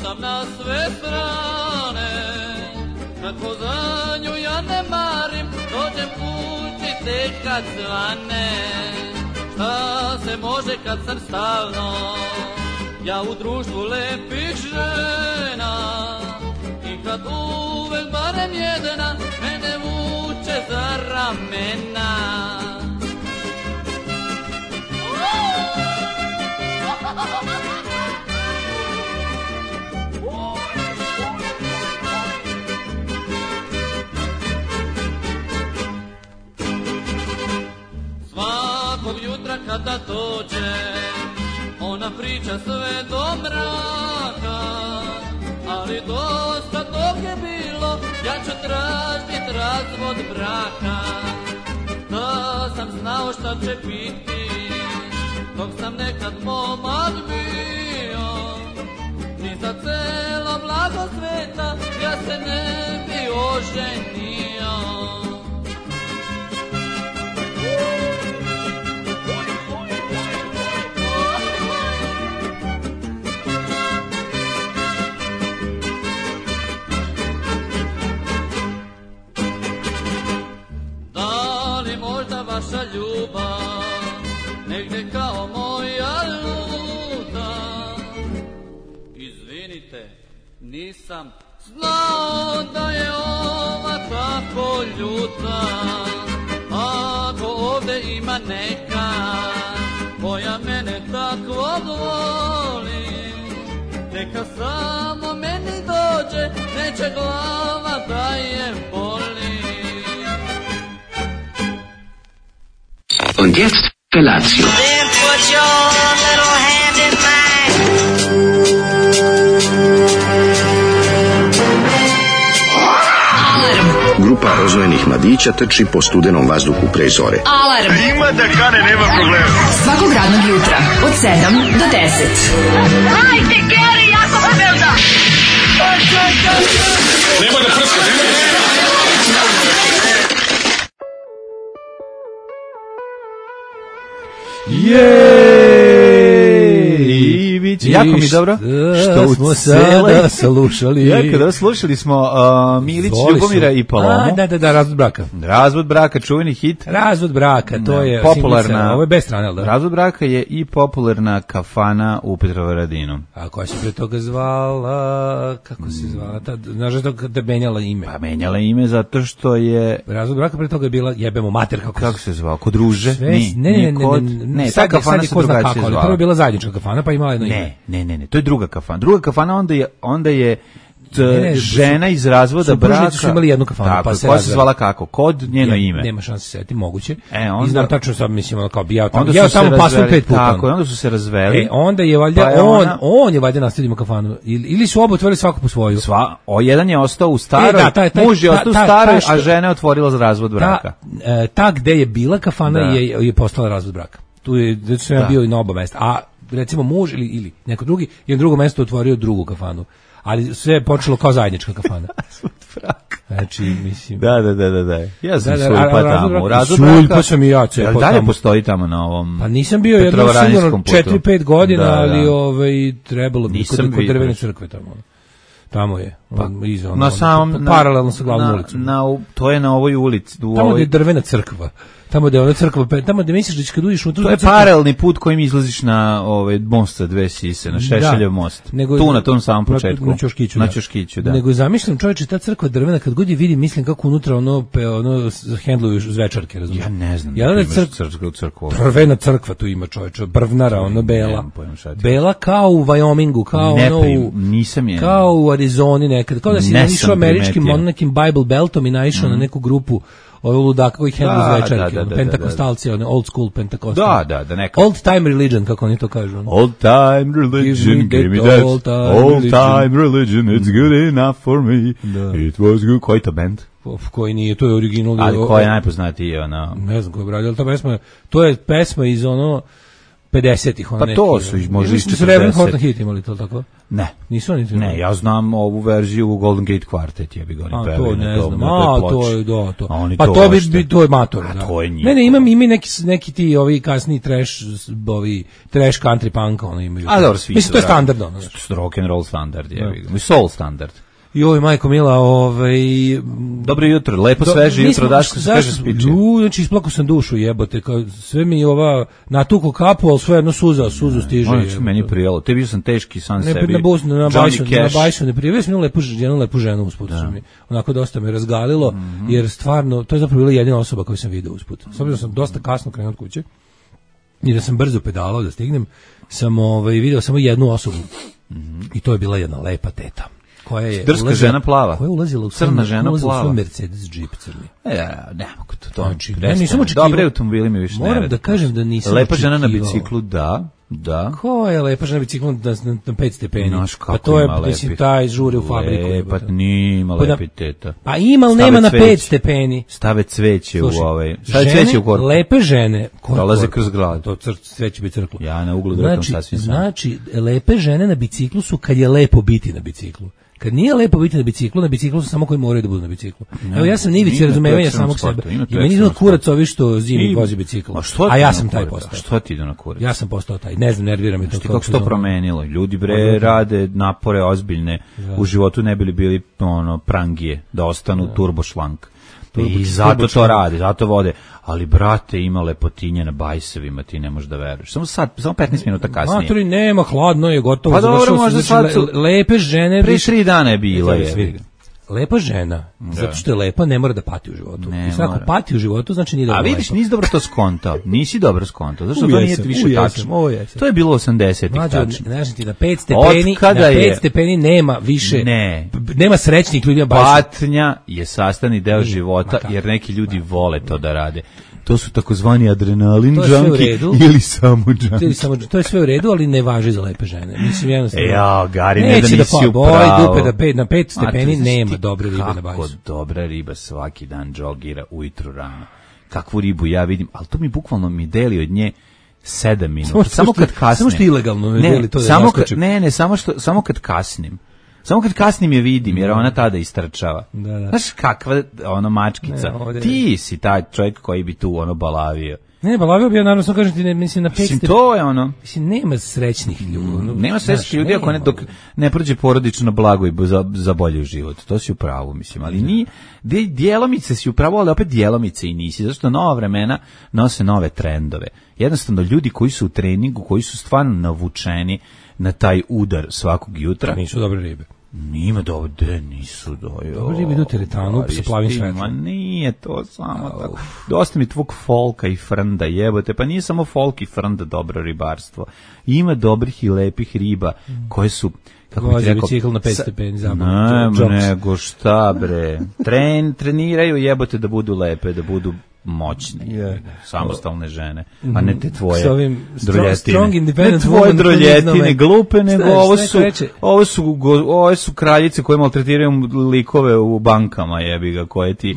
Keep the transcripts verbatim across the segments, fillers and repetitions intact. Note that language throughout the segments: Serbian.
lutam na sve strane, kako za nju ja ne marim, dođem kući tek kad zvane. Šta se može kad sam stalno, ja u društvu lepih žena, i kad uvek barem jedna mene vuče za ramena. Svakog jutra kada dođe, ona priča sve do mraka, ali dosta tog je bilo, ja ću tražit razvod braka. Da sam znao šta će biti, dok sam nekad momak bio, ni za celo blago sveta ja se ne bi oženio. Da li možda vaša ljubav negde kao moja luta? Izvinite, nisam znao da je ova tako ljuta. Ako ovde ima neka koja mene tako voli, neka samo meni dođe, neće glava da je boli. Und jetzt Felatio. Then put your little hand in mine. Alarm. Grupa rozvojenih mladića trči po studenom vazduhu pre zore. Alarm. Ima da kane, nema problema. Svakog radnog jutra od sedam do deset. Hajde, Geri, jako se velda. Nema da prska, nema da prska. Jej! Jako mi dobro što smo sada slušali. Jako da slušali smo uh, Milić, Ljubomira i Palomu. A, da, da, da, razvod braka. Razvod braka, čuveni hit. Razvod braka, to da, je popularna. Singlica, ovo je bez strane, da? Razvod braka je i popularna kafana u Petrovaradinu. A koja se pre toga zvala, kako se zvala, ta, znaš da kada menjala ime? Pa menjala ime zato što je... Razvod braka pre toga je bila jebemo mater, kako, kako se zvao, kod Ruže? Sve, ni, ne, ne, ne, kod, ne, ne, sad, ta kafana se drugačije zvala. Prvo je bila zajednička kafana, pa imala jedno ime. Ne, ne, ne, ne, to je druga kafana. Druga kafana onda je, onda je t, ne, ne, žena iz razvoda braka. Su imali jednu kafanu, tako, pa se koja se zvala kako? Kod njeno ja, ime. Nema šanse se setiti, moguće. E, onda, I znam tačno sad, mislim, kao bi ja tamo, onda ja su tamo se pasem pet puta. Tako, onda su se razveli. E, onda je valjda, pa je on, ona, on je valjda nastavio kafanu. Ili, ili su oba otvorili svako po svoju. Sva, o, jedan je ostao u staroj, e, da, taj, taj, muž je ostao u ta, ta, staroj, ta, ta, a žena je otvorila za razvod braka. Ta, e, ta gde je bila kafana da. je, je postala razvod braka. Tu je, da sam ja bio i na oba mesta. A recimo muž ili, ili neko drugi je na drugom mestu otvorio drugu kafanu. Ali sve je počelo kao zajednička kafana. Razvod braka. Znači, mislim... Da, da, da, da, da. Ja sam da, da, sulpa razvod tamo. braka, Razvod braka. Sulpa sam i ja cepao tamo. Dalje postoji tamo na ovom... Pa nisam bio jedno sigurno četiri pet godina, da, da. ali ovaj, trebalo bi kod, kod drvene crkve tamo. Tamo je. Pa, on, iza, on, na on, samom... on, paralelno sa glavnom ulicom. Na, to je na ovoj ulici. U tamo ovoj... gde je drvena crkva. Tamo gde je ona crkva, tamo gde misliš da kad uđeš u tu... To je paralelni put kojim izlaziš na ovaj most sa dve sise, na Šešeljev most. Nego, tu na tom samom početku. Na Ćoškiću, na da. Ćoškiću, da. Nego zamišljam, čoveče, ta crkva drvena, kad god je vidim, mislim kako unutra ono, pe, ono hendluju zvečarke, razumiješ? Ja ne znam. Ja da crk... crkvu, crkvu. Drvena crkva tu ima, čoveče, brvnara, ono bela. Bela kao u Wyomingu, kao ne, ono u... nisam je. Kao u Arizoni nekad. Kao da si naišao američkim, on nekim Bible Beltom i naišao mm. na neku grupu ovo ludaka koji hendlu zvečarke, da, da, da, pentakostalci, one old school pentakostal. Da, da, da, neka. Old time religion, kako oni to kažu. Old time religion, give me that old time, old religion. time religion, it's good enough for me. Da. It was good. Koji to band? Koji nije, to je original. Ali ko je najpoznatiji, ono? Ne znam ko je bradio, ali ta pesma, to je pesma iz ono, pedesetih ona. Pa to su možda iz četrdesetih. Reverend Horton Heat imali to tako? Ne. Nisu oni. Ne, ja znam ovu verziju u Golden Gate Quartet, ja bih ga oni pevali. A to ne znam. A to je do to. Pa to bi to je mator, da. To je ne, ne, imam ime neki neki ti ovi kasni trash, ovi trash country punk oni imaju. A dobro, svi. Mislim to je standardno, rock and roll standard, je bih ga. Soul standard. Joj, majko mila, ovaj... Dobro jutro, lepo Do, sveže jutro, Daško se kaže spiče. U, znači, isplako sam dušu, jebote, kao, sve mi ova, natuko kapu, ali sve jedno suza, suzu stiže. Ono će meni prijelo, te bio sam teški sam ne, sebi. Ne, bus, na bajsu, na bajsu ne prijelo, sam jednu lepu, jednu lepu ženu usput, da. Mi, onako dosta me razgalilo, mm -hmm. jer stvarno, to je zapravo bila jedina osoba koju sam vidio usput. S obzirom sam dosta kasno krenuo od kuće, i da sam brzo pedalao da stignem, sam ovaj, video samo jednu osobu, mm -hmm. i to je bila jedna lepa teta. Koja je drska ulazila, žena plava. Koja je ulazila u crna žena plava. Svoj Mercedes Jeep crni. E, ne mogu to. to znači, ja nisam očekivao. Dobre automobili mi više ne. Moram da kažem da nisam lepa očekivao. Žena na biciklu, da. Da. Ko je lepa žena na biciklu na, na, na pet stepeni? Naš, pa to je, mislim, taj žuri u fabriku. Lepa, nije ima lepi teta. Pa ima, ali nema na pet stepeni. Stave cveće Slušaj, u ovaj. Stave žene, cveće u korpu. Lepe žene. Prolaze kroz grad. To cr, cveće bi crklo. Ja na uglu gledam znači, sasvim sam. Znači, lepe žene na biciklu su kad je lepo biti na biciklu. Kad nije lepo biti na biciklu, na biciklu su samo koji moraju da budu na biciklu. Ne, evo ja sam nivici razumevanja samog sebe. I meni idu na kurac ovi što zimi vozi bicikl. A, a ja sam taj postao. Što ti ide na kurac? Ja sam postao taj. Ne znam, nervira me to. Što kako se to promenilo? Ljudi bre rade napore ozbiljne da. U životu, ne bili bili ono prangije da ostanu da. Turbo šlank. I zato to radi, zato vode. Ali, brate, ima lepotinje na bajsevima, ti ne možeš da veruješ. Samo sad, samo petnaest minuta kasnije. Maturi, nema, hladno je, gotovo. Pa dobro, možda sad su... Lepe žene... Pre tri dana je bila je. Lepa žena, da. Zato što je lepa, ne mora da pati u životu. Ne, I sad, ako pati u životu, znači nije dobro. A vidiš, nisi dobro to skontao. Nisi dobro skontao. Zašto to nije više tačno? To je bilo osamdesetih tačno. Znači ti, na pet stepeni, na pet stepeni nema više, ne. nema srećnih ljudi. Patnja je sastavni deo života, jer neki ljudi vole to da rade. To su takozvani adrenalin junkie ili samo junkie. Samo, to je sve u redu, ali ne važi za lepe žene. Mislim, jednostavno... E, ja, Gari, ne da nisi u pravu. Dupe da pet, na pet stepeni nema dobre ribe na bajsu. Kako dobra riba svaki dan džogira ujutru rano. Kakvu ribu ja vidim, ali to mi bukvalno mi deli od nje sedam minuta. Samo, samo kad kasnim. Samo što ilegalno me ne, deli to da samo kad, Ne, ne, samo, što, samo kad kasnim. Samo kad kasnim je vidim, jer ona tada istrčava. Da, da. Znaš kakva ono mačkica. Ne, ti si taj čovjek koji bi tu ono balavio. Ne, balavio bi ja, naravno, sam kažem ti, ne, mislim, na pet Mislim, to je ono... Mislim, nema srećnih ljudi. No, nema srećnih ljudi ako ne, dok ne prođe porodično blago i za, za bolji život. To si u pravu, mislim. Ali nije, djelomice si u pravu, ali opet djelomice i nisi. Zašto nova vremena nose nove trendove. Jednostavno, ljudi koji su u treningu, koji su stvarno navučeni na taj udar svakog jutra. Nisu dobre ribe. Nima dobre, nisu dojo. Dobre ribe idu teretanu sa plavim svetlom. Ma nije to samo tako. Dosta mi tvog folka i frnda, jebote. Pa nije samo folk i frnda dobro ribarstvo. Ima dobrih i lepih riba koje su... Kako Vozi bi rekao, bicikl na pet stepeni zapravo. Ne, nego šta bre. Tren, treniraju jebote da budu lepe, da budu moćne, yeah. samostalne žene, a ne te tvoje droljetine. Ne tvoje droljetine, glupe, nego Staviš, ovo su, ovo su, ovo su kraljice koje maltretiraju likove u bankama, jebi ga, koje ti,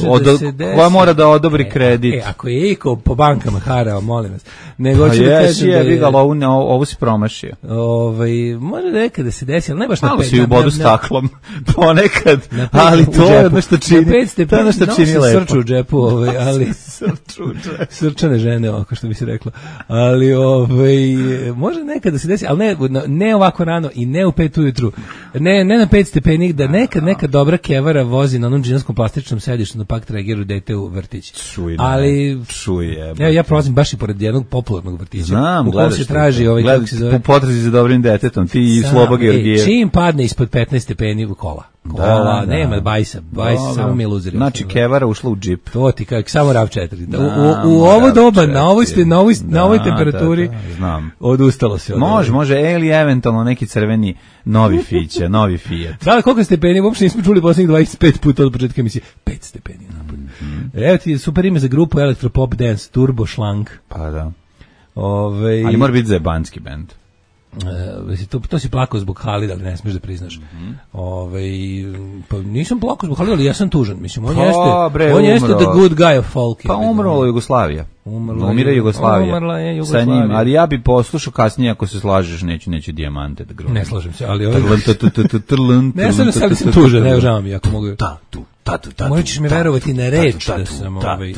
odo, da koja mora da odobri e, kredit. E, ako je iko po bankama harao, molim vas. Nego pa ću da kažem jebi ga, ovo, ovo si promašio. Ovaj, može nekad da se desi, ali ne baš na pet. Malo si u bodu staklom, ponekad, ali to je nešto čini, to je nešto čini lepo. Srču u džepu, ovaj, ali srčane žene, oko što bi se reklo. Ali ovaj može nekad da se desi, ali ne ne ovako rano i ne u pet ujutru. Ne ne na pet stepeni, da nekad neka dobra kevara vozi na onom džinskom plastičnom sedištu na pak trageru dete u vrtić. Čuj, ali čuje. Evo ja prolazim baš i pored jednog popularnog vrtića. Znam, u kojem se traži ovaj kako se zove. Po potrazi za dobrim detetom, ti i Sloba Georgijev. Čim padne ispod petnaest stepeni u kola. Kola, da, nema da. bajsa, bajsa, samo mi luzeri. Znači, kevara ušla u džip. To ti kako, samo rav četiri. Da, u, u ovo doba, na ovoj, na ovoj, da, na ovoj temperaturi, da, da, znam. Odustalo se. Od može, može, ili eventualno neki crveni novi Fića, novi Fiat. Da, koliko stepeni, uopšte nismo čuli posljednjih dvadeset pet puta od početka emisije. pet stepeni. Mm-hmm. Evo ti super ime za grupu Elektropop Dance, Turbo Šlank. Pa da. Ove... Ali mora biti zebanski band. Uh, to, to si plakao zbog Halida, ali ne smiješ da priznaš. Mm-hmm. Ove, pa nisam plakao zbog Halida, ali ja sam tužan. Mislim, on pa, jeste, bre, on jeste the good guy of folk. Pa umrla Jugoslavija. Umrla, Umira Jugoslavija. Umrla je Jugoslavija. Sa njim, ali ja bi poslušao kasnije ako se slažeš, neću, neću dijamante da grunam. Ne slažem se, ali ovaj... Ne slažem se, ali sam tužan, ne žao mi, ako mogu... Tatu, tatu, tatu. Morat ćeš mi verovati na reč da sam ovaj...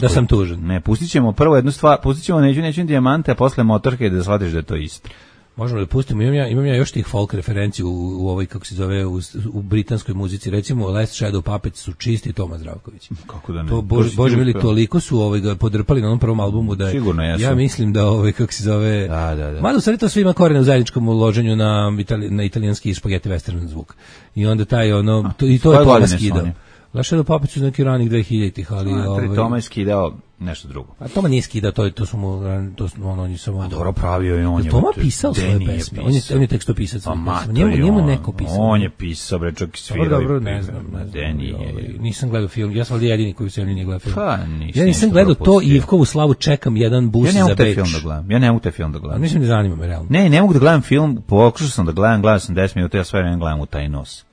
Da sam tužan. Ne, pustit ćemo prvo jednu stvar, pustit ćemo neću, neću dijamante, a posle Motorhead da shvatiš da je to isto. Možemo da pustimo, imam ja, imam ja još tih folk referenciju u, u ovoj, kako se zove, u, u britanskoj muzici, recimo Last Shadow Puppets su čisti Toma Zdravković. Kako da ne? To, bože, bože mili, toliko su ovaj, ga podrpali na onom prvom albumu da je, sigurno, ja, ja mislim da, ovaj, kako se zove, da, da, da. mada u stvari to sve ima korene u zajedničkom uloženju na, itali, na italijanski spaghetti western zvuk. I onda taj, ono, to, i to je Toma skidao. Last Shadow Puppets su neki ranih dvehiljaditih, ali... A, ovaj, Toma je skidao nešto drugo. A Toma nije skidao, to, to su mu, to su, on, on je samo... A dobro pravio i on je... Toma pisao svoje pesme, on je, on je tekstopisac svoje pesme, njemu, njemu neko pisao. On je pisao, bre, čak i svirao. Dobro, dobro, ne znam, ne znam. Ovaj, nisam gledao film, ja sam ovdje jedini koji u zemlji nije gledao film. Pa, nisam, ja nisam gledao to i Ivkovu slavu, čekam jedan bus za Beč. Ja ne mogu taj film da gledam, ja ne mogu taj film da gledam. Mislim, ne zanima me, realno. Ne, ne mogu da gledam film, pokušao sam da gledam, gledao sam deset minuta, ja sve vreme gledam u taj nos.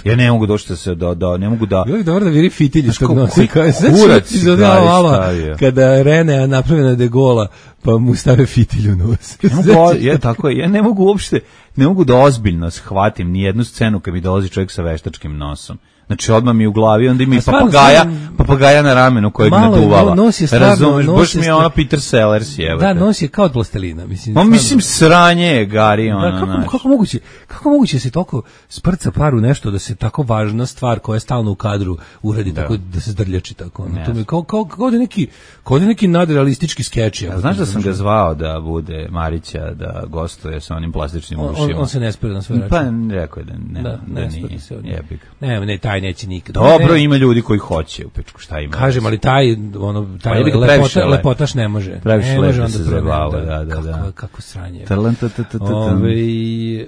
Ja ne mogu doći da se da da ne mogu da. Joj, dobro da viri fitilj što nosi. Kurac izodava kada Rene napravljena de Gola pa mu stave fitilj u nos. Ne mogu, ja tako je. Ja ne mogu uopšte, ne mogu da ozbiljno shvatim ni jednu scenu kad mi dolazi čovjek sa veštačkim nosom. Znači odmah mi u glavi, onda ima i papagaja, sam, papagaja na ramenu kojeg naduvala. Razumeš, baš mi je ono Peter Sellers je. Da, nos je kao od plastelina. Mislim, no, mislim sranje je, Gari. Ono, da, kako, kako, moguće, kako moguće se toliko sprca paru nešto da se tako važna stvar koja je stalno u kadru uradi da. Tako da se zdrljači tako. Ono. To mi kao, kao, kao da neki, kao da neki nadrealistički skeč. Ja, znaš da sam ga zvao da bude Marića, da gostuje sa onim plastičnim on, ušima. On, on se ne spere na sve račun. Pa rekao je da ne, da, da, ne, da nije. Jebik. Ne, ne, taj neće nikad. Dobro, ima ljudi koji hoće u Pečku, šta ima? Kažem, ali taj, ono, taj pa, lepota, lepotaš ne može. Previše ne može onda se zabava, da, da, da. Kako, kako sranje. Ove, e,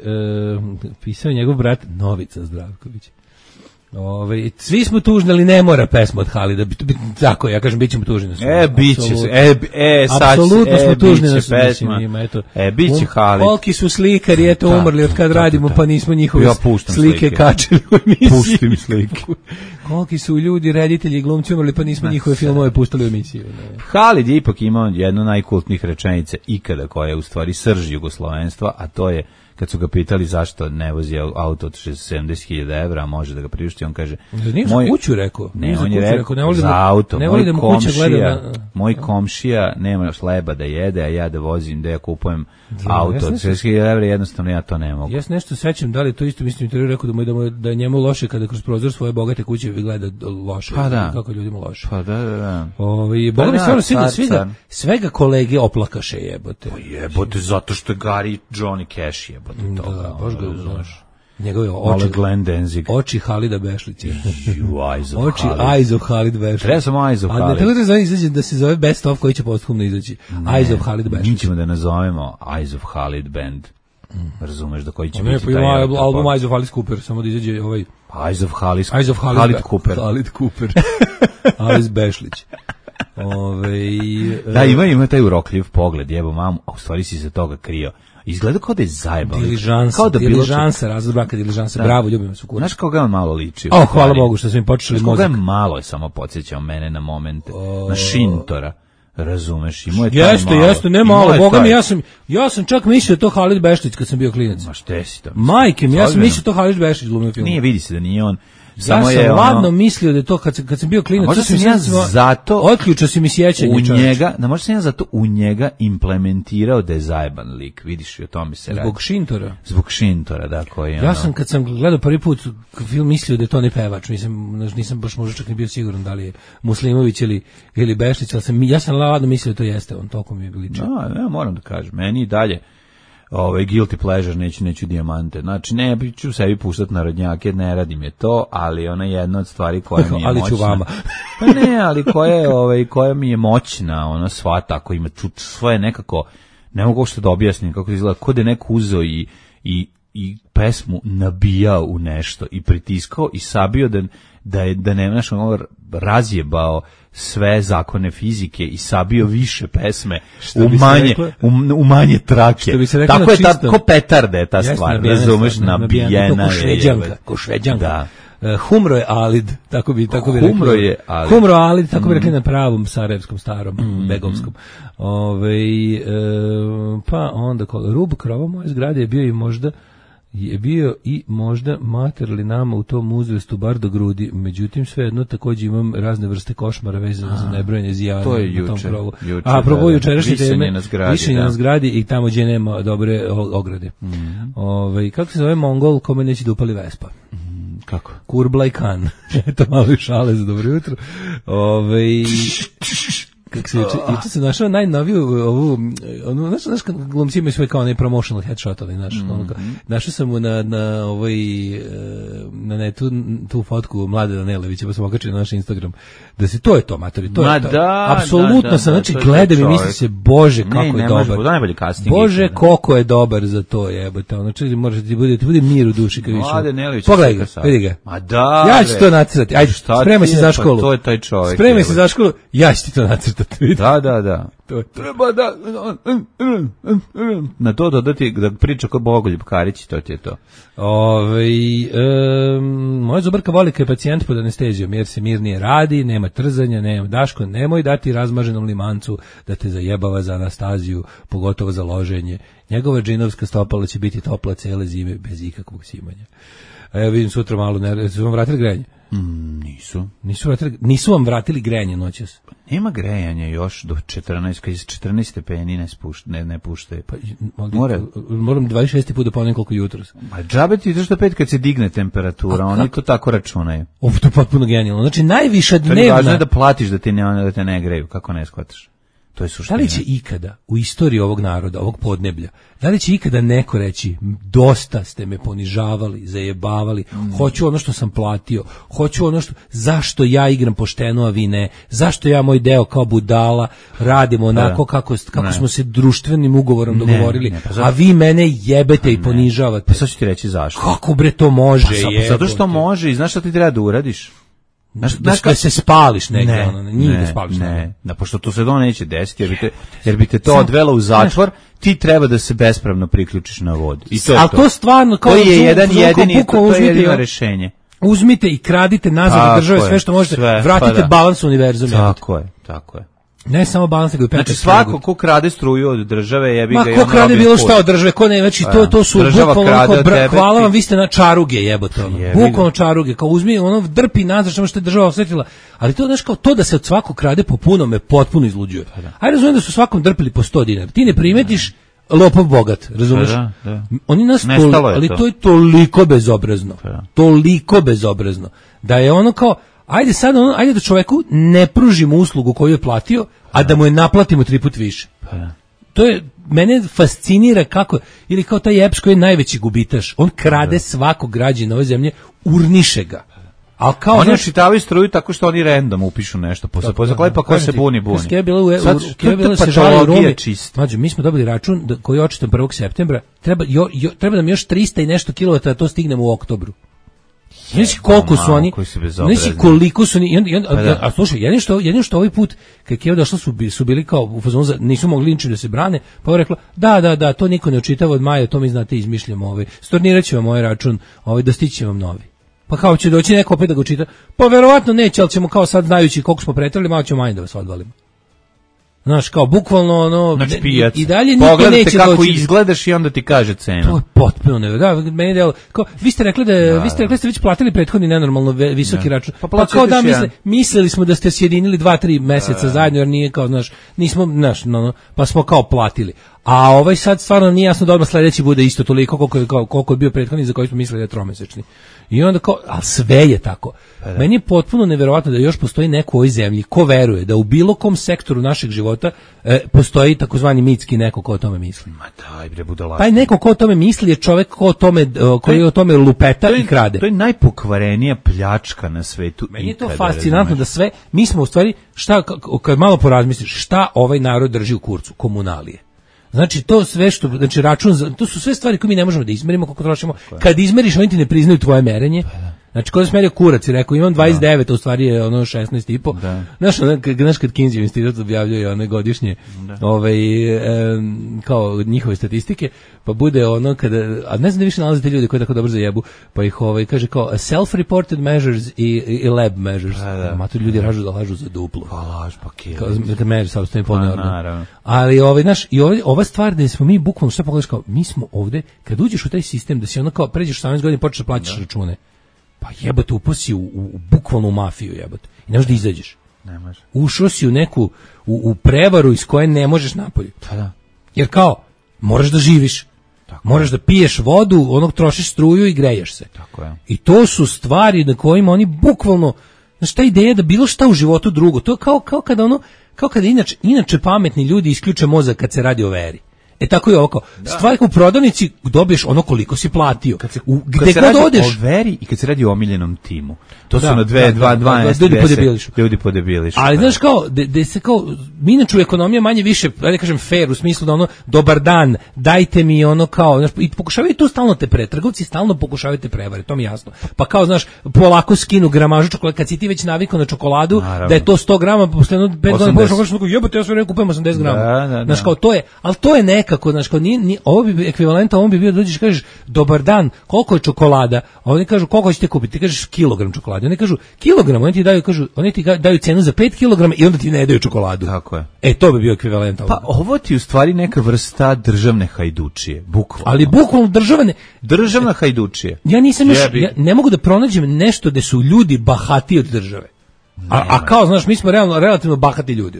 pisao je njegov brat Novica Zdravković. Ove, svi smo tužni, ali ne mora pesma od Halida. Tako, ja kažem, bit ćemo tužni na sve. E, bit će se. E, e, sad apsolutno smo e, tužni na sve. Eto, e, bit će Halid. Koliki su slikari, eto, ta, umrli od kad ta, radimo, ta, ta. Pa nismo njihove ja slike, slike kačili u emisiji. Pustim slike. Koliki su ljudi, reditelji i glumci umrli, pa nismo njihove filmove pustili u emisiju. Ne. Halid je ipak imao jednu najkultnijih rečenica ikada, koja je u stvari srž jugoslovenstva, a to je kad su ga pitali zašto ne vozi auto od sedamdeset hiljada evra, a može da ga priušti, on kaže... Nije za kuću rekao. Ne, on je rekao, rekao za auto, ne moj, komšija, na... moj komšija nema hleba da jede, a ja da vozim, da ja kupujem da, auto od šezdeset hiljada evra, jednostavno ja to ne mogu. Ja se nešto sećam, da li to isto, mislim, intervju rekao da, mu, da, mu, da je njemu loše kada kroz prozor svoje bogate kuće gleda loše, pa da. Kako ljudima loše. Pa da, da, da. Ovi, Boga mi stvarno svega, svega, svega kolege oplakaše jebote. Pa jebote, zato što je Gari Johnny Cash jebote. Da, baš ga znaš. Njegove oči, oči Halida Bešlića. Oči Eyes of Halid Bešlić. Treba sam Eyes of Halid. A ne tako da zove izađe da se zove Best of koji će posthumno izaći. Eyes of Halid Bešlić. Mi ćemo da nazovemo Eyes of Halid Band. Razumeš da koji će ne, biti taj album, album Eyes of Alice Cooper, samo da izađe ovaj... Eyes of Halid, Eyes of Halid, Halid Cooper. Halid Cooper. Alice Bešlić. Ove, da, ima, ima taj urokljiv pogled, jebo mamu, a u stvari si se toga krio. Izgleda kao da je zajebao. Diližansa, kao da diližansa, razlog braka diližansa, bravo, ljubimo se kurac. Znaš kao ga on malo liči? O, hvala Bogu što smo im počeli mozak. Znaš kao ga malo je samo podsjećao mene na momente, o... na Šintora. Razumeš, imao je taj jeste, malo. Jeste, ne malo, Boga mi, ja sam, ja sam čak mislio to Halid Bešlić kad sam bio klinac. Ma šte si to? Majke mi, ja sam mislio to Halid Bešlić glumio film. Nije, vidi se da nije on. Samo ja sam je ladno ono... mislio da je to kad, kad sam bio klinac. Možda sam ja zato... Otključao si mi sjećanje. U njega, da možda sam ja zato u njega implementirao da je zajeban lik. Vidiš, i o tome se radi. Zbog Šintora? Zbog Šintora, da, koji je ja ono... sam kad sam gledao prvi put film mislio da je to ne pevač. Nisam, nisam baš možda čak ni bio siguran da li je Muslimović ili, ili Bešlić, ali sam, ja sam ladno mislio da to jeste on, toliko mi je liči. No, ja moram da kažem, meni i dalje ovaj guilty pleasure, neću, neću dijamante. Znači, ne ću sebi puštati narodnjake, ne radim je to, ali ona je jedna od stvari koja mi je ali moćna. Ću vama. Pa ne, ali koja je, ovaj, koja mi je moćna, ona sva tako ima čut svoje nekako, ne mogu što da objasnim kako izgleda, kod je neko uzeo i, i i pesmu nabijao u nešto i pritiskao i sabio da, da, je, da ne znaš, ono razjebao sve zakone fizike i sabio više pesme u manje, u, u manje trake. Tako je, ta, ko petarda je ta Jesna, stvar, razumeš, nabijena je. Šveđanka, ko šveđanka. Da. Uh, humro je Alid, tako bi tako bi Humro rekli. je Alid. Humro Alid, tako mm. bi rekli na pravom sarajevskom starom, mm. begovskom. Ovaj e, pa onda koga Rub krova moje zgrade je bio i možda je bio i možda materli nama u tom uzrastu bar do grudi, međutim svejedno takođe imam razne vrste košmara vezane za nebrojene zijane to je na tom juče, krovu. Juče, A probo jučerašnje teme, na zgradi, višenje da. na zgradi i tamo gdje nema dobre ograde. Mm. Ovaj kako se zove Mongol kome neće da upali Vespa? Mm, kako? Kurblaj Khan. Eto malo šale za dobro jutro. Ovaj kako se juče, juče sam našao najnoviju ovu, ono, znaš, znaš kad glumci imaju svoj kao onaj promotional headshot, ali znaš, mm-hmm. ono, našao sam mu na, na ovoj, na netu, tu fotku Mlade Danelevića, pa sam okačio na naš Instagram, da se, to je to, matori, to Ma je to. Da, apsolutno da, da, sam, znači, da, gledam i mislim se, bože, kako ne, je ne dobar. Najbolji casting. Bože, koliko je dobar za to, jebote, ono, čili možeš ti bude, ti bude mir u duši kad više. Mlade Danelević. Pogledaj ga, vidi ga. Ma da, ja ću to nacrtati, ajde, spremaj se za školu. To je taj čovjek. Spremaj se za školu, ja ću ti to nacrtati. Da, da, da. To treba da na to dodati da priča kao Bogoljub Karić, to ti je to. Ovaj um, moja zubarka voli kad je pacijent pod anestezijom jer se mirnije radi, nema trzanja, nema Daško, nemoj dati razmaženom limancu da te zajebava za anastaziju, pogotovo za loženje. Njegova džinovska stopala će biti topla cele zime bez ikakvog simanja. A ja vidim sutra malo, ne, su vam vratili grejanje? Mm, nisu. Nisu, vratili, nisu vam vratili grejanje noćas? Nema grejanja još do četrnaest, kad je četrnaest stepeni ne, spušta, ne, ne puštaju. Pa, More. Moram dvadeset šesti put da ponovim koliko jutros. Ma džabe ti što pet kad se digne temperatura, oni to tako računaju. Ovo to je potpuno genijalno. Znači najviša dnevna... Važno je da platiš da te ne, da te ne greju, kako ne shvataš. To je suština. Da li će ikada u istoriji ovog naroda, ovog podneblja, da li će ikada neko reći dosta ste me ponižavali, zajebavali, mm. hoću ono što sam platio, hoću ono što, zašto ja igram pošteno, a vi ne, zašto ja moj deo kao budala radimo onako kako, kako smo se društvenim ugovorom ne, dogovorili, ne, pa a vi mene jebete i ponižavate. Pa sad ću ti reći zašto. Kako bre to može? Pa, pa zato što može i znaš šta ti treba da uradiš? Znaš, znaš kad se spališ negdje, ne, ono, nije ne, da spališ ne, negdje. da, pošto to se to neće desiti, jer bi te, jer bi te to odvelo u zatvor, ti treba da se bespravno priključiš na vodu. I to je ali to. to stvarno kao to je jedan zvuko, jedini, buko, to, to je jedino uzmite, rešenje. Uzmite i kradite nazad od države sve što možete, sve, vratite pa da. balans univerzuma. Tako je, tako je. Ne samo balans, nego i Petar. Znači svako ko krade struju od države, jebi ga. Ma ko krade bilo šta od države, ko ne, znači to to su bukvalno tebe, hvala vam, vi ste na čaruge, jebote ono. Bukvalno čaruge, kao uzmi ono drpi nazad što što je država osetila. Ali to znači kao to da se od svakog krade po puno me potpuno izluđuje. Aj razumijem da su svakom drpili po sto dinara. Ti ne primetiš lopov bogat, razumeš? Da, da. Oni nas tol, ali to. to je toliko bezobrazno. Da. Toliko bezobrazno da je ono kao ajde sad ono, ajde da čoveku ne pružimo uslugu koju je platio, a da mu je naplatimo tri put više. To je, mene fascinira kako, ili kao taj Eps koji je najveći gubitaš, on krade svakog građana ove zemlje, urniše ga. A kao oni očitavaju struju tako što oni random upišu nešto, posle posle pa ko se buni buni. Sve je bilo u je bilo se žali Rumi. Mađo, mi smo dobili račun da koji je očitan prvog septembra, treba jo, jo, treba nam još trista i nešto kilovata da to stignemo u oktobru. Znači koliko su oni, znači koliko su oni, a, a, a slušaj, jedino što, jedino što ovaj put, kad je došlo su, su bili kao u fazonu, nisu mogli ničim da se brane, pa je rekla, da, da, da, to niko ne očitava od maja, to mi znate izmišljamo, ovaj, stornirat će vam ovaj račun, ovaj, da stići vam novi. Pa kao će doći neko opet da ga čita, pa verovatno neće, ali ćemo kao sad znajući koliko smo pretrali, malo ćemo manje da vas odvalimo. Znaš, kao bukvalno ono, znači, i, i dalje niko pogledate neće kako doći. izgledaš i onda ti kaže cenu. To je potpuno nevjerojatno. Da, meni delo, kao vi ste rekli da, da vi ste rekli da ste već platili prethodni nenormalno visoki da. račun. Pa, pa kao da misle, mislili smo da ste sjedinili dva tri meseca da. zajedno jer nije kao, znaš, nismo, znaš, no, no, pa smo kao platili. A ovaj sad stvarno nije jasno da odmah sledeći bude isto toliko koliko je, kao, koliko je bio prethodni za koji smo mislili da je tromesečni. I onda kao, ali sve je tako. Da. Meni je potpuno neverovatno da još postoji neko u ovoj zemlji ko veruje da u bilo kom sektoru našeg života e, postoji takozvani mitski neko ko o tome misli. Ma daj bre budalaštvo. Taj neko ko o tome misli je čovjek ko o tome, koji o tome lupeta to je, i krade. To je najpokvarenija pljačka na svetu. Meni je to fascinantno da sve, mi smo u stvari, šta, kad malo porazmisliš, šta ovaj narod drži u kurcu? Komunalije. Znači to sve što, znači račun, za, to su sve stvari koje mi ne možemo da izmerimo koliko trošimo. Kad izmeriš, oni ti ne priznaju tvoje merenje. Znači, kada sam merio kurac i rekao, imam dvadeset devet, a u stvari je ono šesnaest i po. Znaš, znaš kad Kinsey institut objavljaju one godišnje ovaj, e, kao njihove statistike, pa bude ono kada, a ne znam da više nalazite ljudi koji tako dobro zajebu, pa ih ovaj, kaže kao self-reported measures i, i lab measures. Da, da. Ma tu ljudi ražu da lažu za duplo. Pa laž, pa kje. Kad meri sa ostaje polno. Ali ovaj, znaš, i ovaj, ova stvar da smo mi bukvalno, što pogledaš kao, mi smo ovde, kad uđeš u taj sistem, da si ono kao, pređeš osamnaest godina i počneš da plaćaš račune. Pa jebote, upao si u, u, u bukvalnu mafiju, jebote. I ne možeš da izađeš. Ne može. Ušao si u neku, u, u prevaru iz koje ne možeš napolje. Pa da. Jer kao, moraš da živiš. Tako moraš da piješ vodu, onog trošiš struju i greješ se. Tako je. I to su stvari na kojima oni bukvalno, znaš, ta ideja da bilo šta u životu drugo, to je kao, kao kada ono, kao kada inače, inače pametni ljudi isključe mozak kad se radi o veri. E tako je oko. Stvari u prodavnici dobiješ ono koliko si platio. Kad se, u, gde kad se god radi odeš, o veri i kad se radi o omiljenom timu. To da, su na dve, da, dva, da, dvanaest, ljudi podebilišu. Ljudi podebilišu. Ali znaš kao, de, de se kao, mi inače u ekonomiji manje više, da kažem fair, u smislu da ono, dobar dan, dajte mi ono kao, znaš, i pokušavaju tu stalno te pre, trgovci stalno pokušavaju te prevare, to mi je jasno. Pa kao, znaš, polako skinu gramažu čokolade, kad si ti već navikao na čokoladu, naravno, da je to sto grama, posle jedno pet godina možeš kažeš, jebote, ja sve vreme kupujem osamdeset grama. Da, da, znaš kao, to je, ali to je nekako, znaš kao, nije, nije, ovo bi ekvivalenta, ovo bi bio da dođeš kažeš, dobar dan, koliko je čokolada, a oni kažu, koliko ćete kupiti, ti kažeš kilogram čokolade, oni kažu, kilogram, oni ti daju, kažu, oni ti daju cenu za pet kilograma i onda ti ne daju čokoladu. Tako je. E, to bi bio ekvivalent. Pa ovo ti u stvari neka vrsta državne hajdučije, bukvalno. Ali bukvalno državne... Državna hajdučije. Ja nisam još, ja ne mogu da pronađem nešto gde su ljudi bahati od države. A, a kao, znaš, mi smo realno, relativno bahati ljudi.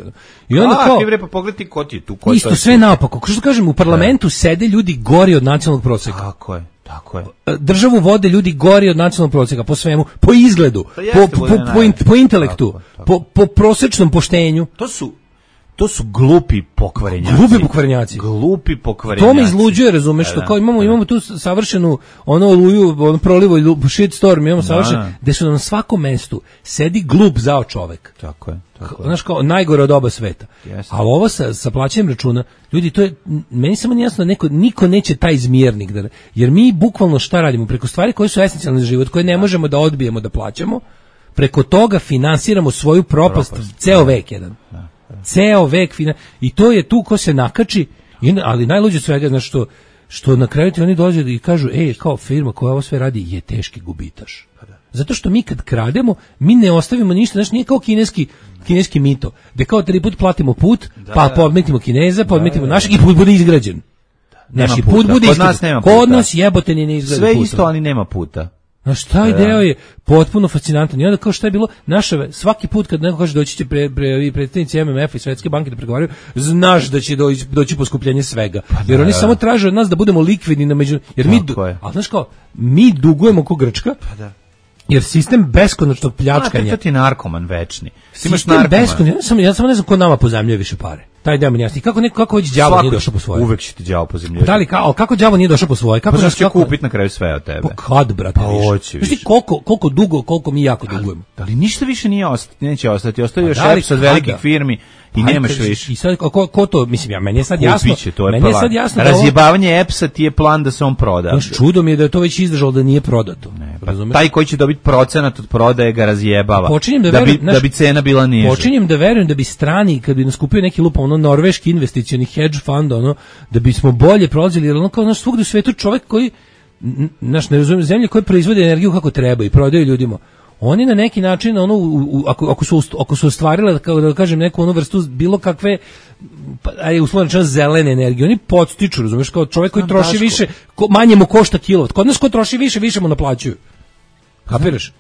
I onda a, kao... ti bre, pa pogledaj ko ti je tu. Ko isto je sve naopako. Kao što kažem, u parlamentu sede ljudi gori od nacionalnog proseka. Tako je. Tako je. Državu vode ljudi gori od nacionalnog proseka po svemu, po izgledu, po, po, po, po, in, po intelektu, tako, tako. Po, po prosečnom poštenju. To su to su glupi pokvarenjaci. Glupi pokvarenjaci. Glupi pokvarenjaci. To me izluđuje, razumeš, što kao imamo imamo tu savršenu ono oluju, ono prolivo shit storm, imamo savršeno gde su na svakom mestu sedi glup zao čovek. Tako je. Tako je. Znaš kao najgore od oba sveta. Yes. A ovo sa sa plaćanjem računa, ljudi, to je meni samo nije jasno da neko niko neće taj izmjernik da, jer mi bukvalno šta radimo preko stvari koje su esencijalne za život, koje ne možemo da odbijemo da plaćamo. Preko toga finansiramo svoju propast, propast. ceo vek jedan. Da. Ceo vek fina, i to je tu ko se nakači, ali najluđe svega, znači što, što na kraju ti oni dođe i kažu, ej, kao firma koja ovo sve radi je teški gubitaš. Zato što mi kad krademo, mi ne ostavimo ništa, znači nije kao kineski, kineski mito, gde kao tri put platimo put, da, pa podmetimo Kineza, podmetimo našeg i put bude izgrađen. Naši put bude izgrađen. Kod nas nema puta. Kod nas jebote ni ne izgrađen sve putom. Isto, ali nema puta. Znaš, taj da. Deo je potpuno fascinantan. I onda kao šta je bilo, naša, svaki put kad neko kaže doći će pre, pre, predstavnici M M F i Svetske banke da pregovaraju, znaš da će doći, doći poskupljenje svega. Pa jer da, oni da. samo traže od nas da budemo likvidni na među... Jer mi, ali znaš kao, mi dugujemo ko Grčka, pa da. Jer sistem beskonačnog pljačkanja... A, to ti je narkoman večni. Sistem beskonačnog... Ja samo, ja samo ne znam ko nama pozajmljuje više pare. Taj deo mi jasni. Kako neko kako već đavo nije došao po svoje? Uvek će ti đavo pozajmljivati. Da li kao kako đavo nije došao po svoje? Kako pa će kako... kupiti na kraju sve od tebe? Pa kad, brate, pa više? Znači koliko koliko dugo, koliko mi jako dugujemo. Da li ništa više nije ostati, neće ostati. Ostaje još šef od velikih firmi i pa, nemaš više. I sad ko, ko to, mislim ja, meni je sad jasno. Kupiće, to je meni je sad jasno. Razjebavanje E P S-a ti je plan da se on proda. Baš čudo mi je da je to već izdržalo da nije prodato. Ne, pa taj koji će dobiti procenat od prodaje ga razjebava. Da, da, verujem, bi, da bi cena bila niža. Počinjem da verujem da bi strani, kad bi nas kupio neki lupa, ono norveški investicioni hedge fund, ono, da bismo bolje prolazili, jer ono kao naš svugde u svetu čovjek koji, naš ne razumijem, zemlje koje proizvode energiju kako treba i prodaju ljudima, oni na neki način, ono, u, u, ako, ako, su, ako su ostvarile, kao da kažem, neku onu vrstu bilo kakve, aj uslovno rečeno zelene energije, oni podstiču, razumiješ, kao čovjek koji troši Daško. više, ko, manje mu košta kilovat, kod nas ko troši više, više mu naplaćuju. Kapiraš?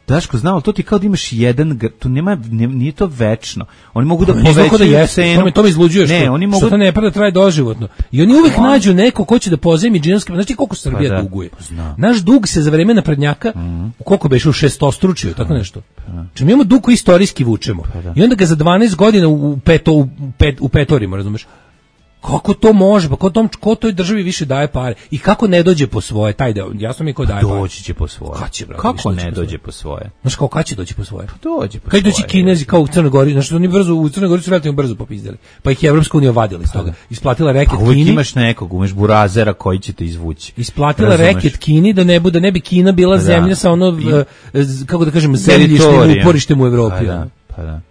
Daško, znam, ali to ti kao da imaš jedan, to nema, nije to večno. Oni mogu da povećaju da cenu. To me, to me izluđuje, što, ne, oni mogu... što to ne pada traje doživotno. I oni uvek on... nađu neko ko će da pozajmi džinovske, znači koliko Srbija pa da, duguje. Zna. Naš dug se za vreme naprednjaka, mm. u koliko beše u šestostručio, tako nešto. Pa. Či mi imamo dug koji istorijski vučemo. Pa I onda ga za dvanaest godina u, peto, u, pet, u petorimo, razumeš? Kako to može? Pa ko, tom, ko toj državi više daje pare? I kako ne dođe po svoje? Taj deo, jasno mi ko daje pare. Doći će po svoje. Kad će, brate, kako ne dođe po svoje? Znaš, kao kad će doći po svoje? Pa dođe po kad svoje. Kad doći Kinezi, kao u Crnoj Gori, znaš, oni brzo, u Crnoj Gori su relativno brzo popizdali. Pa ih je Evropska unija vadila iz toga. Isplatila reket Kini. A uvijek imaš nekog, umeš burazera koji će te izvući. Isplatila razumeš? Reket Kini da ne bude, ne bi Kina bila da. Zemlja sa ono, I, kako da kažem, zemljišnim uporištem u Evropi. Pa da, pa da.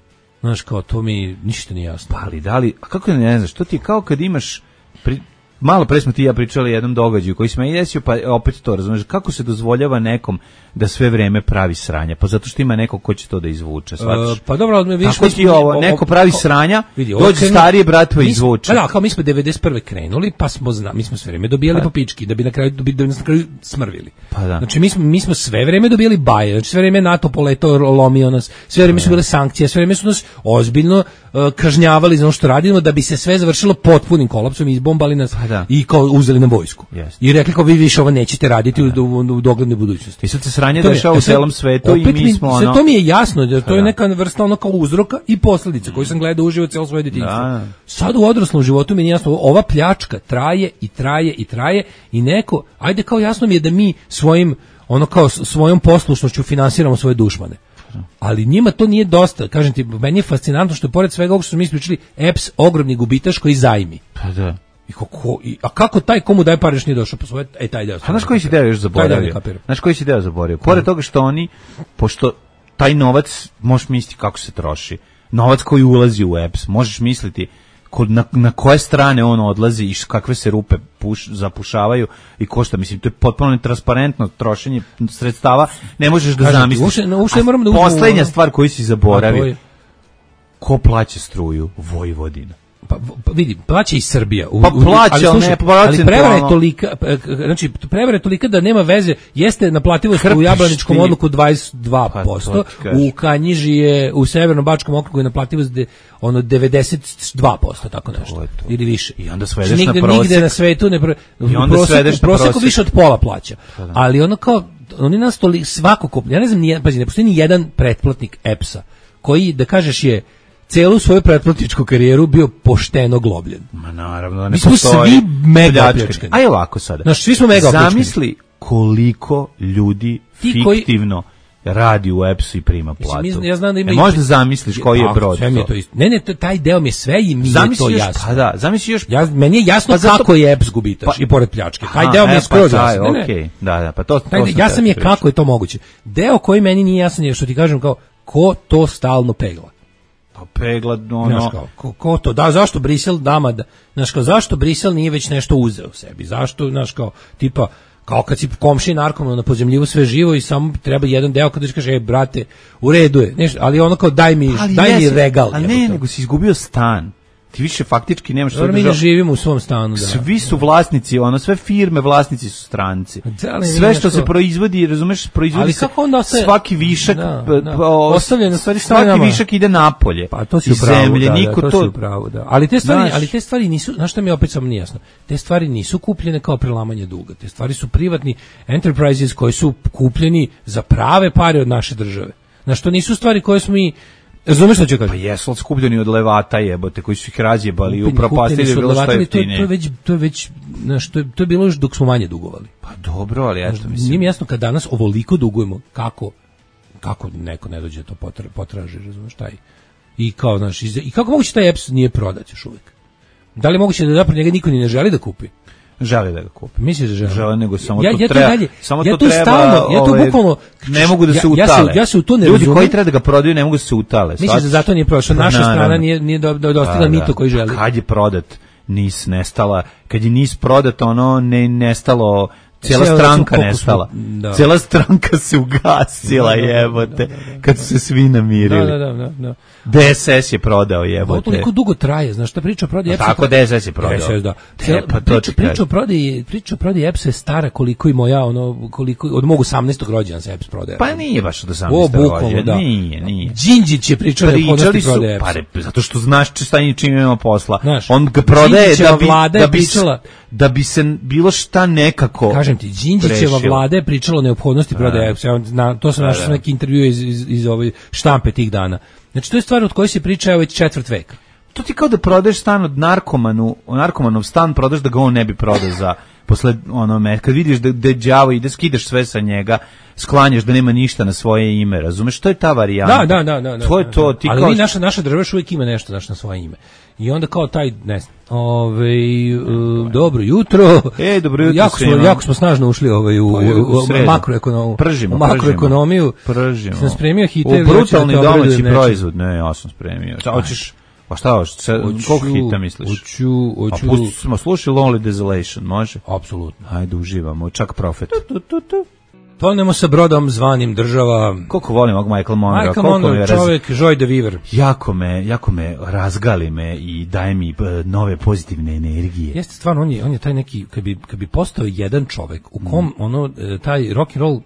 Znaš, kao, to mi ništa nije jasno. Pa ali da li, a kako ne znaš, to ti je kao kad imaš, pri, malo pre smo ti ja pričali o jednom događaju koji se meni desio, pa opet to, razumeš, kako se dozvoljava nekom da sve vreme pravi sranja, pa zato što ima neko ko će to da izvuče, shvatiš? Uh, pa dobro, ali vidiš... Tako ti ovo, neko pravi sranja, vidi, dođe starije brat pa izvuče. Da, kao mi smo devedeset prve krenuli, pa smo, zna, mi smo sve vreme dobijali pa. Po pički, da bi na kraju, da bi nas na kraju smrvili. Pa da. Znači, mi smo, mi smo sve vreme dobijali baje, znači sve vreme NATO poletao, lomio nas, sve vreme su bile sankcije, sve vreme su nas ozbiljno uh, kažnjavali za ono što radimo, da bi se sve završilo potpunim kolapsom, izbombali nas pa i kao uzeli na vojsku. Yes. I rekli kao vi više ovo nećete raditi u, u, u doglednoj budućnosti. I sad se sranje dešava u celom svetu i mi smo ono... To mi je jasno, da to je neka vrsta ono kao uzroka i posledica koju sam gledao uživo celo svoje djetinjstvo. Sad u odraslom životu mi je jasno, ova pljačka traje i traje i traje i neko, ajde kao jasno mi je da mi svojim, ono kao svojom poslušnošću finansiramo svoje dušmane. Ali njima to nije dosta. Kažem ti, meni je fascinantno što je pored svega ovog što smo mi ispričali, E P S ogromni gubitaš koji zajmi. Pa da. I kako, i, a kako taj komu daje pare još nije došao po svoje, e taj deo. A znaš koji si deo još zaboravio? Znaš koji si deo zaboravio? Pored toga što oni, pošto taj novac, možeš misliti kako se troši, novac koji ulazi u E P S, možeš misliti kod, na, na koje strane on odlazi i kakve se rupe puš, zapušavaju i košta. Mislim, to je potpuno netransparentno trošenje sredstava, ne možeš da Kažem, zamisliš. Ušte, ušte moram da poslednja stvar koju si zaboravio, ko plaća struju? Vojvodina. Pa, pa vidi, plaća i Srbija. U, pa plaća, ali, slušaj, ne, ali prevara je tolika, znači prevara je tolika da nema veze, jeste naplativost u Jablaničkom odluku dvadeset dva posto, pa, u Kanjiži je, u Severno-Bačkom okrugu je naplativost de, ono devedeset dva posto, tako nešto, to to. Ili više. I onda svedeš nigde, na prosek. Nigde na svetu ne, i onda proseku, svedeš na proseku više od pola plaća. Pa, ali ono kao, oni nas toliko, svako kup, ja ne znam, nije, pazi, ne postoji ni jedan pretplatnik E P S-a, koji, da kažeš je, celu svoju pretplatničku karijeru bio pošteno globljen. Ma naravno, ne mi smo postoji. Svi mega opljačkani. Aj ovako sada. Znaš, svi smo mega opljačkani. Zamisli koliko ljudi Ti fiktivno koji... radi u E P S-u i prima platu. Mislim, ja znam da ima e, možda zamisliš koji je brod. Sve mi je to isto. Ne, ne, taj deo mi je sve i mi je to još, jasno. Pa da, zamisli još... Ja, meni je jasno pa zato... kako je E P S gubitaš pa... i pored pljačke. Taj Aha, deo mi je skroz pa jasno. Ne, okay. Da, da, pa to, to taj, ja sam je kako je to moguće. Deo koji meni nije jasan je što ti kažem kao ko to stalno pegla. Pa pegla, ono... Kao, ko, ko to, da, zašto Brisel dama, da, znaš kao, zašto Brisel nije već nešto uzeo sebi, zašto, znaš kao, tipa, kao kad si komši narkoman na pozemljivu sve živo i samo treba jedan deo kada kaže, e, brate, u redu je, nešto, ali ono kao, daj mi, ali daj jesi, mi regal. Ali ne, to. Nego si izgubio stan. Ti više faktički nemaš što mi ne živimo u svom stanu, da. Svi su vlasnici, ono sve firme vlasnici su stranci. Da, sve što se proizvodi, razumeš, proizvodi se ostaje, svaki višak, da, da. O, ostavljeno stvari svaki nama. Višak ide napolje. Pa to si iz upravo, zemlje, da, niko da, to, to si upravo, da. Ali te stvari, znaš, ali te stvari nisu, znaš šta mi opet samo nije jasno. Te stvari nisu kupljene kao prelamanje duga. Te stvari su privatni enterprises koji su kupljeni za prave pare od naše države. Znaš, to nisu stvari koje smo mi razumeš što ću kažem? Pa jesu skupljeni od levata jebote, koji su ih razjebali i upropastili bilo što je to, to je već, to je već, znaš, to je, to je bilo još dok smo manje dugovali. Pa dobro, ali ja što mislim. Nije mi jasno kad danas ovoliko dugujemo, kako, kako neko ne dođe to potra, potraži, razumeš, taj. I kao, znaš, i kako moguće taj E P S nije prodat još uvijek? Da li je moguće da zapravo njega niko ni ne želi da kupi? Žele da ga kupi. Misliš da žele? Žele, nego samo ja, to ja treba. Dalje, samo ja to treba. Stalno, ja to ove, bukvalno ne mogu da se ja, utale. Ja se, ja se u to ne Ljudi razumem. koji treba da ga prodaju ne mogu da se utale. Misliš da zato nije prošao? Naša strana nije nije do, do, dostigla da, mito koji želi. Kad je prodat Nis nestala, kad je Nis prodat, ono ne nestalo. Cijela stranka nestala. Da. Cijela stranka se ugasila, da, da, jebote, da, da, da, da, kad su se svi namirili. Da, da, da, da. D S S je prodao, jebote. Ovo toliko dugo traje, znaš šta priča o prodaji E P S-a? Tako D S S je prodao. D S S, da. Cijela, pa priča, priča o prodaji, priča o prodaji E P S-a je stara koliko i moja, ono, koliko, od mog osamnaestog rođena se E P S prodaje. Pa nije baš od osamnaestog rođena, da. nije, nije. Đinđić je pričao da podnosti prodaje E P S-a. Pa zato što znaš šta njim čim ima posla. Znaš, on ga prodaje da bi, vlada da, bi, pričala, da bi se bilo šta nekako. Kažem ti, Đinđićeva vlada je pričala o neophodnosti prodaje E P S-a. To sam našao neki intervju iz, iz, iz ove štampe tih dana. Znači, to je stvar od koje se priča već četvrt veka. to ti kao da prodaješ stan od narkomanu, narkomanov stan prodaš da ga on ne bi prodao za posle onome, kad vidiš da, da đavo ide, skidaš sve sa njega, sklanjaš da nema ništa na svoje ime, razumeš? To je ta varijanta. Da, da, da, da. To je to, ti ali kao... mi, naša, naša država uvijek ima nešto naš, na svoje ime. I onda kao taj, ne znam, ovaj, uh, dobro jutro. Ej, dobro jutro jako smo, jako smo snažno ušli ovaj, u, u, u, u makroekonomiju. Pržimo, u makroekonomiju. Pržimo. Sam spremio hite. U brutalni domaći proizvod, ne, ja sam spremio. Hoćeš... Pa šta, koliko hita misliš? Hoću, hoću. A pusti smo slušali Lonely Desolation, može? Apsolutno. Ajde, uživamo, čak Profet. Tu, tu, tu. Tonemo sa brodom zvanim država. Koliko volim ovog Michael Monroe. Michael Monroe, čovjek, raz... Joy de Vivre. Jako me, jako me razgali me i daje mi nove pozitivne energije. Jeste stvarno, on je, on je taj neki, kad bi, kad bi postao jedan čovjek, u kom, mm. ono, taj rock and roll,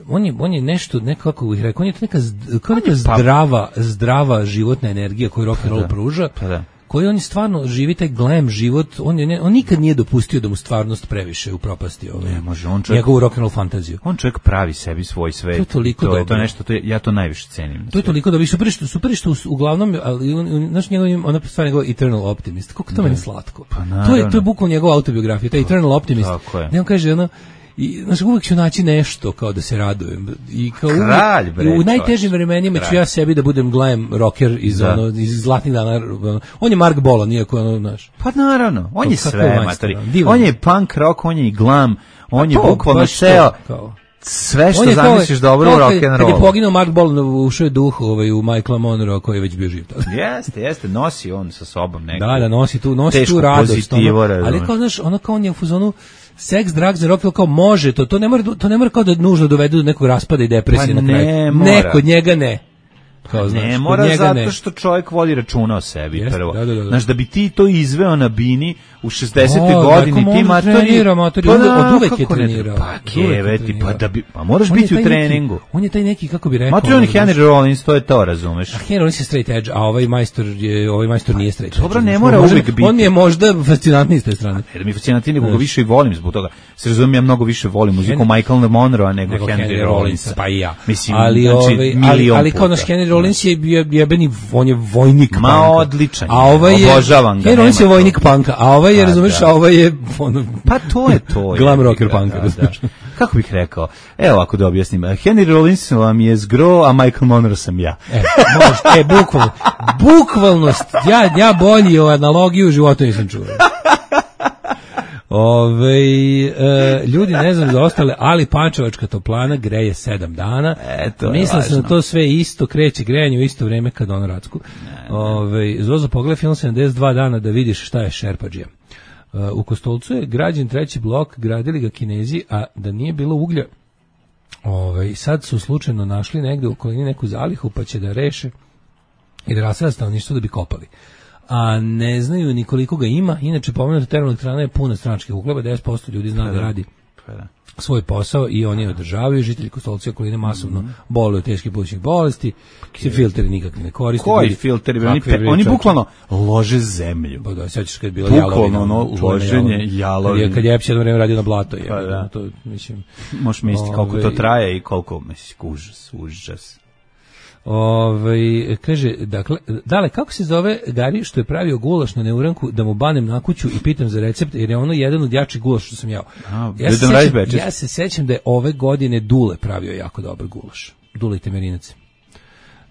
on je, on je nešto, nekako bih rekao, on je neka, kao neka zdrava, zdrava životna energija koju rock and roll pruža. Pa da. Koji on je stvarno živi taj glam život, on je ne, on nikad nije dopustio da mu stvarnost previše upropasti ovaj. Ne, može on čovjek, njegovu rock and roll fantaziju. On čovjek pravi sebi svoj svet. To je toliko to je dobro. to nešto, to je, ja to najviše cenim. To je toliko dobro. Super što super što uglavnom, ali znaš njegov ona stvar njegov Eternal Optimist. Kako to meni slatko. Pa to je to je bukvalno njegova autobiografija, taj Eternal Optimist. Ne, on kaže ono i znači uvijek ću naći nešto kao da se radujem i kao Kralj, bre, u najtežim vremenima ću ja sebi da budem glam rocker iz da. ono iz zlatnih dana. On je Mark Bolan, iako ono naš. Pa naravno, on je sve matori. On je punk rock, on je i glam, on je bukvalno ceo sve što zamisliš dobro u rock and roll. Kad je poginuo Mark Bolan, ušao je duh ovaj u Michaela Monroe koji je već bio živ. Jeste, jeste, nosi on sa sobom neku. Da, da, nosi tu, nosi tu radost. Ali kao znaš, ono kao on je u fazonu seks, drugs, rock, kao može to, to ne mora, to ne mora kao da nužno dovede do nekog raspada i depresije pa na kraju. Ne, ne, kod njega ne. Kao, znaš, ne mora njega zato ne. što čovjek vodi računa o sebi. Jest, prvo. Da, da, da. Znaš, da bi ti to izveo na bini u šezdesetoj O, godini, ti matori... Trenira, matori, pa, od uvek je trenirao. Pa keveti, pa da bi... Pa moraš on biti u treningu. Neki, on je taj neki, kako bi rekao... Matori, on je Henry Rollins, to je to, razumeš? A Henry Rollins je straight edge, a ovaj majstor je, ovaj majstor nije straight edge. Dobro, ne mora uvijek biti. On je možda fascinantniji s te strane. Jer mi je fascinantniji, nego ga više i volim zbog toga. Se razumijem, ja mnogo više volim muziku Michael Monroe nego Henry Rollins. Pa i ja. Mislim, ali kao naš Henry Rollins je jebeni, on je vojnik ma punka. Odličan. A ovaj je, obožavam ga. Jer on je vojnik punka, a ovaj je, razumeš, a ovaj je ono, pa to je to. Glam rocker punka. Da, da. Kako bih rekao? Evo ako da objasnim. Henry Rollins vam je zgro, a Michael Monroe sam ja. E, možda, e, bukvalno. Bukvalnost. Ja, ja bolji o analogiju u životu nisam čuo. Ove, e, ljudi ne znam za ostale, ali Pančevačka toplana greje sedam dana. Eto, mislim sam da to sve isto kreće grejanje u isto vrijeme kad on Racku. Ove, Zozo, pogledaj film sedamdeset dva dana da vidiš šta je šerpadžija. Uh, u Kostolcu je građen treći blok, gradili ga Kinezi, a da nije bilo uglja, ovaj, sad su slučajno našli negde u okolini neku zalihu, pa će da reše i da rasada stanovništvo da bi kopali. A ne znaju ni koliko ga ima, inače pomenuta termoelektrana je puna stranačkih ugleba, deset posto ljudi zna da radi svoj posao i oni je održavaju. Žitelji Kostolca okoline masovno mm-hmm. boluju od teških plućnih bolesti, se filteri nikakvi ne koriste. Koji filteri? Oni, pe, oni bukvalno lože zemlju. Pa da, sećaš kad je bila jalovina. Bukvalno ono loženje jalovine. Kad je Epsi jedno vreme radio na blato. Je, pa da. To, mislim, možeš misliti koliko to traje i koliko, mislim, užas, užas. Ove, kaže, dakle, dale, kako se zove Gari što je pravio gulaš na neuranku da mu banem na kuću i pitam za recept, jer je ono jedan od jačih gulaša što sam jao. A, ja, se sećam, ja se sećam da je ove godine Dule pravio jako dobar gulaš. Dule i Temerinac.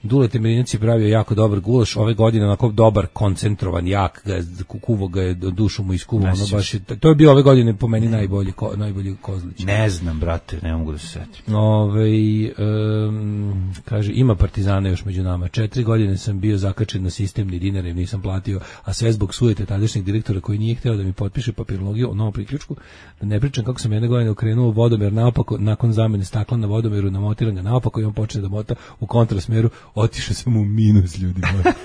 Dule Temerinac je pravio jako dobar gulaš, ove godine onako dobar, koncentrovan, jak, ga je, kukuvo ga je, dušu mu iskuvao, ono baš je, to je bio ove godine po meni najbolji, ko, najbolji Kozlić. Ne znam, brate, ne mogu da se setim. Ove, um, kaže, ima Partizana još među nama, četiri godine sam bio zakačen na sistem, ni dinara im nisam platio, a sve zbog sujete tadašnjeg direktora koji nije hteo da mi potpiše papirologiju o novom priključku, da ne pričam kako sam jedne godine okrenuo vodomer naopako, nakon zamene stakla na vodomeru, namotiram ga naopako i on počne da mota u kontrasmeru. Otišao sam u minus, ljudi moji.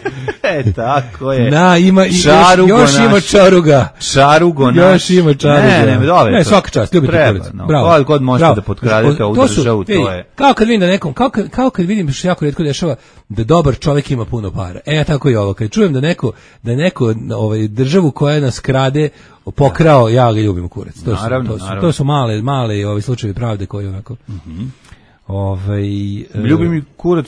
E, tako je. Na, ima, čarugo još, još naš. ima čaruga. Čarugo naš. Još ima čaruga. Ne, ne, dobro. Ne, svaka čast, ljubite Kuricu. No. Bravo. Kod god možete da potkradete ovu državu, to je. Kao kad vidim da nekom, kao kad, kao kad vidim što jako rijetko dešava, da dobar čovjek ima puno para. E, ja tako i ovo. Kad čujem da neko, da neko ovaj, državu koja nas krade, pokrao, ja ga ljubim kurac. To su, naravno, to su, naravno. to su male, male ovi slučajevi pravde koji onako... Mhm. Ovaj ljubim i kurac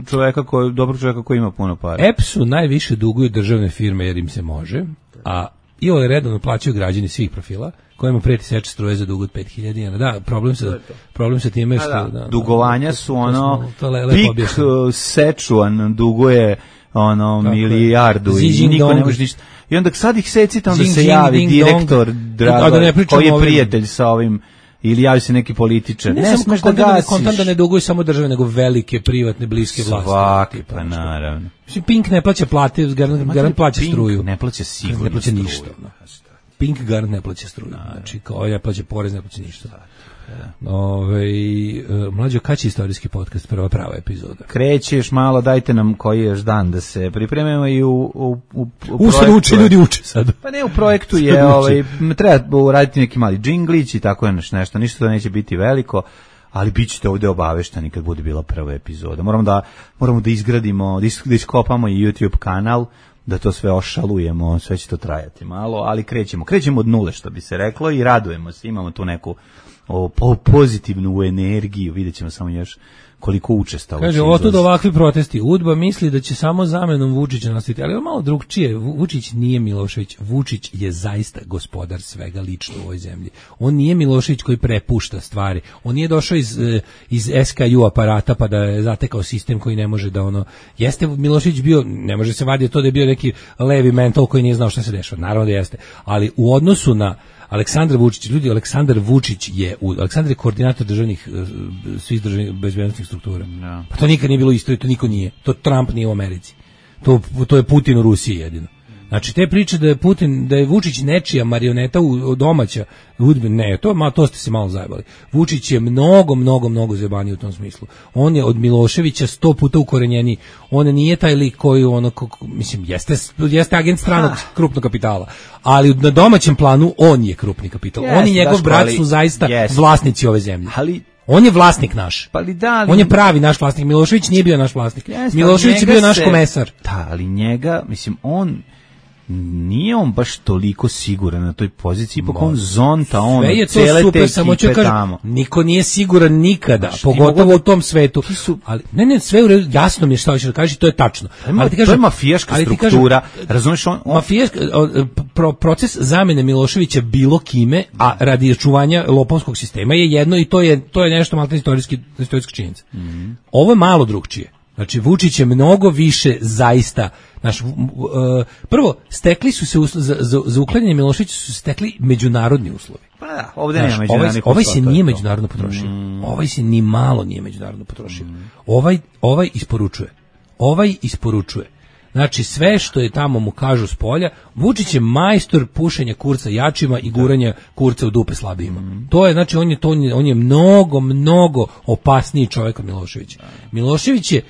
čoveka koji dobrog čoveka koji ima puno para. E P S-u najviše duguju državne firme jer im se može, a i ove redovno plaćaju građani svih profila, kojima preti seče struje za dug od pet hiljada dinara. Da, problem se problem se time što da, da, dugovanja da, su ono to le, pik Sečuan duguje ono tako milijardu je. I niko ne može ništa. I onda sad ih secite, onda zing, se javi zing, direktor dong, Drago, da koji je prijatelj sa ovim ili javi se neki političar. Ne, ne smeš da gasiš. Kontam da ne duguju samo države, nego velike, privatne, bliske vlasti. Svaki, pa naravno. Mislim, Pink ne plaća plate, garant, garant plaća struju. Ne plaća sigurno ne plaća ništa. No. Pink garant ne plaća struju. Znači, kao ja plaća porez, ne plaća ništa. Ove, mlađo, kad će istorijski podcast, prva prava epizoda? Krećeš malo, dajte nam koji je još dan da se pripremimo i u, u, u, u u sad uče, ljudi uče sad. Pa ne, u projektu je, ovaj, treba uraditi neki mali džinglić i tako je nešto, ništa da neće biti veliko, ali bit ćete ovdje obavešteni kad bude bila prva epizoda. Moramo da, moramo da izgradimo, da iskopamo i YouTube kanal, da to sve ošalujemo, sve će to trajati malo, ali krećemo, krećemo od nule, što bi se reklo, i radujemo se, imamo tu neku o, po, pozitivnu energiju, vidjet ćemo samo još koliko učestalo. Kaže, otud ovakvi protesti. Udba misli da će samo zamenom Vučića nastaviti, ali je malo drugčije. Vučić nije Milošević. Vučić je zaista gospodar svega lično u ovoj zemlji. On nije Milošević koji prepušta stvari. On nije došao iz, iz S K U aparata pa da je zatekao sistem koji ne može da ono... Jeste Milošević bio, ne može se vaditi to da je bio neki levi mental koji nije znao šta se dešava. Naravno da jeste. Ali u odnosu na Aleksandar Vučić, ljudi, Aleksandar Vučić je, Aleksandar je koordinator državnih, svih državnih bezbednosnih struktura. No. Pa to nikad nije bilo isto i to niko nije. To Trump nije u Americi. To, to je Putin u Rusiji jedino. Znači, te priče da je Putin, da je Vučić nečija marioneta u domaća, ne, to, ma, to ste se malo zajebali. Vučić je mnogo, mnogo, mnogo zajebaniji u tom smislu. On je od Miloševića sto puta ukorenjeniji. On nije taj lik koji, ono, kako, mislim, jeste, jeste agent stranog krupnog kapitala, ali na domaćem planu on je krupni kapital. Yes, on i njegov brat su zaista yes. vlasnici ove zemlje. Ali on je vlasnik naš. Pa li da, ali... On je pravi naš vlasnik. Milošević nije bio naš vlasnik. Yes, Milošević je bio naš se... komesar. Da, ali njega, mislim, on... nije on baš toliko siguran na toj poziciji, ipak on zonta, on cele super, te ekipe kažem, tamo. Niko nije siguran nikada, Znaš, pogotovo da, u tom svetu. Su, ali, ne, ne, sve u redu, jasno mi je šta hoćeš da kažeš, to je tačno. Ali ti kažem, to je mafijaška struktura, razumiješ on... on... Mafijaška, pro, proces zamene Miloševića bilo kime, a radi očuvanja lopovskog sistema je jedno i to je, to je nešto malo istorijski, istorijska činjenica. Mm -hmm. Ovo je malo drugčije. Znači, Vučić je mnogo više zaista, naš, uh, prvo, stekli su se uslovi, za, za, za uklanjanje Miloševića su stekli međunarodni uslovi. Pa da, ovdje nema međunarodnih ovaj, ovaj se nije međunarodno potrošio. Mm. Ovaj se ni malo nije međunarodno potrošio. Mm. Ovaj, ovaj isporučuje. Ovaj isporučuje. Znači, sve što je tamo mu kažu s polja, Vučić je majstor pušenja kurca jačima i guranja kurca u dupe slabijima. Mm. To je, znači, on je, to, on je mnogo, mnogo opasniji čovjek od Miloševića. Milošević je,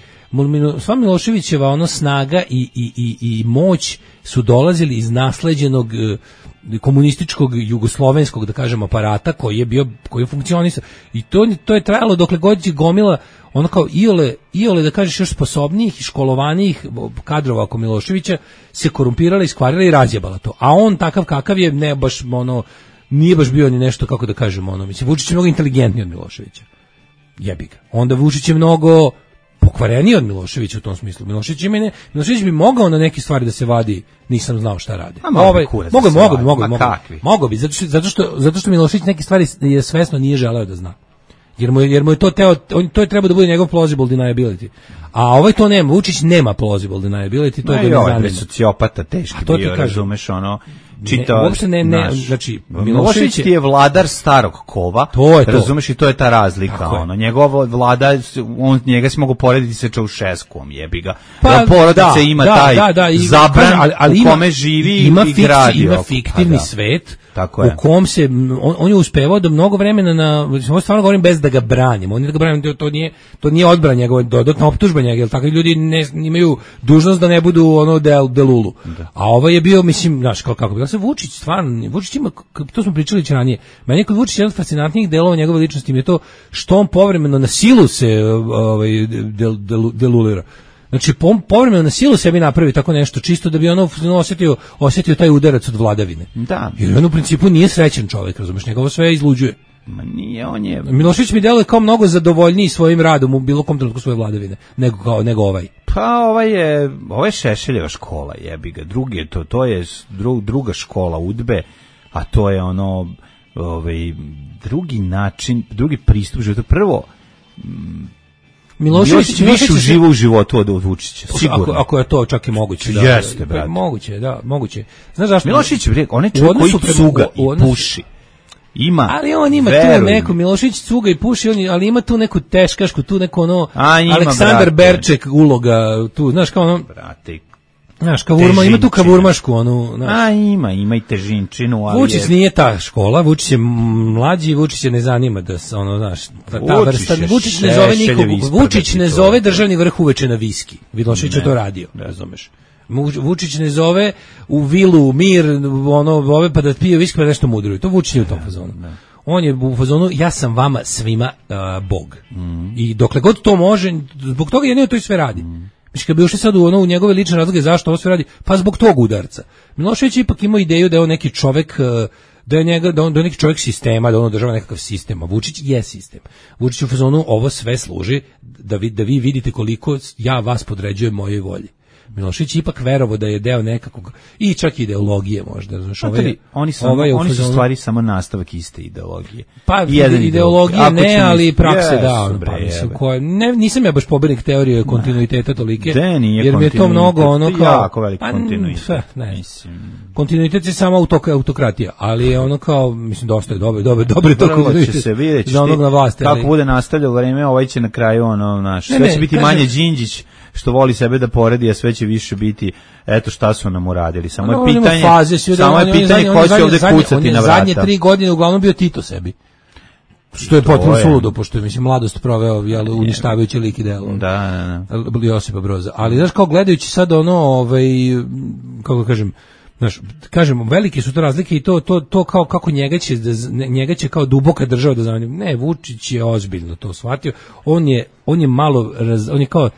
sva Miloševićeva ono snaga i, i, i, i moć su dolazili iz nasleđenog komunističkog jugoslovenskog, da kažem, aparata koji je bio, koji je funkcionisao. I to, to je trajalo dokle god je gomila ono kao iole, iole da kažeš još sposobnijih i školovanijih kadrova oko Miloševića se korumpirala, iskvarila i razjebala to. A on takav kakav je, ne baš ono, nije baš bio ni nešto, kako da kažem, ono, mislim, Vučić je mnogo inteligentniji od Miloševića. Jebi ga. Onda Vučić je mnogo pokvareniji od Miloševića u tom smislu. Milošević, ne, Milošević bi mogao na neke stvari da se vadi, nisam znao šta radi. Ovaj, mogu, mogu, mogu, mogu, mogu bi, zato što, zato što, zato što Milošević neke stvari je svesno nije želeo da zna. Jer mu je, jer mu je to teo, on, to je trebao da bude njegov plausible deniability. A ovaj to nema, Vučić nema plausible deniability, to je bilo nezanimljivo. Je sociopata teški bio, kažem, razumeš, ono, čitao, ne, uopšte ne, ne, naš, znači, Milošević ti je vladar starog kova, to je to. Razumeš, i to je ta razlika, tako ono, njegova vlada, on, njega se mogu porediti sa Čaušeskom, jebi ga, pa, porodica da, ima da, taj da, da, zabran, ali, ali u kome ima, živi ima i gradi. Ima fiktivni da. svet, tako u kom se, on, on je uspevao da mnogo vremena na, ovo stvarno govorim bez da ga branim, on je da ga branim, to nije, to nije odbrana njegova, dodatna optužba njega, jer takvi ljudi ne, imaju dužnost da ne budu ono del, delulu. Da. A ovo je bio, mislim, znaš, kako, kako bi se Vučić, stvarno, Vučić ima, to smo pričali će ranije, meni je kod Vučića jedan od fascinantnijih delova njegove ličnosti je to što on povremeno na silu se ovaj, del, del, delulira. Znači, povremeno na silu sebi napravi tako nešto, čisto da bi ono osjetio, osjetio taj udarac od vladavine. Da. Jer on u principu nije srećan čovjek, razumeš, njegovo sve izluđuje. Ma nije, on je... Milošević mi deluje kao mnogo zadovoljniji svojim radom u bilo kom trenutku svoje vladavine, nego, kao, nego ovaj. Pa ovaj je, ovo je Šešeljeva škola, jebi ga. Drugi, to, to je dru, druga škola udbe, a to je ono, ovaj, drugi način, drugi pristup životu. Prvo, Milošević više uživa u životu od Vučića, sigurno. Ako, ako je to čak i moguće, da. Jeste, brate. Moguće, da, moguće. Znaš zašto? Milošević, on je čovjek koji cuga i puši. Ima. Ali on ima verujem. Tu neku, Milošević cuga i puši, on, ali ima tu neku teškašku, tu neku ono, A, ima, Aleksandar brate. Berček uloga, tu, znaš, kao ono, brate, znaš, kavurma, ima tu kavurmašku, onu, znaš. A, ima, ima i težinčinu, ali Vučić je... nije ta škola, Vučić je mlađi, Vučić je ne zanima da se, ono, znaš, ta, ta vrsta, Vučić ne zove nikog, Vučić ne zove državni vrh uveče na viski, Milošević je to radio, razumeš. Vučić ne zove u vilu, mir, ono, ove pa da pije viski pa nešto mudruju. To Vučić je u tom fazonu. On je u fazonu, ja sam vama svima uh, Bog. Mm. I dokle god to može, zbog toga jedino to i sve radi. Mm. Mislim, kad bi ušli sad u, ono, u njegove lične razloge zašto ovo sve radi, pa zbog tog udarca. Milošević ipak imao ideju da je on neki čovek, da je, njega, da on, da je neki čovek sistema, da on održava nekakav sistem, a Vučić je sistem. Vučić u fazonu, ovo sve služi da vi, da vi vidite koliko ja vas podređujem mojoj volji. Milošević ipak verovao da je deo nekakvog i čak ideologije možda, znaš, ovaj, oni su ovaj oni su stvari samo nastavak iste ideologije. Pa ideologije ne, ali prakse yes, da, on, pa mislim koje ne nisam ja baš pobornik teorije kontinuiteta tolike, jer mi je to mnogo ono kao jako veliki pa, kontinuitet. Ne, mislim. Kontinuitet je samo autokratija, ali je ono kao mislim dosta je dobro, dobro, dobro to kontinuitet. Će se vidjeti kako bude nastavljalo vreme, ovaj će na kraju ono naš sve će biti manje Đinđić što voli sebe da poredi, a sve će više biti eto šta su nam uradili. Samo je pitanje, faze, samo je pitanje ko će ovdje kucati na vrata. Zadnje tri godine uglavnom bio Tito sebi. Što je potpuno suludo, pošto je mislim mladost proveo jel, uništavajući lik i delo. Da, da, da. Josipa Broza. Ali znaš kao gledajući sad ono, ovaj, kako kažem, znaš, kažemo, velike su to razlike i to, to, to kao kako njega će, njega će kao duboka država da zanima. Ne, Vučić je ozbiljno to shvatio. On je, on je malo, raz, on je kao,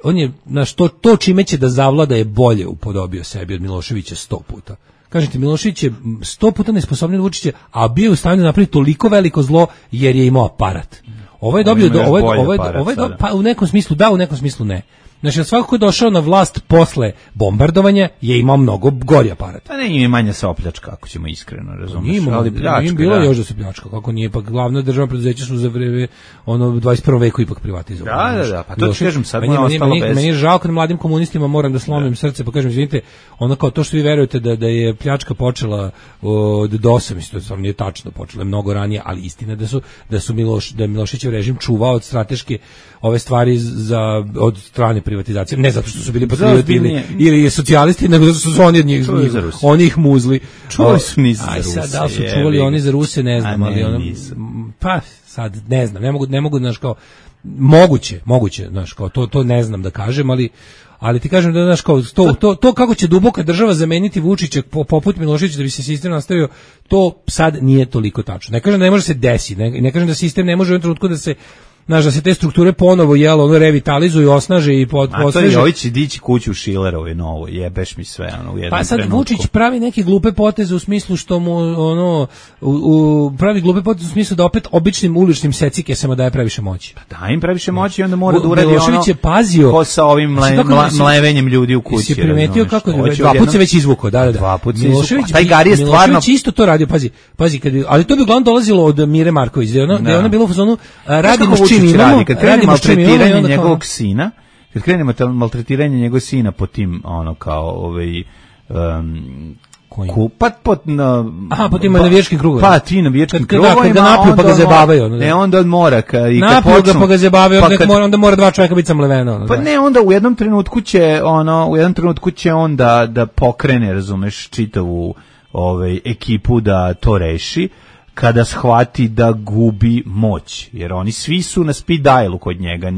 on je, znaš, to, to čime će da zavlada je bolje upodobio sebi od Miloševića sto puta. Kažete, Milošević je sto puta nesposobniji od Vučića, a bio je u stanju da napravi toliko veliko zlo jer je imao aparat. Ovo je dobio, ovo je, ovo je, ovo je, pa u nekom smislu da, u nekom smislu ne. Znači, svako ko je došao na vlast posle bombardovanja je imao mnogo gori aparat. Pa ne, ima manja se opljačka, ako ćemo iskreno, razumiješ. Ima, ali pljačka, im bilo da. Još da se pljačka, kako nije, pa glavna državna preduzeća su za vreme ono dvadeset prvom veku ipak privatizovali. Da, da, da, pa to ti kažem, sad mu je ostalo bez. Meni je žao kad mladim komunistima moram da slomim da. Srce, pa kažem, izvinite, ono kao to što vi verujete da, da je pljačka počela od dosa, mislim, to stvarno nije tačno, počela je mnogo ranije, ali istina da su, da su Miloš, da je Miloševićev režim čuvao od strateške ove stvari za, od strane privatizacije, ne zato što su bili patrioti ili, ili socijalisti, nego zato što su oni od njih, oni ih muzli. Čuvali su nisu za Ruse. Aj sad, da li su čuvali oni za Ruse, ne znam, ali ono, pa sad, ne znam, ne mogu, ne mogu, znaš, kao, moguće, moguće, znaš, kao, to, to ne znam da kažem, ali, ali ti kažem da, znaš, kao, to, to, to kako će duboka država zameniti Vučića poput Miloševića da bi se sistem nastavio, to sad nije toliko tačno. Ne kažem da ne može se desiti, ne, ne kažem da sistem ne može u jednom trenutku da se znaš, da se te strukture ponovo jelo, ono revitalizuju, osnaže i pod, posveže. A to je Jović dići kuću u Šilerovoj novo, jebeš mi sve, ono, u jednom Pa sad trenutku. Vučić pravi neke glupe poteze u smislu što mu, ono, u, u, pravi glupe poteze u smislu da opet običnim uličnim secikesama daje previše moći. Pa da im previše moći i onda mora da uradi ono, je pazio, ko sa ovim mle, mla, mlevenjem ljudi u kući. Si primetio kako, dva put se već izvukao, da, da, da. Dva put se izvukao. Taj Gari je stvarno... Milošević isto to radio, pazi, pazi, kad, ali to bi uglavnom dolazilo od Mire Marković, da je ona, da je ona bila u fazonu, radimo s čim imamo, maltretiranje njegovog sina, kad krenemo maltretiranje njegovog sina po tim, ono, kao, ovaj, um, kupat pot na... Aha, po tim navijačkim krugovima. Pa, ti navijačkim krugovima. Kad ga napiju pa ga zabavaju. Ne, onda od mora. Ka, i napiju ga pa ga zabavaju, onda, mora, onda mora dva čovjeka biti samleveno. Pa ne, onda u jednom trenutku će, ono, u jednom trenutku će on da, da pokrene, razumeš, čitavu ovaj, ekipu da to reši, kada shvati da gubi moć, jer oni svi su na speed dialu kod njega,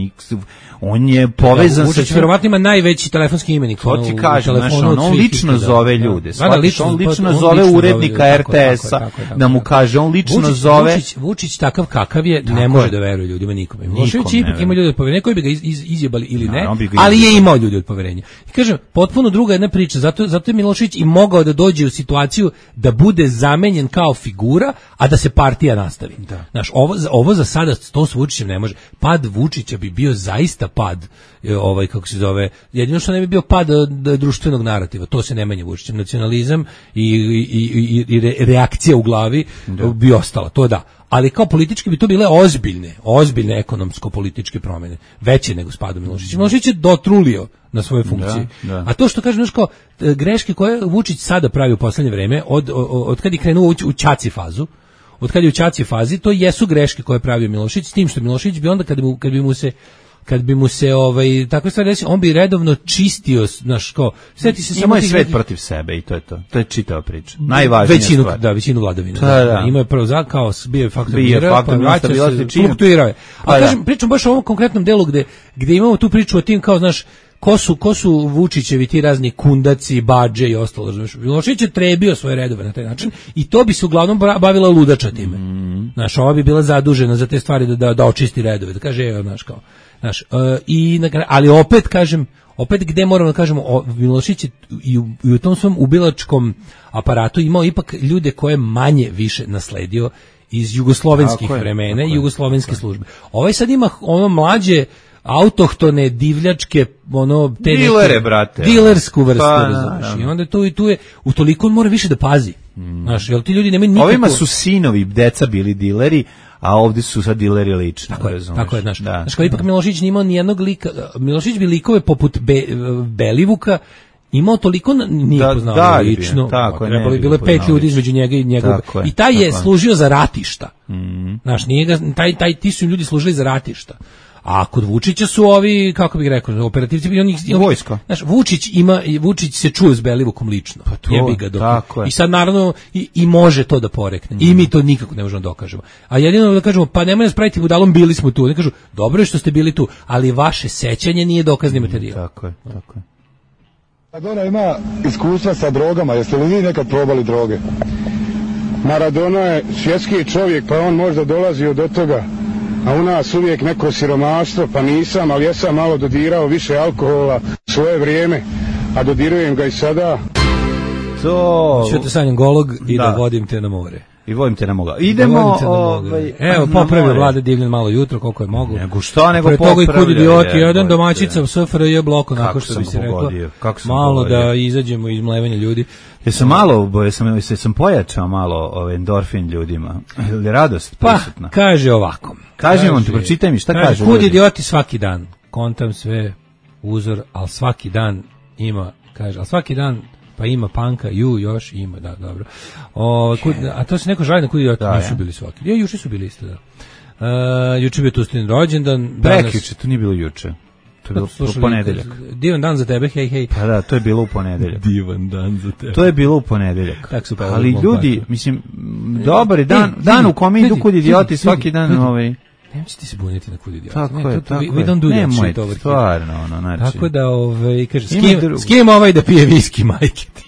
On je povezan Vučić sa... verovatno ima najveći telefonski imenik. To ti kažem, znaš, on, on lično zove ljude. Da, da, lično, on lično on zove lično urednika zove, R T S-a da mu kaže, on lično Vučić, zove... Vučić, Vučić takav kakav je, ne može da veruje ljudima nikome. Milošević ipak ima ljudi od poverenja koji bi ga iz, iz, izjebali ili ne, no, ali je imao ljudi od poverenja. I kažem, potpuno druga jedna priča, zato, zato je Milošević i mogao da dođe u situaciju da bude zamenjen kao figura, a da se partija nastavi. Da. Znaš, ovo, ovo za sada to s Vučićem ne može. Pad Vučića bi bio zaista pad, ovaj, kako se zove, jedino što ne bi bio pad društvenog narativa, to se ne menja Vučićem. Nacionalizam i, i, i, i reakcija u glavi da. bi ostala, to da. Ali kao politički bi to bile ozbiljne, ozbiljne ekonomsko-političke promjene, veće nego s padom Miloševića. Milošević je dotrulio na svoje funkcije. Da, da. A to što kažem, znaš, kao greške koje Vučić sada pravi u poslednje vreme, od, od, od kad je krenuo u, u ćaci fazu, od kad je u ćaci fazi, to jesu greške koje je pravio Milošević, s tim što Milošević bi onda, kad bi mu, kad bi mu se kad bi mu se ovaj takve stvari desilo, on bi redovno čistio, znaš, kao sjeti se samo je svet neki... protiv sebe i to je to. To je čitava priča. Najvažnija većinu, stvar. Da, većinu vladavine. Da, da. Da. Ima je prvo za kao bio je faktor bio mira, faktor pa vraća se, fluktuirao je. A pa, kažem, da. pričam baš o ovom konkretnom delu gde gde imamo tu priču o tim kao, znaš, ko su, ko su Vučićevi ti razni kundaci, badže i ostalo. Milošević je trebio svoje redove na taj način i to bi se uglavnom bavila ludača time. Mm. Znaš, ova bi bila zadužena za te stvari da, da, da očisti redove, da kaže, evo, znaš, kao, znaš, uh, i, ali opet, kažem, opet gde moramo da kažemo, o, Milošević je i u, i u tom svom ubilačkom aparatu imao ipak ljude koje manje više nasledio iz jugoslovenskih tako vremena i jugoslovenske službe. Ovaj sad ima ono mlađe autohtone divljačke, ono te dilere, brate, dilersku vrstu, pa, razumiješ. I onda tu i tu je utoliko on mora više da pazi. Mm. Znaš, jel ti ljudi nemaju nikako... Ovima su sinovi deca bili dileri, a ovdje su sad dileri lično. Tako je, tako je, znaš. Da. Znaš, kao ipak Milošević nije imao ni jednog lika, Milošević bi likove poput Be, Belivuka imao toliko nije da, poznao da, lično. Tako, trebalo bi bilo pet ljudi između njega i njegove. I taj je služio za ratišta. Mm. Znaš, nije ga, taj, taj, ti su ljudi služili za ratišta. A kod Vučića su ovi, kako bih rekao, operativci, oni, vojska. Znaš, Vučić ima, Vučić se čuje s Belivukom lično. Pa to, jebi ga dok. I sad naravno i, i može to da porekne. Mm. I mi to nikako ne možemo dokažemo. A jedino da kažemo, pa nemoj nas praviti budalom, bili smo tu. Oni kažu, dobro je što ste bili tu, ali vaše sećanje nije dokazni materijal. Mm, tako je, tako je. Maradona ima iskustva sa drogama, jeste li vi nekad probali droge? Maradona je svjetski čovjek, pa on možda dolazio do toga. A u nas uvijek neko siromaštvo, pa nisam, ali ja sam malo dodirao više alkohola svoje vrijeme, a dodirujem ga i sada. To... Čuo te sanjam golog i da. da vodim te na more. I vodim te na moga. Idemo, da ovaj, evo, popravio Vlade Divljan malo jutro, koliko je mogu. Nego šta, nego popravio. Pre toga i kud idioti, jedan domaćica u S F R J bloku, onako što bi se rekla. Malo pogodio. Da izađemo iz mlevanja ljudi. Jesam malo, jesam, jesam pojačao malo ovaj endorfin ljudima. Ili radost prisutna? Pa, kaže ovako. Kaži on ti, pročitaj mi, šta kaže? kaže kud idioti svaki dan. Kontam sve, uzor, ali svaki dan ima, kaže, ali svaki dan pa ima panka, ju još ima, da, dobro. O, kud, a to se neko žali na kud idioti, da, nisu bili svaki. Ja, juče su bili isto, da. Uh, juče bio Tustin rođendan. Prekjuče, to nije bilo juče. To je bilo u ponedeljak. Divan dan za tebe, hej, hej. Pa da, to je bilo u ponedeljak. Divan dan za tebe. To je bilo u ponedeljak. Tak su ali ljudi, paču. Mislim, dobar je dan, e, dan u kome idu kud idioti svaki dan ovaj... Nemoći ti se buniti na kud idioti. Tako ne, je, to, tako we, we don't do je. That shit over stvarno, ono, znači. Tako da, ovaj, kaže, s kim, s kim ovaj da pije viski, majke ti?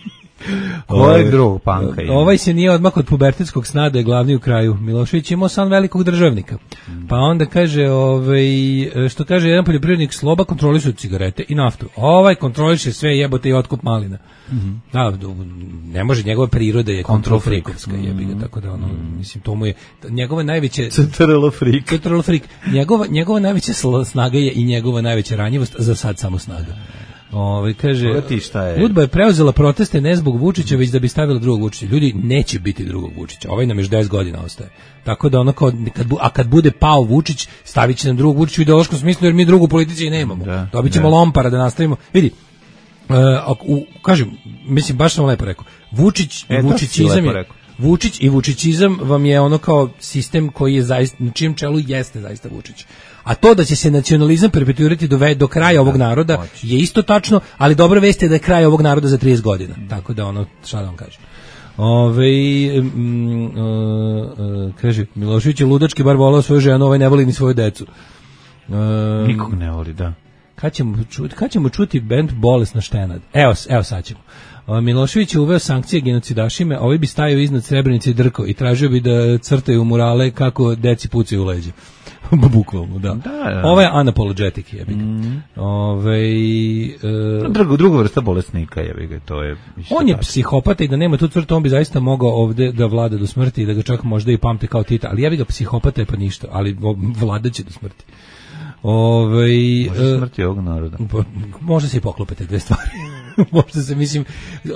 Kojeg drugog panka ima? Ovaj se nije odmah od pubertetskog sna da je glavni u kraju. Milošević imao san velikog državnika. Mm. Pa onda kaže, ovaj, što kaže jedan poljoprivrednik, Sloba kontroliše cigarete i naftu. Ovaj kontroliše sve, jebote i otkup malina. Mm-hmm. Da, ne može, njegova priroda je kontrol frikovska, mm-hmm. jebi ga, tako da ono, mm-hmm. mislim, to mu je, njegova najveća... Centralo frik. Centralo frik. Njegova, njegova najveća snaga je i njegova najveća ranjivost, za sad samo snaga. Ovaj kaže, Udba je preuzela proteste ne zbog Vučića, već da bi stavila drugog Vučića. Ljudi, neće biti drugog Vučića. Ovaj nam još deset godina ostaje. Tako da ono kao, kad, a kad bude pao Vučić, stavit će nam drugog Vučića u ideološkom smislu, jer mi drugu politici nemamo. Da, Dobit ćemo da. Lompara da nastavimo. Vidi, uh, u, kažem, mislim, baš sam lepo rekao, Vučić, e, Vučićizam je... Vučić i Vučićizam vam je ono kao sistem koji je zaista, na čijem čelu jeste zaista Vučić. A to da će se nacionalizam perpetuirati do, do kraja ovog naroda je isto tačno, ali dobra vest je da je kraj ovog naroda za trideset godina. Tako da ono, šta da vam kažem. Ove, mm, uh, uh, kaže, Milošević je ludački bar volao svoju ženu, ovaj ne voli ni svoju decu. Uh, Nikog ne voli, da. kad ćemo čuti, kad ćemo čuti bend Bolesna štenad? Evo, evo sad ćemo. Milošević je uveo sankcije genocidašime, ovi bi stajao iznad Srebrenice i drko i tražio bi da crtaju murale kako deci pucaju u leđa. Bukvalno, da. da, da. Ovo je unapologetic, jebi ga. Mm. Ove, e, druga, druga vrsta bolesnika, jebi ga, to je... On je psihopata i da nema tu crtu, on bi zaista mogao ovde da vlada do smrti i da ga čak možda i pamte kao Tita, ali jebi ga, psihopata je pa ništa, ali vladaće do smrti. Ove, može smrti ovog naroda. Može se i poklopiti dve stvari. Možda se, mislim,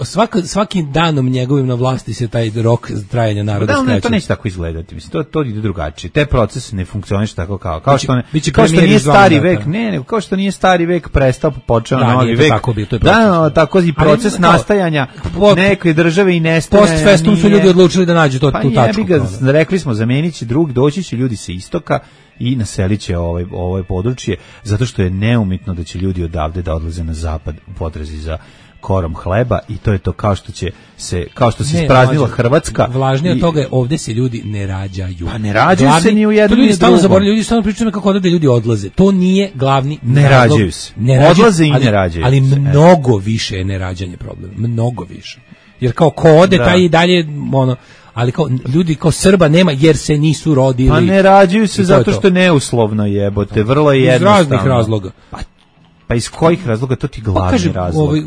svako, svakim danom njegovim na vlasti se taj rok trajanja naroda da, skraćuje. Da, to neće tako izgledati. Mislim, to, to ide drugačije. Te procese ne funkcionišu tako kao. Kao što, ne, biće kao što nije stari vek, ne, ne, kao što nije stari vek prestao, počeo da, novi vek. Tako, to je proces, da, no, tako i proces ali, nastajanja pod, neke države i nestajanja. Post festum su ljudi odlučili da nađu to, pa tu tačku. Ga, rekli smo, zamenit će drug, doći će ljudi sa istoka i naselit će ovaj, ovaj područje, zato što je neumitno da će ljudi odavde da odlaze na zapad u potrazi za korom hleba i to je to kao što će se kao što se ne, ispraznila Hrvatska. Važnije od toga je ovde se ljudi ne rađaju. Pa ne rađaju glavni, se ni u jednom ljudi stalno zaboravljaju, ljudi stalno pričaju kako odavde ljudi odlaze. To nije glavni ne razlog. Rađaju se. Ne rađaju, odlaze i ali, ne rađaju. Ali se. Mnogo više je nerađanje problem, mnogo više. Jer kao ko ode da. Taj i dalje ono ali kao ljudi kao Srba nema jer se nisu rodili. Pa ne rađaju se zato što je neuslovno jebote, vrlo je jednostavno. Iz raznih razloga. Pa, pa iz kojih razloga, to ti glavni pa kažem, razlog. Ovaj,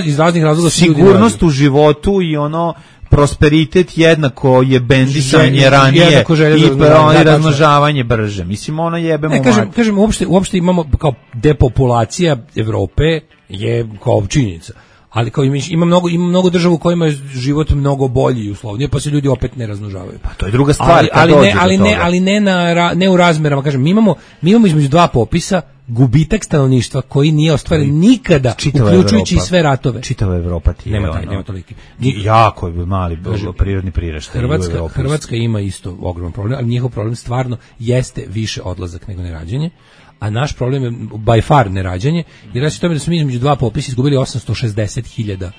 iz raznih razloga sigurnost u životu i ono prosperitet jednako je bendisanje ranije i da, razmnožavanje brže. Mislim, ono jebemo. Ne, kažem, kažem uopšte, uopšte imamo kao depopulacija Evrope je kao činjenica. Ali kao ima mnogo ima mnogo država u kojima je život mnogo bolji i uslovnije, pa se ljudi opet ne razmnožavaju. Pa to je druga stvar. Ali, ali ne, ali ne, ali ne na ne u razmerama, kažem, mi imamo mi imamo između dva popisa gubitak stanovništva koji nije ostvaren nikada, uključujući i sve ratove. Čitava Evropa ti nema je taj, ono, nema toliki. Jako je mali prirodni priraštaj. Hrvatska, Hrvatska ima isto ogroman problem, ali njihov problem stvarno jeste više odlazak nego nerađanje. A naš problem je by far nerađanje, jer reći tome da smo mi između dva popisa izgubili osamsto šezdeset hiljada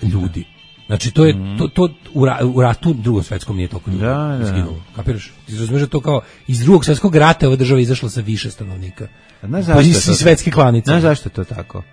ljudi. Znači to je mm. to, to u, ra, u ratu drugom svetskom nije toliko ljudi da, izginulo. Kapiraš? Ti razumiješ da to kao iz drugog svetskog rata ova država izašla sa više stanovnika. Znaš zašto je to? Svetske klanice. Znaš zašto je to tako?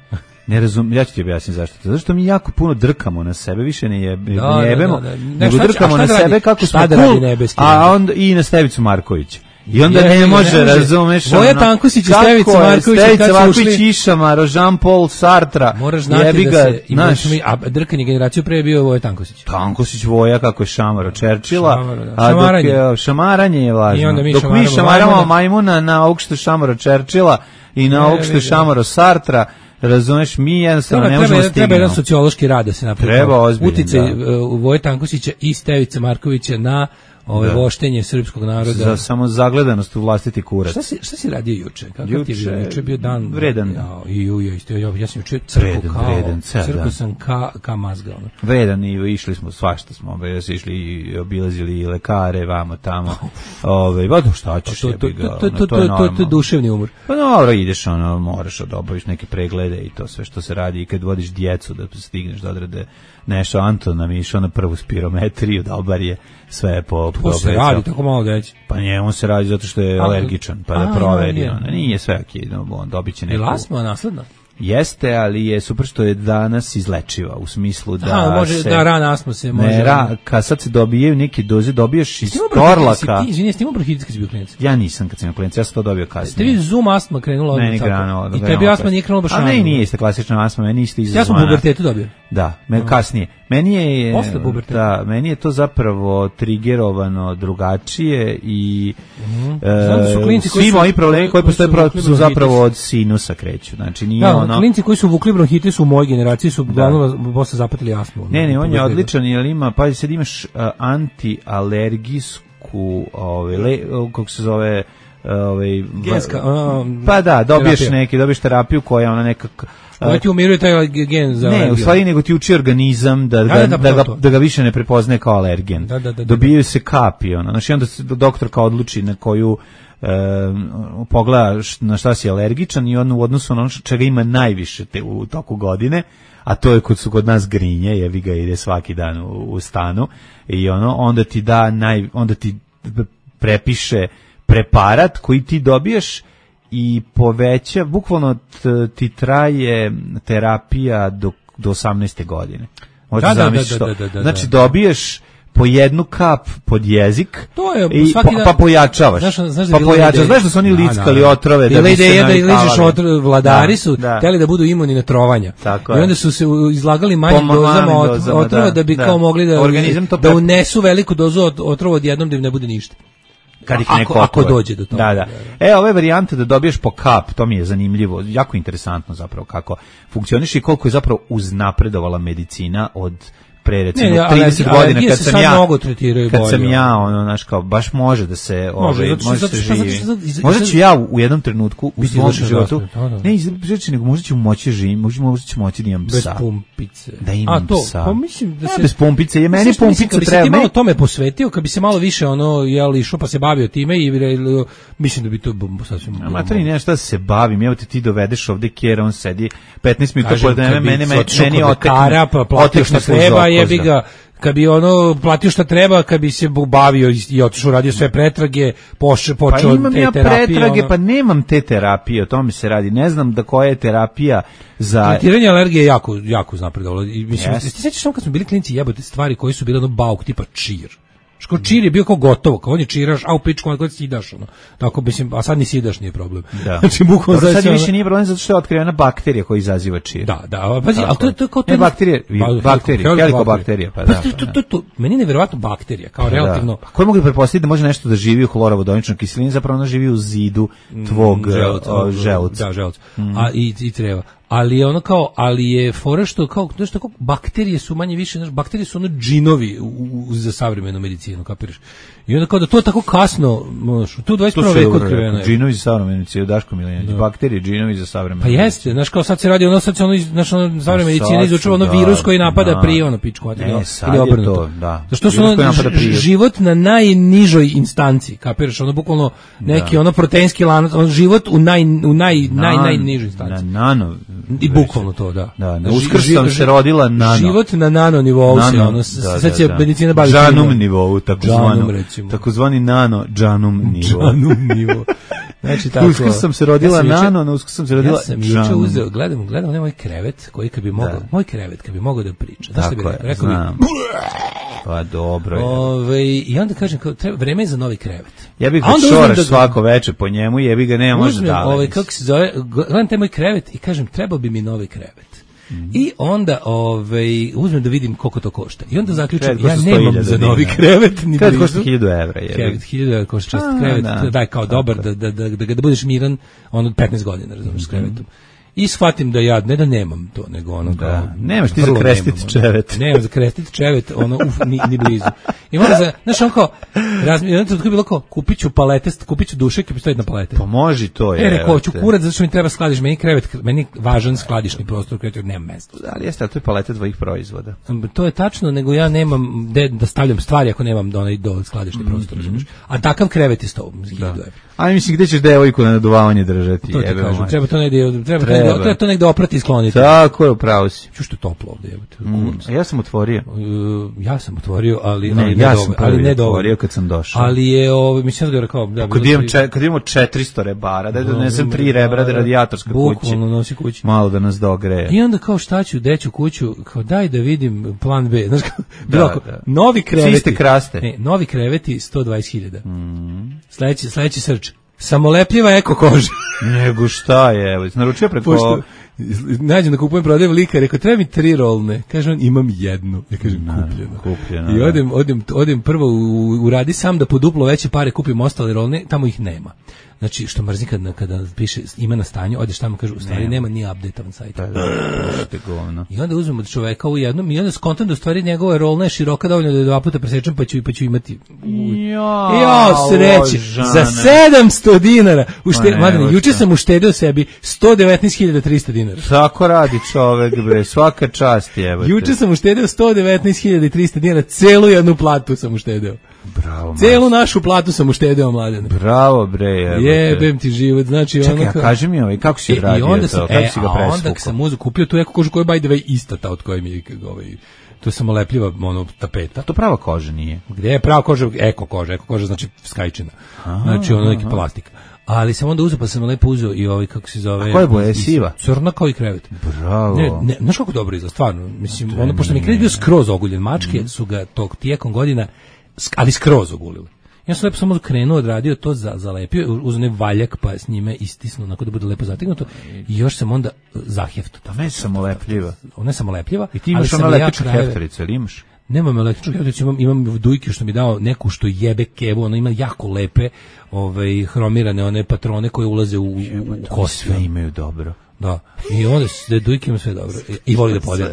Ne razum, ja ću ti objasniti zašto to. Zato što mi jako puno drkamo na sebe, više ne, jeb, da, ne jebemo, da, da, da. nego šta, drkamo na sebe radi, kako smo cool, a onda i na Stevicu Markovića. I onda je, ne, može, ne može, razumeš, Voja Tankusić i Stevica Marković, Stevica Marković, Išamaro, Jean-Paul Sartra, moraš znati da se, naš, mi, a drkanje generaciju pre je bio Voja Tankusić. Tankusić Voja, kako je šamaro Čerčila, šamaro, da. a dok je, šamaranje je važno. Mi dok mi šamaramo majmuna na ovog što je šamaro Čerčila i na ovog što je šamaro Sartra, razumeš, mi jednostavno treba, ne možemo stignemo. Treba jedan sociološki rad da se napravi. Treba ozbiljno, uticaj uh, Voje Tankusića i Stevice Markovića na ove voštenje srpskog naroda. Za samo zagledanost u vlastiti kurac. Šta si, šta si radio juče? Kako juče, ti je bio? Juče bio dan vredan. Ja, i ju, ja, isto, ja, ja sam juče crku kao, vredan, crku sam ka, ka mazga. Ono. Vredan i išli smo, svašta smo, ove, išli i obilazili i lekare, vamo, tamo. Ove, ba, šta ćeš, to, to, jebi ga, to, to, to, to je to, to je duševni umor. Pa dobro, ideš, ono, moraš da obaviš neke preglede i to sve što se radi i kad vodiš djecu da stigneš da odrade nešto. Anton nam je išao na prvu spirometriju, dobar je, sve je po... To se radi, tako malo deći. Pa njemu se radi zato što je alergičan, pa da proveri. Ona nije sve okej, on dobit će neku... Je lasma nasledna? Jeste, ali je super što je danas izlečiva, u smislu da Aha, može, se... da rana astma se može... Ne, ra, kad sad se dobijaju neke doze, dobiješ iz torlaka... Izvini, jeste imao bronhitis kad si bio klinac? Ja nisam kad sam bio klinac, ja sam to dobio kasnije. Ste vi zoom astma krenula odmah? Meni krenulo. I tebi astma nije krenula baš rano? A ne, nije isto klasična astma, meni isto izazvana. Ja sam u pubertetu dobio. Da, me, kasnije. Meni je... Posle puberteta. Da, meni je to zapravo trigerovano drugačije i... Mm. E, svi moji problemi koji postoje su zapravo od sinusa kreću. Znači nije da, ono... klinci koji su vukli bronhitis u mojoj generaciji su uglavnom posle zapatili astmu. Ne, ne, on je odličan, jer ima, pa sad imaš uh, antialergijsku, ovaj, le, kako se zove, ovaj, genska, um, pa da, dobiješ terapiju. neki, dobiješ terapiju koja ona nekak... Koja ti umiruje taj gen za ne, alergiju. U stvari nego ti uči organizam da, da, da, da, da, ga, da ga više ne prepoznaje kao alergen. Da, da, da, dobijaju se kapi, ono. Znači onda se doktorka odluči na koju e, pogleda na šta si alergičan i on u odnosu na ono čega ima najviše te, u toku godine, a to je kod su kod nas grinje, jevi ga ide svaki dan u, u stanu i ono onda ti da naj, onda ti prepiše preparat koji ti dobiješ i poveća, bukvalno t, ti traje terapija do, do osamnaeste godine. Možda da, zamisliš da, to. da, da, da, znači da. dobiješ po jednu kap pod jezik to je, i svaki pa, dan, pa pojačavaš. Znaš, znaš pa pojačavaš. Znaš da su oni lickali otrove da bi se ideja da ližeš otrove, vladari da, su da. hteli da budu imuni na trovanja. Tako I onda su se izlagali manjim dozama otrova da, da bi da. kao mogli da, organizam to da unesu veliku dozu otrova odjednom da im ne bude ništa. Kad ih ako, ako dođe do toga. Da, da. E, ove varijante da dobiješ po kap, to mi je zanimljivo, jako interesantno zapravo kako funkcioniše i koliko je zapravo uznapredovala medicina od pre recimo ne, ja, trideset godina kad sam ja kad bolje. sam ja ono naš kao baš može da se može, ove, može zato, se živi. Možda ću ja u jednom trenutku u svom životu ne izreći nego možda ću moći živim, možda možda ću moći da imam bez psa. Pumpice. Da imam A to, psa. pa mislim da se ja, bez pumpice, je meni pumpica treba. Kad bi se malo tome posvetio, kad bi se malo više ono jel išao pa se bavio time i mislim da bi to sasvim. Ma to ni nešto se bavim, evo te ti dovedeš ovde Kjera, on sedi petnaest minuta pored mene, mene meni otekne. Platio šta treba, jebi ga, kad bi ono platio šta treba, kad bi se bavio i otišao radio sve pretrage, poše, počeo pa imam te ja terapije. Pretrage, ono. Pa nemam te terapije, o tome se radi. Ne znam da koja je terapija za... Tretiranje alergije je jako, jako uznapredovalo. I mislim, yes. Ti sećaš samo kad smo bili klinci jebote stvari koji su bile ono bauk tipa čir. Ško čir je bio kao gotovo, kao on je čiraš, a u pičku kad sidaš ono. Tako mislim, a sad ni sidaš nije problem. Da. Znači bukvalno sad više ono... nije problem zato što je otkrivena bakterija koja izaziva čir. Da, da, pazi, al to to kao to ne bakterije, bakterije, helikobakterija, pa da. To to to meni je neverovatno bakterija, kao relativno. Pa ko mogu pretpostaviti da može nešto da živi u hlorovodoničnoj kiselini, zapravo ona živi u zidu tvog želuca. Da, želuca. A i i treba. Ali je ono kao, ali je fora što kao, znaš tako, bakterije su manje više, znaš, bakterije su ono džinovi u, u, za savremenu medicinu, kapiraš? I onda kao da to tako kasno, možeš, tu u dvadeset prvom veku otkriveno je. Džinovi za savremenu medicinu, Daško Miljanić, bakterije, džinovi za savremenu medicinu. Pa jeste, znaš kao sad se radi ono, sad se ono, znaš ono, savremena medicina izučava ono virus koji napada da, prije ono pičku, ne, sad ili obrnuto. To, da. Zašto su ono, život na najnižoj instanci, kapiraš, ono, bukvalno neki da. ono proteinski lanac, ono, život u naj, u naj, na, naj, najnižoj instanci. Na nano. I bukvalno to, da. Da, na Uskrs sam se rodila nano. Život na nano nivou se, ono, sad se medicina bavi. Džanum nivou, takozvano. Takozvani nano džanum nivo. Džanum nivo. Znači tako. Uskrs sam se rodila ja nano, na Uskrs sam se rodila džanum. Ja sam juče uzeo, gledam, gledam onaj moj krevet koji kad bi mogao, moj krevet kad bi mogao da priča. Znaš šta bih rekao? Rekao bi pa dobro. Ove, i onda kažem kao treba vreme je za novi krevet. Ja bih ga šoraš da svako veče po njemu, jebi ga nema može da. Ovaj kako se zove, gledam taj moj krevet i kažem trebao bi mi novi krevet. Mm-hmm. I onda ovaj uzmem da vidim koliko to košta. I onda zaključim ja nemam za novi krevet ni blizu. Košta hiljadu evra, je. Krevet hiljadu evra košta čest krevet, da, daj kao dobar da da da da da budeš miran ono petnaest godina, razumiješ, s krevetom. I shvatim da ja ne da nemam to, nego ono kao... Da, nemaš ti za krestiti čevet. Nemam za krestiti čevet, ono, uf, ni, ni blizu. I onda za, znaš, on kao, razmi, jedno tako je bilo kao, kupit ću palete, kupit ću dušek i postaviti na palete. Pa može to je. E, rekao, ću kurat, zato što mi treba skladiš, meni krevet, meni važan skladišni prostor, krevet, nema mesta. Da, ali jeste, ali to je palete tvojih proizvoda. To je tačno, nego ja nemam de, da stavljam stvari ako nemam do, do skladišni prostor, mm-hmm. A takav krevet je sto hiljadu evra. A mislim, gde ćeš devojku na naduvavanje držati? To ti kažem, treba to negde, treba, treba. treba to negde oprati i skloniti. Tako je, upravo si. Ču što je toplo ovde, jebote. Mm, ja sam otvorio. Uh, ja sam otvorio, ali ne, ali ja ne sam dobro, ali ne otvorio kad sam došao. Ali je ovo, mislim da rekao, da kad imam če, kad imamo četiristo rebara, da donesem tri rebra da radijatorska kuća. Bukvalno nosi kući. Malo da nas dogreje. I onda kao šta ću, deću kuću, kao daj da vidim plan B. Znaš kao, da, da. Novi kreveti. Siste kraste. Ne, novi kreveti sto dvadeset hiljada. Mm. Sledeći, sledeći srč. Samolepljiva eko koža. Nego šta je, evo, naručio preko... Pošto, nađem da kupujem, prodajem lika, rekao, treba mi tri rolne. Kaže on, imam jednu. Ja kažem, kupljeno. kupljeno I odem, odem, odem prvo u, u radi sam da po duplo veće pare kupim ostale rolne, tamo ih nema. Znači, što mrzi kada, kada piše ima na stanju, odeš tamo, kaže, u stvari nema, nema nije update-ovan sajt. Da, da, da, I onda uzmem od čoveka u jednom i onda skontam da u stvari njegova rolna je široka dovoljno da je dva puta presečem, pa ću, pa ću imati... Ja, ja sreće, za sedamsto dinara. Ušte, Madane, juče sam uštedeo sebi sto devetnaest hiljada trista dinara. Tako radi čovek, bre, svaka čast je. Juče sam uštedeo sto devetnaest hiljada trista dinara, celu jednu platu sam uštedeo. Bravo. Celu našu platu sam uštedeo, Mladene. Bravo, bre. Jebem ti život, znači čekaj, ono... Čekaj, kaži mi ovaj, kako si radio e, to, kako e, si ga presvukao? Onda sam uzeo, kupio tu eko kožu koja je by the way ista ta od koje mi je ovaj... To je samolepljiva ono, tapeta. To prava koža nije. Gde je prava koža? Eko koža, eko koža znači skajčina. Znači ono neki plastik. ali sam onda uzeo, pa sam lepo uzeo i ovaj, kako se zove... A koja je boja, siva? Crna kao i krevet. Bravo. Ne, ne, znaš kako dobro izgleda, stvarno. Mislim, ono, pošto mi krevet bio skroz oguljen, mačke mm. su ga tog tijekom godina, ali skroz ogulili. Ja sam lepo samo krenuo, odradio to, za, zalepio, uz onaj valjak, pa s njime istisnuo, onako da bude lepo zategnuto, i još sam onda zahjefto. Da, ne samo lepljiva. Ona je samo lepljiva. I ti imaš ono električnu ja heftaricu, ili imaš? Nemam električnu heftaricu, imam, imam dujke što mi dao neku što jebe kevu, ona ima jako lepe ovaj, hromirane one patrone koje ulaze u, u, u kost. Sve imaju dobro. Da. I onda se dujke ima sve dobro. I voli da podijeli.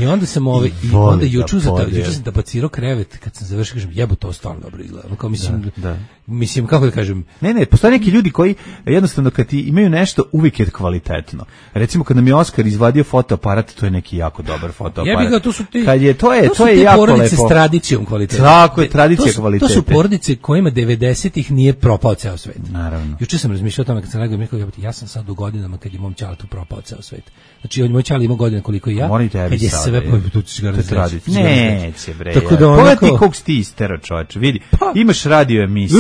I onda sam ovaj i onda juče da juče sam tapacirao krevet kad sam završio, kažem jebo to stvarno dobro izgleda. Kao mislim da, da. Mislim kako da kažem. Ne, ne, postoje neki ljudi koji jednostavno kad ti imaju nešto uvijek je kvalitetno. Recimo kad nam je Oskar izvadio fotoaparat, to je neki jako dobar fotoaparat. Ja bih ga, to su ti. Kad je to je to, to je jako lepo. Porodice s tradicijom kvaliteta. Tako je, tradicija kvaliteta. To su porodice kojima devedesetih nije propao ceo svet. Naravno. Juče sam razmišljao o tome kad sam rekao, rekao ja sam sad u godinama kad je mom ćaletu propao ceo svet. Znači on moj ćale ima godina koliko i ja. Kad je sve po tu tradicija. Neće bre. Tako da pogledaj kog si ti istero, čoveče. Vidi. Imaš radio emisiju.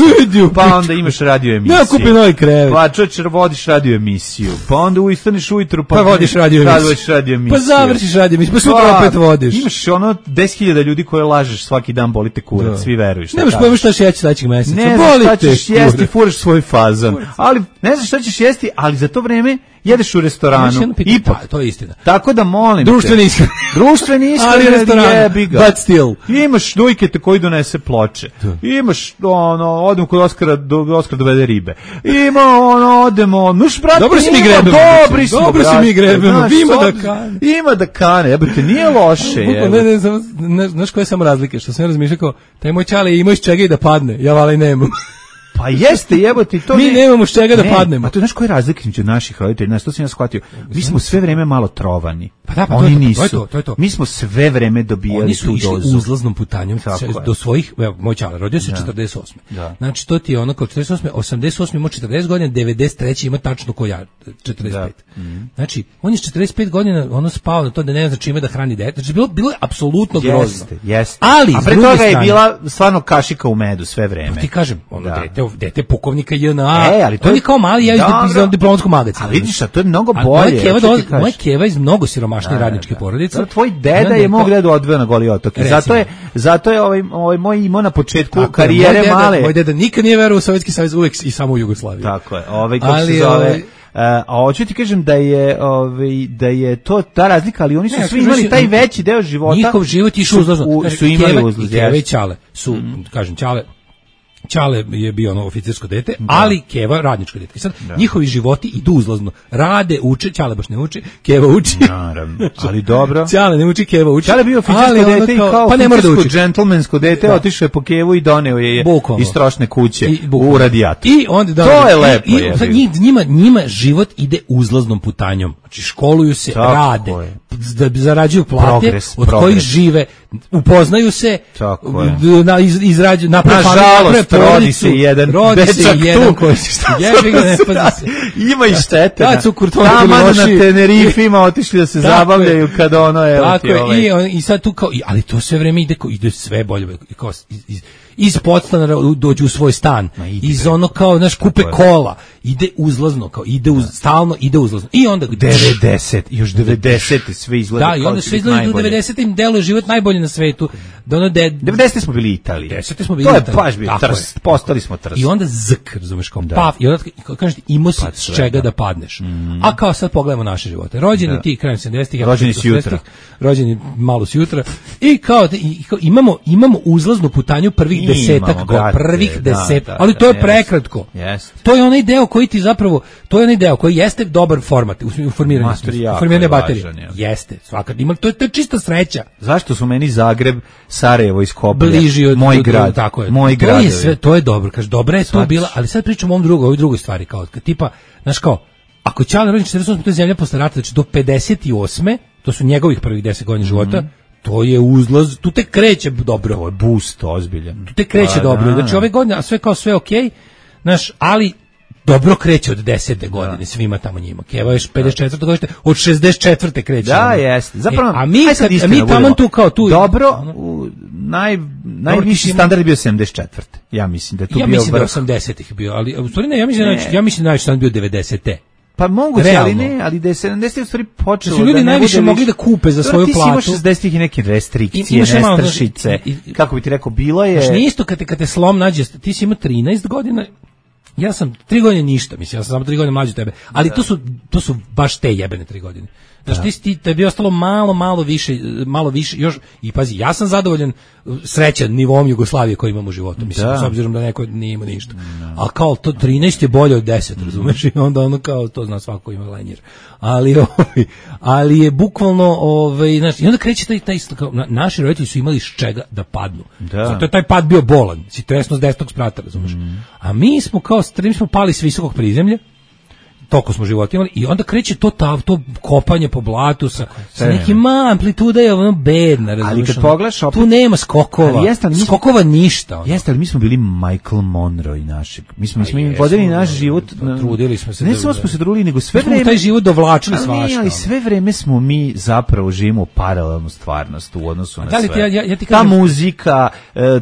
Pa onda imaš radio emisiju. Ja kupim novi krevet. Pa čoveče vodiš radio emisiju. Pa onda ustaneš ujutru pa, pa vodiš radio emisiju. Vodiš radio emisiju. Pa završiš radio emisiju. Pa sutra opet vodiš. Imaš ono deset hiljada ljudi koje lažeš svaki dan, boli te kurac, svi veruju šta. Nemaš pojma šta ćeš jesti sledećeg meseca. Ne znaš šta ćeš jesti, furaš svoj fazon. Ali ne znaš šta ćeš jesti, ali za to vreme jedeš u restoranu. Ipak, pa, to je istina. Tako da molim društveni ishrana. Društveni ishrana, jebi ga. But still. Imaš dujkete koji donese ploče. Imaš ono, odemo kod Oskara, do Oskar dovede ribe. Ima ono, odemo, nuš brate. Dobro si mi grebemo. Dobri smo, Dobro si mi grebemo. Ima da kane. Ima da kane, jebote, nije loše. Ne, ne, ne, znaš koje sam razlike, što sam razmišljao kao, taj moj ćale ima iz čega i da padne. Ja vali nemam. Pa jeste, jebote, to mi ne, nemamo s čega ne, da padnemo. A to znaš koji je razlika između naših roditelja? Znaš, to sam ja shvatio. Mi smo sve vreme malo trovani. Pa da, pa oni to, nisu. To je to, to je to. Mi smo sve vreme dobijali oni su tu išli dozu. uzlaznom putanjom do svojih, evo, moj ćale rodio se četrdeset osme. Da. Znači, to ti je ono kao četrdeset osme, osamdeset osme ima četrdeset godina, devedeset treće ima tačno ko ja, četrdeset pet. Da. Mm. Znači, on je četrdeset pet godina, ono spao na to da ne zna čime da hrani dete. Znači, bilo, bilo je apsolutno grozno. Jeste, jeste. Ali, a pre toga je bila stvarno kašika u medu sve vreme. Pa ti kažem, ono da. dete, dete pukovnika J N A. E, ali to on je kao mali, ja iz diplomskog magacina. A vidiš, a to je mnogo bolje. Moja keva iz mnogo siromašnije radničke porodice. Tvoj deda je mog dedu odveo na Goli otok. Zato je, zato je ovaj, ovaj moj imao na početku tako karijere moj deda, male. Moj deda nikad nije verovao u Sovjetski savez, uvek i samo u Jugoslaviju. Tako je. Ovaj kako se zove. Ovaj, a hoću ti kažem da je ovaj da je to ta razlika, ali oni su ne, svi imali taj veći deo života. Njihov život išao uzlazno. Su imali uzlaz. Keva i ćale su, mm. kažem, ćale Ćale je bio ono oficirsko dete, da. Ali Keva radničko dete. I sad da. Njihovi životi idu uzlazno. Rade, uče, Ćale baš ne uči, Keva uči. Naravno. Ali dobro. Ćale ne uči, Keva uči. Ćale bio oficirsko dete kao, i kao pa ne mora da uči. Džentlmensko dete, da. Otišao je po Kevu i doneo je Bukovno. Iz strošne kuće I, u radijator. I onda da, to je lepo. I, i, njih, njima, njima život ide uzlaznom putanjom. Znači školuju se, tako rade, je. Da zarađuju plate, progres, od progres. Kojih žive, upoznaju se, na, iz, izrađuju, naprave nažalost, rodi se jedan rodi se jedan koji se jebi ga, ne pazi se. Ima i štete. Kad su Kurtovi na Tenerifima otišli da se zabavljaju kad ono je. Tako je, i, i sad tu kao, ali to sve vreme ide, ide sve bolje, kao iz, iz, iz podstanara dođu u svoj stan, iz ono kao, znaš, kupe kola, ide uzlazno, kao ide uz, stalno ide uzlazno. I onda devedeset, još devedeset sve izgleda kao. Da, i onda sve izgleda u devedesetim deluje život najbolje na svetu. Da ono de devedesete smo bili Italija. devedesete smo bili Italija. To je baš bio trst, postali smo trst. I onda zk, razumeš, kao da. Paf, i onda kažeš imao si s čega da padneš. Mm. A kao sad pogledamo naše živote. Rođeni da. Ti krajem sedamdesetih, rođeni si jutra. Rođeni malo si jutra. I kao, i, kao imamo imamo uzlaznu putanju prvih desetak, prvih deset, ali to je prekratko. To je onaj deo koji ti zapravo, to je onaj deo koji jeste dobar format u formiranju, formiranje baterije. Jeste, svakako. Ima to je, to je čista sreća. Zašto su meni Zagreb, Sarajevo iz Kobalja, bliži od moj grad, tako je. Moj grad. To je sve, to je dobro, kaže, dobra je to bila, ali sad pričamo o ovom drugoj, ovoj drugoj stvari kao tipa, znaš kao, ako je Ćale rođen četrdeset osme, to je zemlja posle rata, znači do pedeset osme, to su njegovih prvih deset godina života. Mm-hmm. To je uzlaz, tu te kreće dobro. To je boost ozbiljan. Tu te kreće a, dobro. Da, znači ove godine, a sve kao sve okej, okay, znaš, ali dobro kreće od desete godine, da. Svima tamo njima. Keva je pedeset četvrte godište, od šezdeset četvrte kreće. Da, jeste. Zapravo, e, a mi, kad, a mi tamo tu kao tu. Dobro, u, naj, najviši standard je bio sedamdeset četvrte Ja mislim da je tu ja bio... Ja mislim da je osamdesetih bio, ali u stvari ne, ja mislim, ne. Da, ja mislim da najviši standard bio devedesete Pa moguće, ali ne, ali da je sedamdesetih u stvari počelo da su ljudi da najviše mogli da kupe za svoju platu. Ti si imaš šezdesetih i neke restrikcije, nestašice, kako bi ti rekao, bilo je... Znaš, nije isto kad te, kad te slom nađe, ti si imao trinaest godina, ja sam tri godine ništa, mislim, ja sam samo tri godine mlađi od tebe, ali da. to su to su baš te jebene tri godine. Znaš, ti, ti tebi je ostalo malo, malo više, malo više, još, i pazi, ja sam zadovoljan, srećan nivom Jugoslavije koji imam u životu, mislim, da. S obzirom da neko nije imao ništa. Da. A kao to trinaest je bolje od deset, razumeš, i onda ono kao, to zna svako ima lenjer. Ali, ovaj, ali je bukvalno, ovaj, znaš, i onda kreće taj, taj, kao, naši roditelji su imali iz čega da padnu. Da. Zato je taj pad bio bolan, si tresno s desnog sprata, razumeš. Mm. A mi smo kao, mi smo pali s visokog prizemlja, toliko smo života imali i onda kreće to ta, to kopanje po blatu sa, sa nekim ma, amplituda je ono bedna, razumiješ? Ali kad pogledaš opet... Tu nema skokova, jeste, ali skokova ništa. Ono. Jeste, ali mi smo bili Michael Monroe i našeg. Mi smo, mi smo im vodili naš život... Na, trudili smo se. Ne samo smo se trudili, nego sve vreme... taj život dovlačili svašta. Ali sve vreme smo mi zapravo živimo paralelnu stvarnost u odnosu na sve. Ja, ja, ja ti kažem, ta muzika,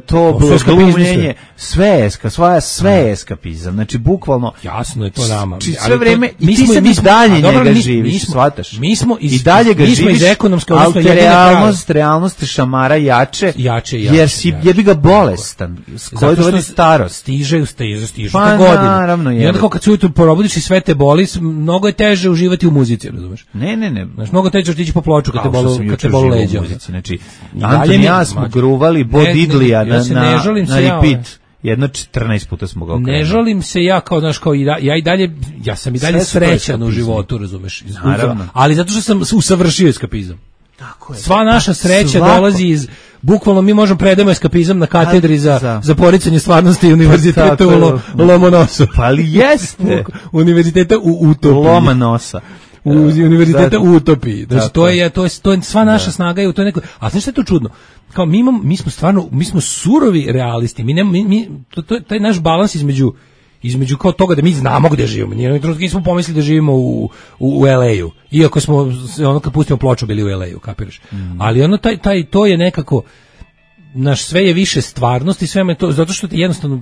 to glumljenje, sve je sve, sve je eskapizam. Znači, bukvalno... Jasno je to nama. Sve vreme i ti se mi dalje njega živiš, shvataš? Mi smo iz, i dalje ga mi živiš, iz ekonomske, ali te realnost, realnost šamara jače, jače, jače jer si jače. jebi ga bolestan, s kojoj dovodi starost. Stiže, stiže, stiže pa, te godine. Naravno, I onda kao kad se ujutru probudiš i sve te boli, mnogo je teže uživati u muzici, razumeš? Ne, ne, ne. Znaš, mnogo teže otići po ploču kad te boli, kad te boli leđa. Znači, Anton i ja smo gruvali Bo Diddleya na, na, na repeat. Jedno četrnaest puta smo ga okrenuli. Ne žalim se ja kao, znaš, kao i da, ja i dalje, ja sam i dalje srećan u životu, razumeš? Naravno. Ali zato što sam usavršio eskapizam. Tako je. Sva naša sreća Svako. dolazi iz, bukvalno mi možemo predajemo eskapizam na katedri za, za. za poricanje stvarnosti univerziteta u Lo, Lomonosu. Pa ali jeste. Univerziteta u Utopiji. Lomonosa. U univerziteta u Utopiji. Znači, to je, to je, to je sva naša da. snaga je u toj nekoj, a znaš što je to čudno? Kao mi imamo, mi smo stvarno, mi smo surovi realisti, mi ne, mi, mi to, to, taj naš balans između, između kao toga da mi znamo gde živimo, nije trenutno smo pomislili da živimo u, u, u el ej-u, iako smo, ono kad pustimo ploču bili u el ej-u, kapiraš, mm. ali ono, taj, taj, to je nekako, naš sve je više stvarnosti, sve me to, zato što ti jednostavno,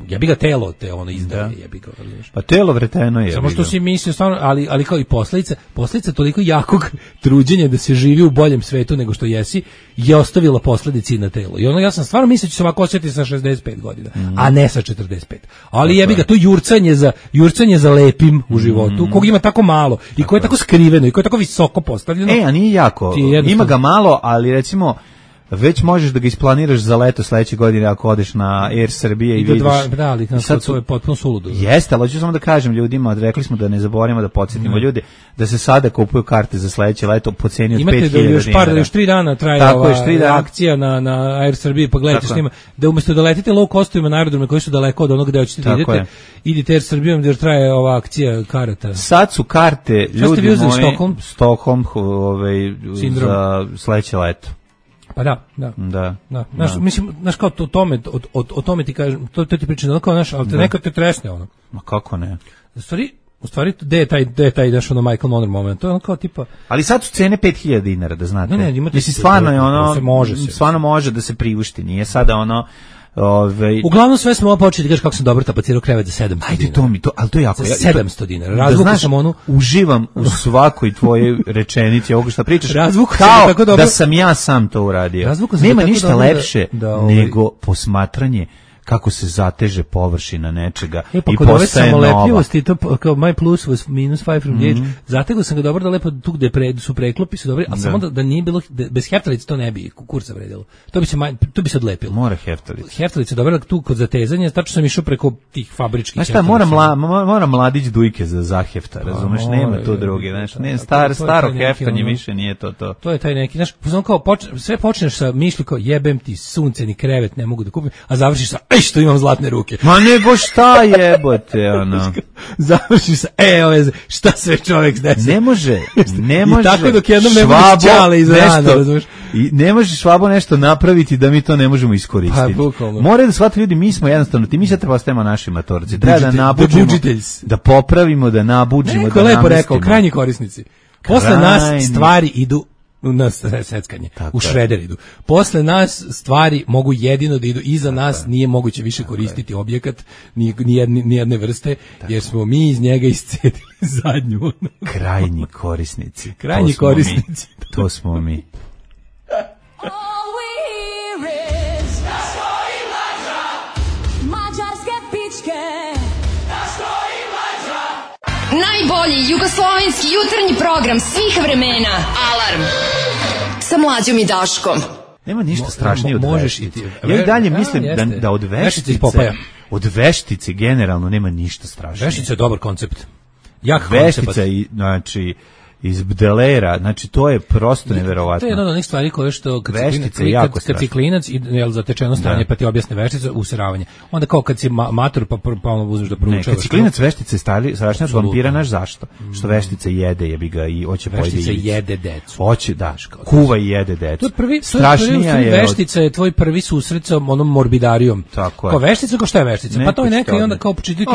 ja bi ga telo te ono izdaje, ja bi ga, razumiješ. Pa telo vreteno je. Samo što si mislio stvarno, ali, ali kao i posljedica, posljedica toliko jakog truđenja da se živi u boljem svetu nego što jesi, je ostavila posljedice i na telo. I ono, ja sam stvarno mislio da će se ovako osjetiti sa šezdeset pet godina, mm. a ne sa četrdeset pet. Ali jebi ga, to jurcanje za, jurcanje za lepim u životu, mm. kog ima tako malo, i koje je tako skriveno, i koje je tako visoko postavljeno. E, a nije jako, ima ga malo, ali recimo, već možeš da ga isplaniraš za leto sledeće godine ako odeš na Air Srbije i, i vidiš. Dva, da, ali kako to je potpuno suludo. Jeste, ali hoću samo da kažem ljudima, rekli smo da ne zaboravimo da podsjetimo mm. ljude da se sada kupuju karte za sledeće leto po ceni od pet hiljada dinara. Imate da još par, još tri dana traje tako ova je, dana. akcija na, na Air Srbije, pa gledajte s njima, da umesto da letite low costovima na aerodrome koji su daleko od onog gde hoćete da idete, je. idite Air Srbijom gdje traje ova akcija karata. Sad su karte, ljudi moji, Stockholm, Stockholm ovaj, za sledeće leto. Pa da, da. Da. Da. Naš, da. Mislim, znaš kao to, tome, o, o, o tome ti kažem, to, to ti pričam, ono kao naš, ali te da. Neko te tresne ono. Ma kako ne? U stvari, u stvari, gde je taj, gde je taj, daš ono Michael Monroe moment, to je ono kao tipa... Ali sad su cene pet hiljada dinara, da znate. Ne, ne, imate... Mislim, stvarno je ono, se može se. Stvarno može da se priušti, nije sada ono... Ove... Uglavnom sve smo ovo počeli da kažeš kako sam dobro tapacirao krevet za sedamsto dinara. Ajde to mi, to, ali to je jako. Za sedamsto dinara. Razvuku da, sam onu... Uživam u svakoj tvojoj rečenici, ovoga što pričaš, Razvuku kao tako dobro... da sam ja sam to uradio. Nema ništa lepše da, da, ovaj... nego posmatranje kako se zateže površina nečega e, pa i postaje nova. Samolepljivosti, to kao my plus was minus five from the age. Mm-hmm. Zategao sam ga dobro da lepo tu gde pre, su preklopi su dobri, a da. samo da, da nije bilo, da, bez heftalice to ne bi kurca vredilo. To bi se, to bi se odlepilo. Mora heftalice. Heftalice dobro tu kod zatezanja, tačno sam išao preko tih fabričkih. Znaš šta, mora, mla, mora mladić dujke za zahefta, razumeš, pa, nema tu drugi, znaš, ne, star, staro heftanje više nije to to. To je taj neki, znaš, kao poč, sve počneš sa mišlju kao jebem ti sunce ni krevet ne mogu da kupim, a završiš sa ej što imam zlatne ruke. Ma nego šta jebote, ono. Završiš sa, e, ove, šta sve čovjek zdesi. Ne može, ne može. I tako dok jednom ne budeš čale iz rana, razumiješ. I ne može Švabo nešto napraviti da mi to ne možemo iskoristiti. Pa, moraju da shvate ljudi, mi smo jednostavno, ti mi sad treba ostajemo naši matorci. Treba da nabuđimo, da popravimo, da nabuđimo, neko da lepo rekao, krajnji korisnici. Posle nas stvari idu na seckanje, u šreder idu. Posle nas stvari mogu jedino da idu, iza nas nije moguće više koristiti objekat ni, ni, jedne, ni jedne vrste, jer smo mi iz njega iscedili zadnju. Krajnji korisnici. Krajnji to korisnici. Mi. To smo mi. Najbolji jugoslovenski jutarnji program svih vremena. Alarm sa Mlađom i Daškom. Nema ništa strašnije od možeš veštice. Ja i dalje mislim da, da od veštice, od veštice generalno nema ništa strašnije. Veštica je dobar koncept. Jak veštica i znači iz Bdelera, znači to je prosto neverovatno. To je jedna od onih stvari koje što kad veštice je jako kad si klinac i jel zatečeno stanje pa ti objasne veštice useravanje. Onda kao kad si ma, matur pa pa ono uzmeš da proučavaš. Ne, kad si klinac veštice stari, strašno od vampira naš zašto? Mm. Što veštice jede jebi ga i hoće pojede. Veštice jede decu. Hoće da, kuva i jede decu. To je prvi strašnija je veštica je tvoj prvi susret sa onom morbidarijom. Tako je. Kao veštica, kao šta je veštica? Pa to je neka i onda kao pročitati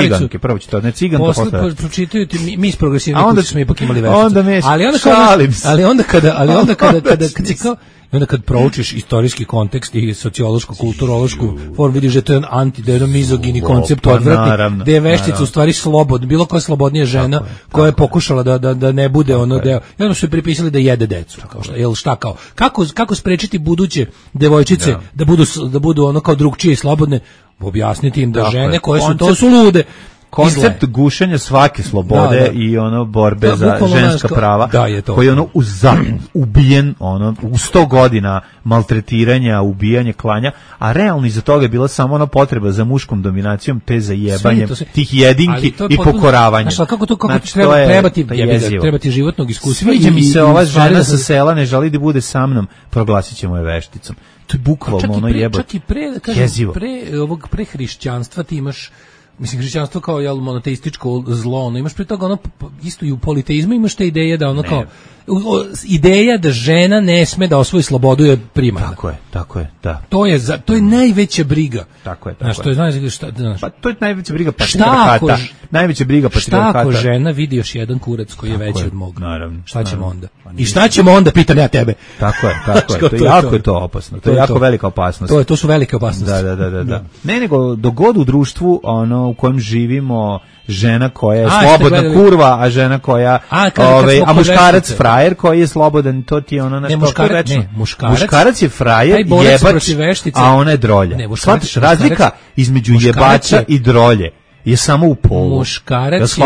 ciganke, prvo će to ne ciganka posle. Pročitaju ti mi iz progresivnih smo ipak imali onda me ali onda kada, ali onda kada ali onda kada kada kad si kao i onda kad proučiš istorijski kontekst i sociološku, kulturološku formu, vidiš da to je jedan anti, da je jedan mizogini koncept odvratni, da je veštica u stvari slobod, bilo koja slobodnija žena koja je pokušala da, da, da ne bude ono deo. I onda su je pripisali da jede decu. Kao šta, jel šta kao? Kako, kako sprečiti buduće devojčice da, da, budu, da budu ono kao drugčije i slobodne? Objasniti im da tako žene koje su, to su lude. Koncept gušenja svake slobode da, da. I ono borbe da, za ženska prava da, je to. Koji je ono uzam, ubijen ono, u sto godina maltretiranja, ubijanja, klanja, a realno iza toga je bila samo ona potreba za muškom dominacijom te za jebanjem se, tih jedinki i potpuno, pokoravanjem. Znaš, kako to, kako znači, treba, je, treba, ti, jebiga, treba ti životnog iskustva. Sviđa mi se ova žena sa sela, ne želi da bude sa mnom, proglasit ćemo je vešticom. To je bukvalno ono jebot. Čak i pre, kažem, pre, ovog pre hrišćanstva ti imaš mislim, hrišćanstvo kao jel, monoteističko zlo, ono, imaš pre toga ono, isto i u politeizmu imaš te ideje da ono ne. Kao, o, ideja da žena ne sme da osvoji slobodu je primarna. Tako je, tako je, da. To je, za, to je najveća briga. Tako je, tako znaš, je. To je, znaš, šta, znaš, pa to je najveća briga patrijarhata. Najveća briga patrijarhata. Šta ako žena vidi još jedan kurac koji tako je veći je, od mog? Naravno. Šta ćemo naravno. onda? I šta ćemo onda, pitam ja tebe. Tako je, tako je. To je jako je to opasno. To je jako velika opasnost. To je, to su velike opasnosti. Da, da, da, da, da. Ne, nego dogod u društvu ono u kojem živimo žena koja je a, slobodna kurva, a žena koja a, kad, ove, kad a muškarac frajer koji je slobodan, to ti je ono na što reći. Ne, muškarac, muškarac je frajer, jebač, a ona je drolja. Shvataš, razlika između jebača i drolje je samo u polu. Muškarac je,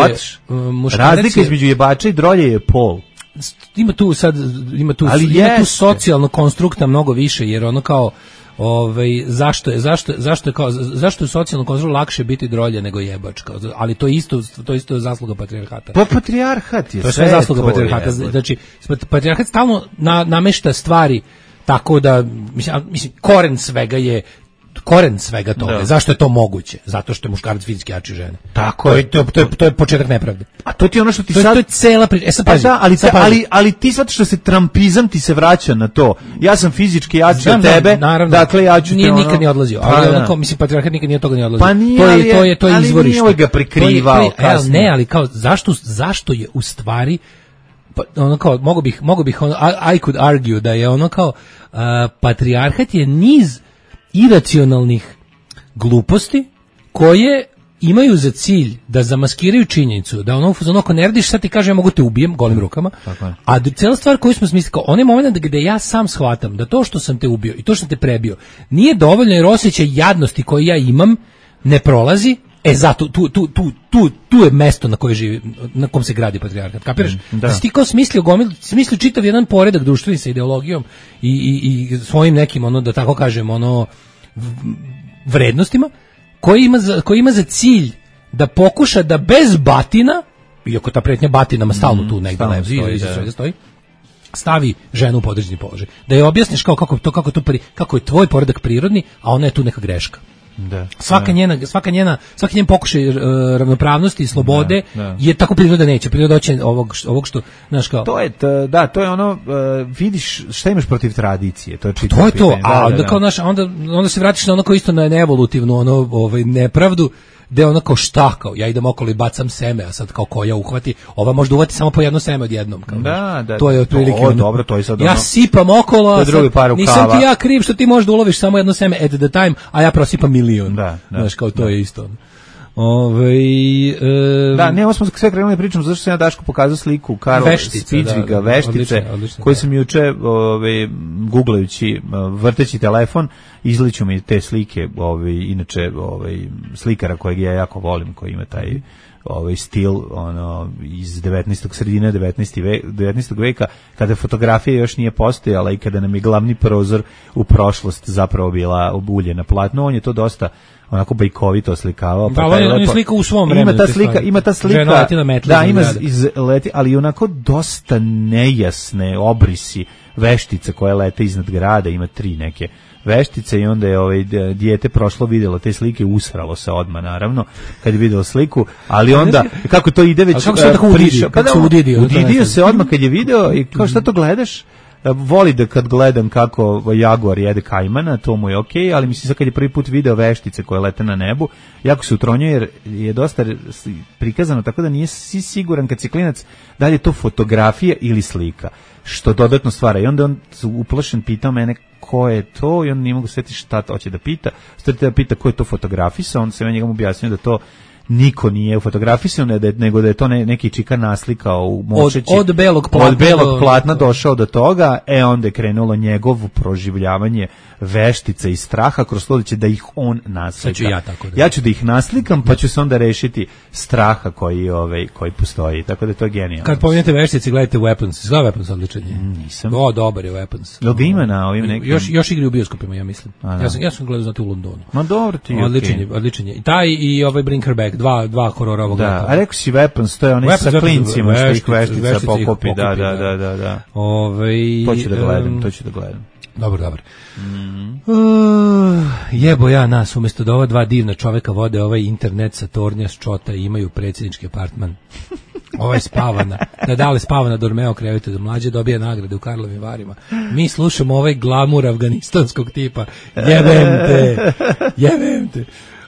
muškarac razlika je, između jebača i drolje je pol. Ima tu sad, ima tu, ali ima tu socijalno konstrukta mnogo više, jer ono kao ovaj zašto je zašto zašto je kao zašto je socijalno konstruktu lakše biti drolje nego jebač kao, ali to je isto to je isto zasluga patrijarhata. Pa patrijarhat je to je sve zasluga patrijarhata. Znači patrijarhat stalno na, namešta stvari tako da mislim, mislim koren svega je koren svega toga. Da. Zašto je to moguće? Zato što je muškarac fizički jači žene. Tako to je. To, to, je, to je početak nepravde. A to ti je ono što ti to sad... To je cela priča. E sad pazi. Da, ali, sad pazi. ali, ali ti sad što se trampizam ti se vraća na to. Ja sam fizički jači od tebe, naravno, dakle ja ću nije te ono... nikad ni odlazio. Pa, ali ono kao, mislim, patrijarhat nikad nije toga ni odlazio. Pa nije, to je, ali je, to je, to je ali izvorište. nije ga prikrivao kasnije. Ne, ali kao, zašto, zašto je u stvari... Pa, ono kao, mogu bih, mogu bih ono, I, I could argue da je ono kao, uh, patrijarhat je niz iracionalnih gluposti koje imaju za cilj da zamaskiraju činjenicu da ono ono ako ne radiš sad ti kaže ja mogu te ubijem golim rukama. A cijela stvar koju smo smislili kao onaj moment gde ja sam shvatam da to što sam te ubio i to što sam te prebio nije dovoljno jer osjećaj jadnosti koji ja imam ne prolazi. E zato tu tu tu tu tu je mesto na koje živi, na kom se gradi patrijarhat. Kapiraš? Da, da si ti kao smislio gomil, smislio čitav jedan poredak društveni sa ideologijom i, i, i svojim nekim ono da tako kažem ono vrednostima koji ima za, koji ima za cilj da pokuša da bez batina, iako ta pretnja batinama stalno tu negdje leži i sve stoji, stavi ženu u podređeni položaj. Da je objasniš kao kako to kako to pri, kako je tvoj poredak prirodni, a ona je tu neka greška. Da, svaka da. njena svaka njena svaki njen pokušaj uh, ravnopravnosti i slobode da, da. Je tako priroda neće priroda hoće ovog ovog što znaš kao to je t, da to je ono uh, vidiš šta imaš protiv tradicije to je čitavo to je to a da, onda da, kao naš onda onda se vratiš na ono kao isto na evolutivnu ono ovaj nepravdu gde ono kao šta, kao ja idem okolo i bacam seme, a sad kao koja uhvati, ova može uvati samo po jedno seme odjednom. Kao, da, da, to je otprilike. To, dobro, to je sad ono, ja sipam okolo, a sad, nisam kava. ti ja kriv što ti možda uloviš samo jedno seme at the time, a ja prosipam milion. Da, da, znaš, kao to da. je isto. Ove, e, da, ne, ovo smo sve krenuli pričamo zašto sam ja Daško pokazao sliku Karol Spitzviga, da, veštice, odlično, odlično, koju sam juče ove, googlajući, vrteći telefon, izliču mi te slike, ove, inače ove, slikara kojeg ja jako volim, koji ima taj ovaj stil ono iz devetnaestog sredine devetnaestog veka, kada fotografija još nije postojala i kada nam je glavni prozor u prošlost zapravo bila obuljena platno, on je to dosta onako bajkovito oslikavao. Pa da, on je slika u svom vremenu. Ima ta slika, ima ta slika, da, ima iz leti, ali onako dosta nejasne obrisi veštica koje lete iznad grada, ima tri neke veštice i onda je ovaj dijete prošlo, vidjelo te slike, usralo se odmah naravno kad je videlo sliku, ali onda kako to ide već prišao, pa da udidio se odmah kad je video i kao šta to gledaš? Voli da kad gledam kako jaguar jede kajmana, to mu je okej, okay, ali mislim sad kad je prvi put video veštice koje lete na nebu, jako se utronjuje jer je dosta prikazano tako da nije si siguran kad si klinac da li je to fotografija ili slika, što dodatno stvara. I onda on uplašen pitao mene ko je to i on nije mogu sjetiti šta hoće da pita. Stvarite da pita ko je to fotografisao, onda se ja njegom objasnio da to niko nije fotografisao, nego da je to neki čika naslikao u močeći. Od, od belog platna, od belog platna došao do toga, e onda je krenulo njegovo proživljavanje veštica i straha kroz to da će da ih on naslika. Ću ja, tako da. ja ću da ih naslikam, pa ću se onda rešiti straha koji, ovaj, koji postoji. Tako da je to genijalno. Kad pominjete veštice, gledajte Weapons. Zna Weapons odličan je? Nisam. O, dobar je Weapons. Jel ga ima na ovim nekim? Još, još igri u bioskopima, ja mislim. A, ja sam, ja sam gledao znati u Londonu. Ma dobro ti je. Odličan je, odličan je. I taj i ovaj Bring Her Back, dva, dva horora ovog. Da, a rekao si Weapons, to je onaj sa klincima što ih veštica pokupi. Da, da, da, da, da. Ove, to ću da gledam, to ću da gledam. Dobro, dobro. Mm. Uh, jebo ja nas, umjesto da ova dva divna čoveka vode ovaj internet sa tornja s čota i imaju predsjednički apartman. Ovaj spavana, da dale spavana Dormeo krevetu da mlađe dobije nagrade u Karlovim Varima. Mi slušamo ovaj glamur afganistanskog tipa. Jebem te, jebem te.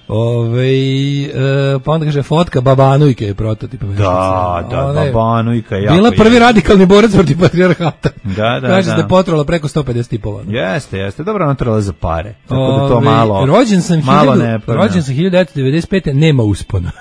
Ove, e, pa onda kaže fotka Babanujke je prototip. Da, da, One, Babanujka je bila prvi radikalni borac protiv patrijarhata. Da, da, kaže da. da je potrovala preko sto pedeset tipova. Jeste, jeste, dobro natrala za pare. Tako Ove, da to malo, rođen sam malo hiljadu, ne. Rođen sam hiljadu devetsto devedeset pete. Nema uspona.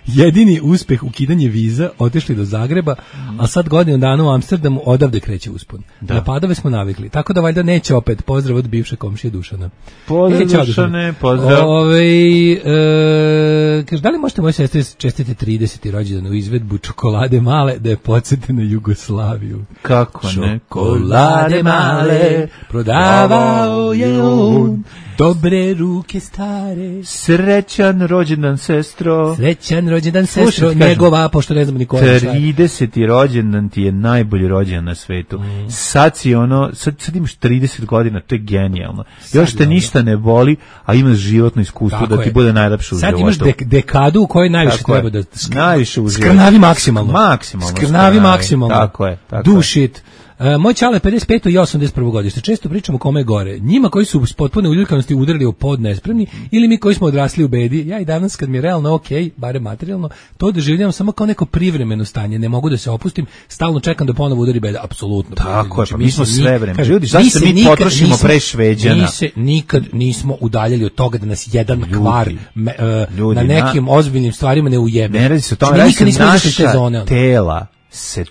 Jedini uspeh ukidanje viza, otišli do Zagreba, a sad godinu dana u Amsterdamu, odavde kreće uspon. Da. Na padove smo navikli, tako da valjda neće opet. Pozdrav od bivše komšije Dušana. Pozdrav e, Dušane, pozdrav. Ove, e, kaže, da li možete moje sestre čestite trideseti rođendan u izvedbu Čokolade male da je podsjete na Jugoslaviju? Kako ne? Čokolade male prodavao je on, dobre ruke stare. Srećan rođendan, sestro. Srećan rođendan, sestro. Slušaj, njegova, pošto ne znam ni koja je. trideseti rođendan ti je najbolji rođendan na svetu. Mm. Sad si ono, sad, sad imaš trideset godina, to je genijalno. Sad još te ono ništa ne boli, a imaš životno iskustvo da ti je bude najlepše u životu. Sad imaš dek, dekadu u kojoj najviše tako treba je. Da sk- najviše u skrnavi maksimalno. Maksimalno. Skrnavi maksimalno. Tako je. Tako Do shit. Uh, moj čale pedeset peto i osamdeset prvo godište. Često pričamo kome je gore. Njima koji su s potpune uljulkanosti udarili u pod nespremni ili mi koji smo odrasli u bedi. Ja i danas kad mi je realno ok, bare materijalno, to doživljavam samo kao neko privremeno stanje. Ne mogu da se opustim, stalno čekam da ponovo udari beda. Apsolutno. Tako je, pa mi smo sve vreme. Ljudi, zašto se mi nikad, potrošimo nismo, pre Šveđana? Mi se nikad nismo udaljali od toga da nas jedan ljudi, kvar me, uh, ljudi, na nekim na, ozbiljnim stvarima ne ujebe. Ne radi se o tome, radi se naša tela se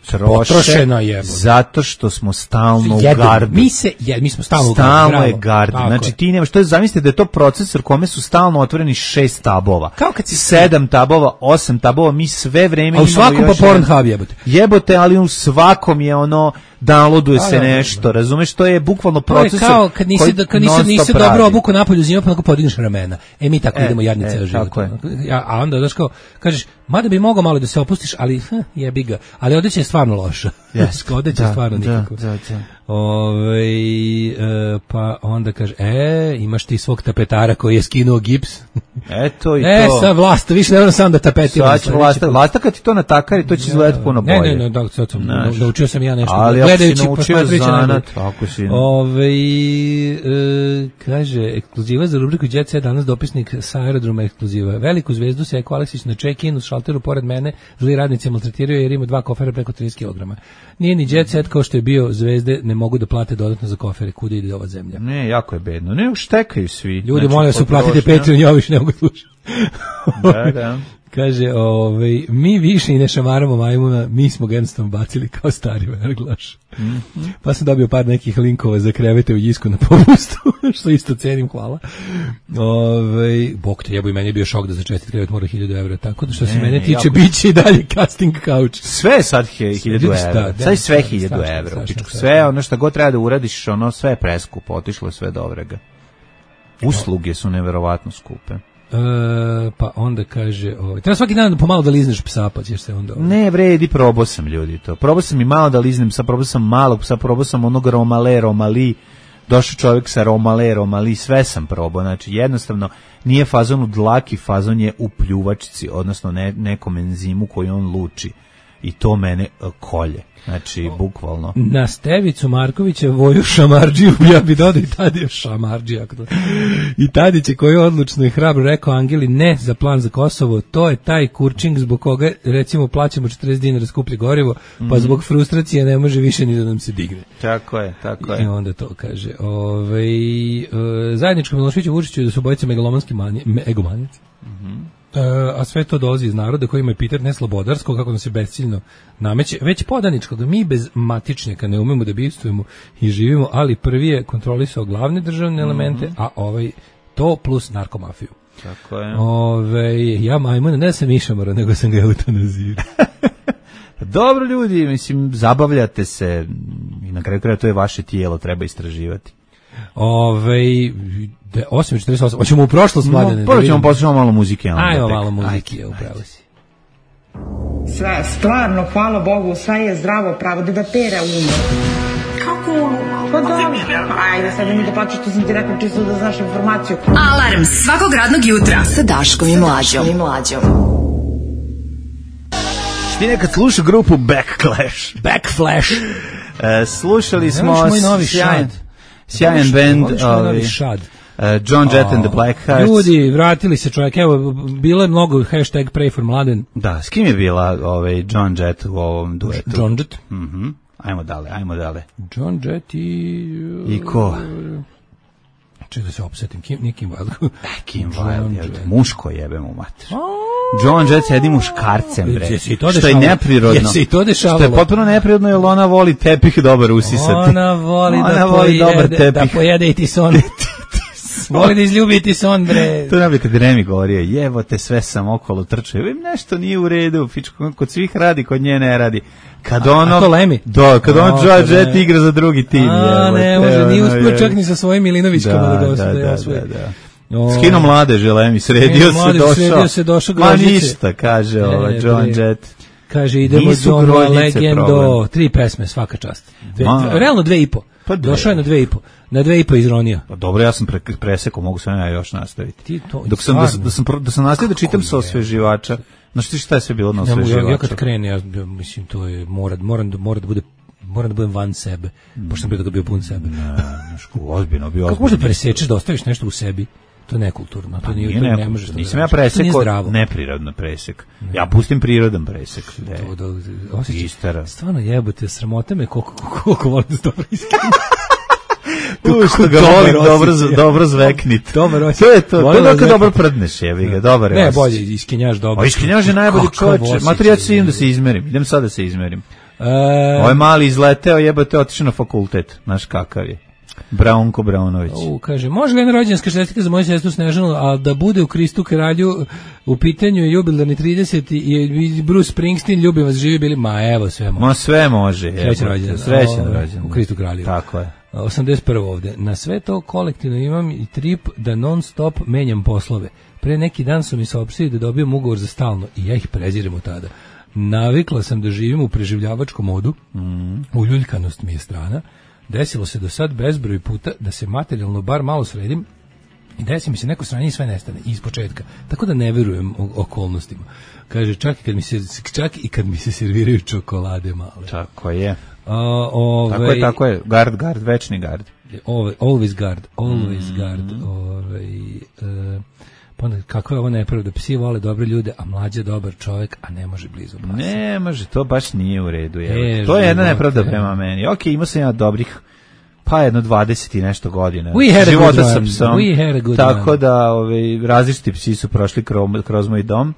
troše zato što smo stalno u gardu. Mi se, je, mi smo stalno, stalno u gardu. je gard. Znači ti nemaš, to je, zamislite da je to procesor kome su stalno otvoreni šest tabova. Kao kad si sedam tabova, osam tabova, mi sve vreme a u svakom pa Pornhub jebote. Jebote, ali u svakom je ono downloaduje se nešto, razumeš, to je bukvalno procesor. To je kao kad nisi da kad nisi nisi dobro obuko napolju zima pa onako podigneš ramena. E mi tako e, idemo jadni ceo život. Ja, a onda daš kao kažeš, mada bi mogao malo da se opustiš, ali hm, jebi ga. Ali odeća je stvarno loša. Yes. Odeća stvarno nikako. Da, da, da. Ove, e, pa onda kaže, e, imaš ti svog tapetara koji je skinuo gips. Eto i e, to. E, sad vlasta, više ne moram sam da tapetiram. Sad će vlasta, vlasta kad ti to natakari, to će izgledati puno bolje. Ne, ne, ne, da, sad sam, naučio sam ja nešto. Ali ako si naučio zanat, ako si... Ove, e, kaže, ekskluziva za rubriku Jet Set, danas dopisnik sa aerodroma ekskluziva. Veliku zvezdu se Eko Aleksić na check-in u šalteru pored mene, zli radnici maltretiraju jer ima dva kofera preko trideset kilograma. Nije ni Jet Set kao što je bio, zvezde ne mogu da plate dodatno za kofere, kuda ide ova zemlja. Ne, jako je bedno. Ne, štekaju svi. Ljudi, znači, molim vas, uplatite Patreon, ja više ne mogu slušati. Da, da. Kaže, ovaj, mi više i ne šamaramo majmuna, mi smo ga jednostavno bacili kao stari verglaš. Mm-hmm. Pa sam dobio par nekih linkova za krevete u Jisku na popustu, što isto cenim, hvala. Ovaj, bok te jebo, i meni je bio šok da za čestit krevet mora hiljadu evra, tako da što se mene tiče, jako... bit će i dalje casting couch. Sve je sad hiljadu evra, sad je sve hiljadu evra. Sve ono što god treba da uradiš, ono sve je preskupo, otišlo je sve do vrega. Usluge su neverovatno skupe. E, pa onda kaže, ovaj, treba svaki dan pomalo da lizneš psa, pa ćeš se onda... Ovaj. Ne, vredi, probao sam, ljudi, to. Probao sam i malo da liznem psa, probao sam malog psa, probao sam onog romale, romali, došao čovjek sa romale, romali, sve sam probao, znači jednostavno nije fazon u dlaki, fazon je u pljuvačici, odnosno ne, nekom enzimu koji on luči. I to mene uh, kolje. Znači, bukvalno. Na Stevicu Markovića Voju Šamardžiju, ja bi dodao i Tadija Šamardžija. I Tadić je koji je odlučno i hrabro rekao Angeli ne za plan za Kosovo, to je taj kurčing zbog koga, recimo, plaćamo četrdeset dinara skuplje gorivo, mm-hmm. pa zbog frustracije ne može više ni da nam se digne. Tako je, tako je. I onda to kaže. Ove, uh, zajedničko Miloševiću Vučiću da su bojice megalomanski manje, me, egomanici. Mhm. Uh, a sve to dolazi iz naroda koji ima epitet ne slobodarsko, kako nam se besciljno nameće, već podaničko, da mi bez matičnjaka ne umemo da bivstvujemo i živimo, ali prvi je kontrolisao glavne državne elemente, mm-hmm. a ovaj to plus narkomafiju. Tako je. Ove, ja majmuna, ne sam išamara, nego sam ga eutanazirao. Dobro, ljudi, mislim, zabavljate se i na kraju kraja to je vaše tijelo, treba istraživati. Ove, osam četrdeset osam, hoćemo u prošlost, Mladene? Prvo ćemo poslušati malo muzike. Ajmo malo muzike, upravo si. Sve, stvarno, hvala Bogu, sve je zdravo pravo, da da pere umo. Kako umo? Pa dobro, ajde, sad mi da plaću što sam ti rekao čisto da znaš informaciju. Alarm svakog radnog jutra sa Daškom i Mlađom. Ti nekad slušao grupu Backclash? Backflash. E, slušali smo sjajan, sjajan band, ovaj, šad. Uh, John Jett oh, and the Blackhearts. Ljudi, vratili se čovjek, evo, bilo je mnogo hashtag pray for Mladen. Da, s kim je bila ovaj John Jett u ovom duetu? John Jett. Mhm. Mm, ajmo dale, ajmo dale. John Jett i... I ko? Čekaj da se opsetim, Kim, nije Kim Wilde. Kim Wilde, muško jebe mu mater. John Jett sedi muškarcem, bre. Što je neprirodno. Jesi i to dešavalo? Što je potpuno neprirodno, jer ona voli tepih dobar usisati. Ona voli, ona da, voli pojede, dobar tepih. Da pojede i ti son. Voli da izljubi ti son, bre. To nam je kad Remi govorio, jevote, sve sam okolo trčao. Nešto nije u redu, fičko, kod svih radi, kod nje ne radi. Kad a, ono... A to Lemi? Do, kad ono John Jett igra za drugi tim. A, ne, može, nije uspio čak ni sa svojim Milinovićkama da, da ga da, da, da, da. O, Skino mladeže, Lemi, sredio se, došao. Sredio se, došao Ma ništa, kaže ova John Jett. Kaže, idemo John Legendo, tri pesme, svaka čast. Dve, realno dve i po. Pa došao je na dve i po. Na dve i po izronio. Pa dobro, ja sam pre, presekao, mogu sam ja još nastaviti. Ti to, Dok sam, da, da sam, da sam nastavio da čitam sa osveživača. Znaš ti šta je sve bilo na osveživača? Ja, ja kad krene, ja, ja mislim, to je, mora, moram, mora da bude, moram da budem van sebe, mm. pošto sam bio da ga bio pun sebe. Ne, znaško, ozbiljno, bio ozbiljno. Kako možda presečeš da ostaviš nešto u sebi? To je nekulturno, to pa nije, nije to ne možeš da. Nisam ja presekao neprirodno presek. Ne. Ja pustim prirodan presek. To, to, osjećam, stvarno jebote, sramota me koliko, koliko volim da se dobro iskrenim. U što ga volim dobro, dobro zveknit. Dobar osjećaj. To je to, to je da kad dobro prdneš, jebi ga, dobar je. Ne, bolje, iskenjaš dobro. O, iskenjaš je najbolji čovječe. Mater, ja ću se idem da se izmerim. Idem sad da se izmerim. E... Ovo je mali izleteo, jebote, otišao na fakultet. Znaš kakav je. Braunko Braunović. U, kaže, može li jedna rođendanska čestitka za moju sestru Snežanu, a da bude u Kristu kralju u pitanju jubilarni trideseti i Bruce Springsteen, ljubim vas, živi bili, ma evo sve može. Ma sve može. Srećan rođendan. Srećan rođendan. U Kristu kralju. Tako je. osamdeset prvo ovde. Na sve to kolektivno imam i trip da non stop menjam poslove. Pre neki dan su mi saopštili da dobijem ugovor za stalno i ja ih prezirem od tada. Navikla sam da živim u preživljavačkom modu, Mm. uljuljkanost mi je strana. Desilo se do sad bezbroj puta da se materijalno bar malo sredim i desi mi se neko sranje i sve nestane iz početka. Tako da ne verujem o- okolnostima. Kaže, čak i kad mi se, čak i kad mi se serviraju čokolade male. Tako je. A, ove, Tako je, tako je. Gard, gard, večni gard. Ove, always guard, always Mm. guard. Ove, e, pa onda, kako je ovo nepravda? Psi vole dobre ljude, a mlađe dobar čovjek, a ne može blizu pasa. Ne, može, to baš nije u redu. Je. E, To je jedna živote. nepravda prema meni. Ok, imao sam ja dobrih, pa jedno dvadeset i nešto godina. We had a života good sa one. psom. We had a good Tako one. da ovaj, različiti psi su prošli kroz, kroz moj dom,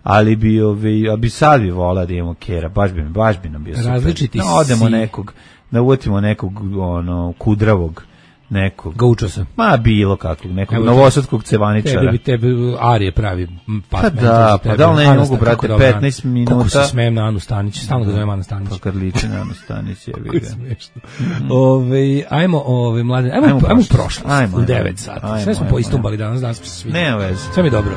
ali bi, ovaj, a bi sad bi volao da imamo kera, baš bi, baš bi nam bio super. Različiti Da odemo si. nekog, da uvatimo nekog ono, kudravog, nekog. Gaučo sam. Ma bilo kakvog, nekog Evo, novosadskog cevaničara. Tebi bi tebe Arije pravi pas. Pa da, pa da li ne mogu, brate, petnaest minuta. Koliko se smijem na Anu Stanić, stalno ga zovem Ana Stanić. Pa kad liči na Anu Stanić, je Kako je smiješno. Ove, ajmo, ove, mlade, ajmo, Ajmo u ajmo u prošlost. prošlost, Ajmo, u ajmo. devet sati. Ajmo, Sve smo ajmo, poistumbali danas, danas smo se svi. Nema veze. Sve mi je dobro.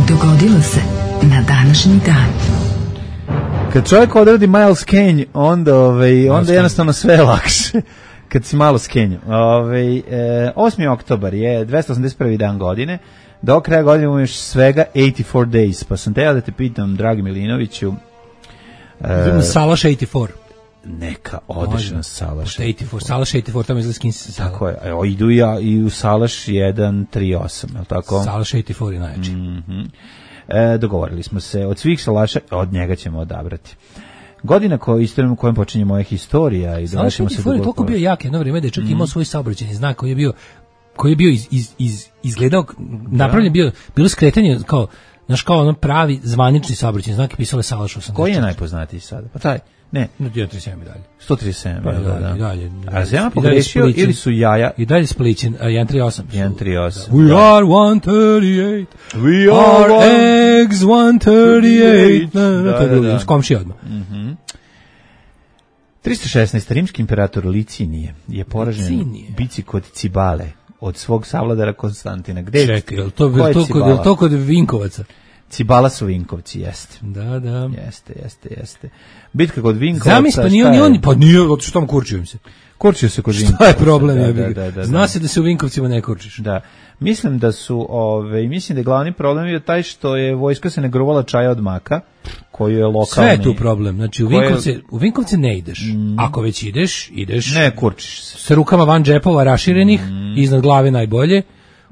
Dogodilo se na današnji dan. Kad čovjek odradi malo skenj, onda, ovaj, onda skenj. jednostavno sve je lakše. Kad si malo skenju. Ovaj, e, osmi oktobar je dvesta osamdeset prvi dan godine. Do kraja godine imamo još svega osamdeset četiri days. Pa sam teo da te pitam, dragi Milinoviću, Idemo Salaš osamdeset četiri. neka odeš na Salaš. osamdeset četiri, Salaš osamdeset četiri, tamo izgleda skin se Salaš. Tako je. Evo, idu ja i u Salaš jedan tri osam, je li tako? Salaš osamdeset četiri je najjači. Mhm. E, dogovorili smo se, od svih salaša, od njega ćemo odabrati. Godina koja istorijom kojom počinje moja historija i Salaš dovršimo se osamdeset četiri je toliko bio jak jedno vrijeme da je čak imao svoj saobraćajni znak koji je bio koji je bio iz, iz, iz, izgledao, napravljen bio, bilo skretanje kao, znaš, kao ono pravi zvanični saobraćajni znak i pisalo je Salaš osamdeset četiri. Koji je najpoznatiji sada? Pa taj, ne, No, jedan trideset sedam i dalje. sto trideset sedam, Pa, da, da, da. i dalje. A se ja I dalje pogrešio Splićen. ili su jaja? I dalje Splićen, a jedan trideset osam. jedan tri osam. We da. are one thirty-eight. We Our are one... eggs one thirty-eight. Da, To je da, drugi, da. s komšija odmah. tristo šesnaest. Rimski imperator Licinije je poražen Licinije. bici kod Cibale od svog savladara Konstantina. Gde je- Čekaj, je li to, ko je je to, kod, Cibala? je li to kod Vinkovaca? Cibala su Vinkovci, jeste. Da, da. Jeste, jeste, jeste. Bitka kod Vinkovaca. Zamisli, pa nije šta on, je? ni on, pa nije, zato što tamo kurčio im se. Kurčio se kod Šta Vinkovaca. je problem? Da, jebi da, ga? da, da, Zna da. se da se u Vinkovcima ne kurčiš. Da. Mislim da su, ove, mislim da je glavni problem je taj što je vojska se ne gruvala čaja od maka, koju je lokalni... Sve je tu problem. Znači, u Koje- Vinkovce, u Vinkovce ne ideš. Ako već ideš, ideš Ne, kurčiš se. sa rukama van džepova raširenih, iznad glave najbolje,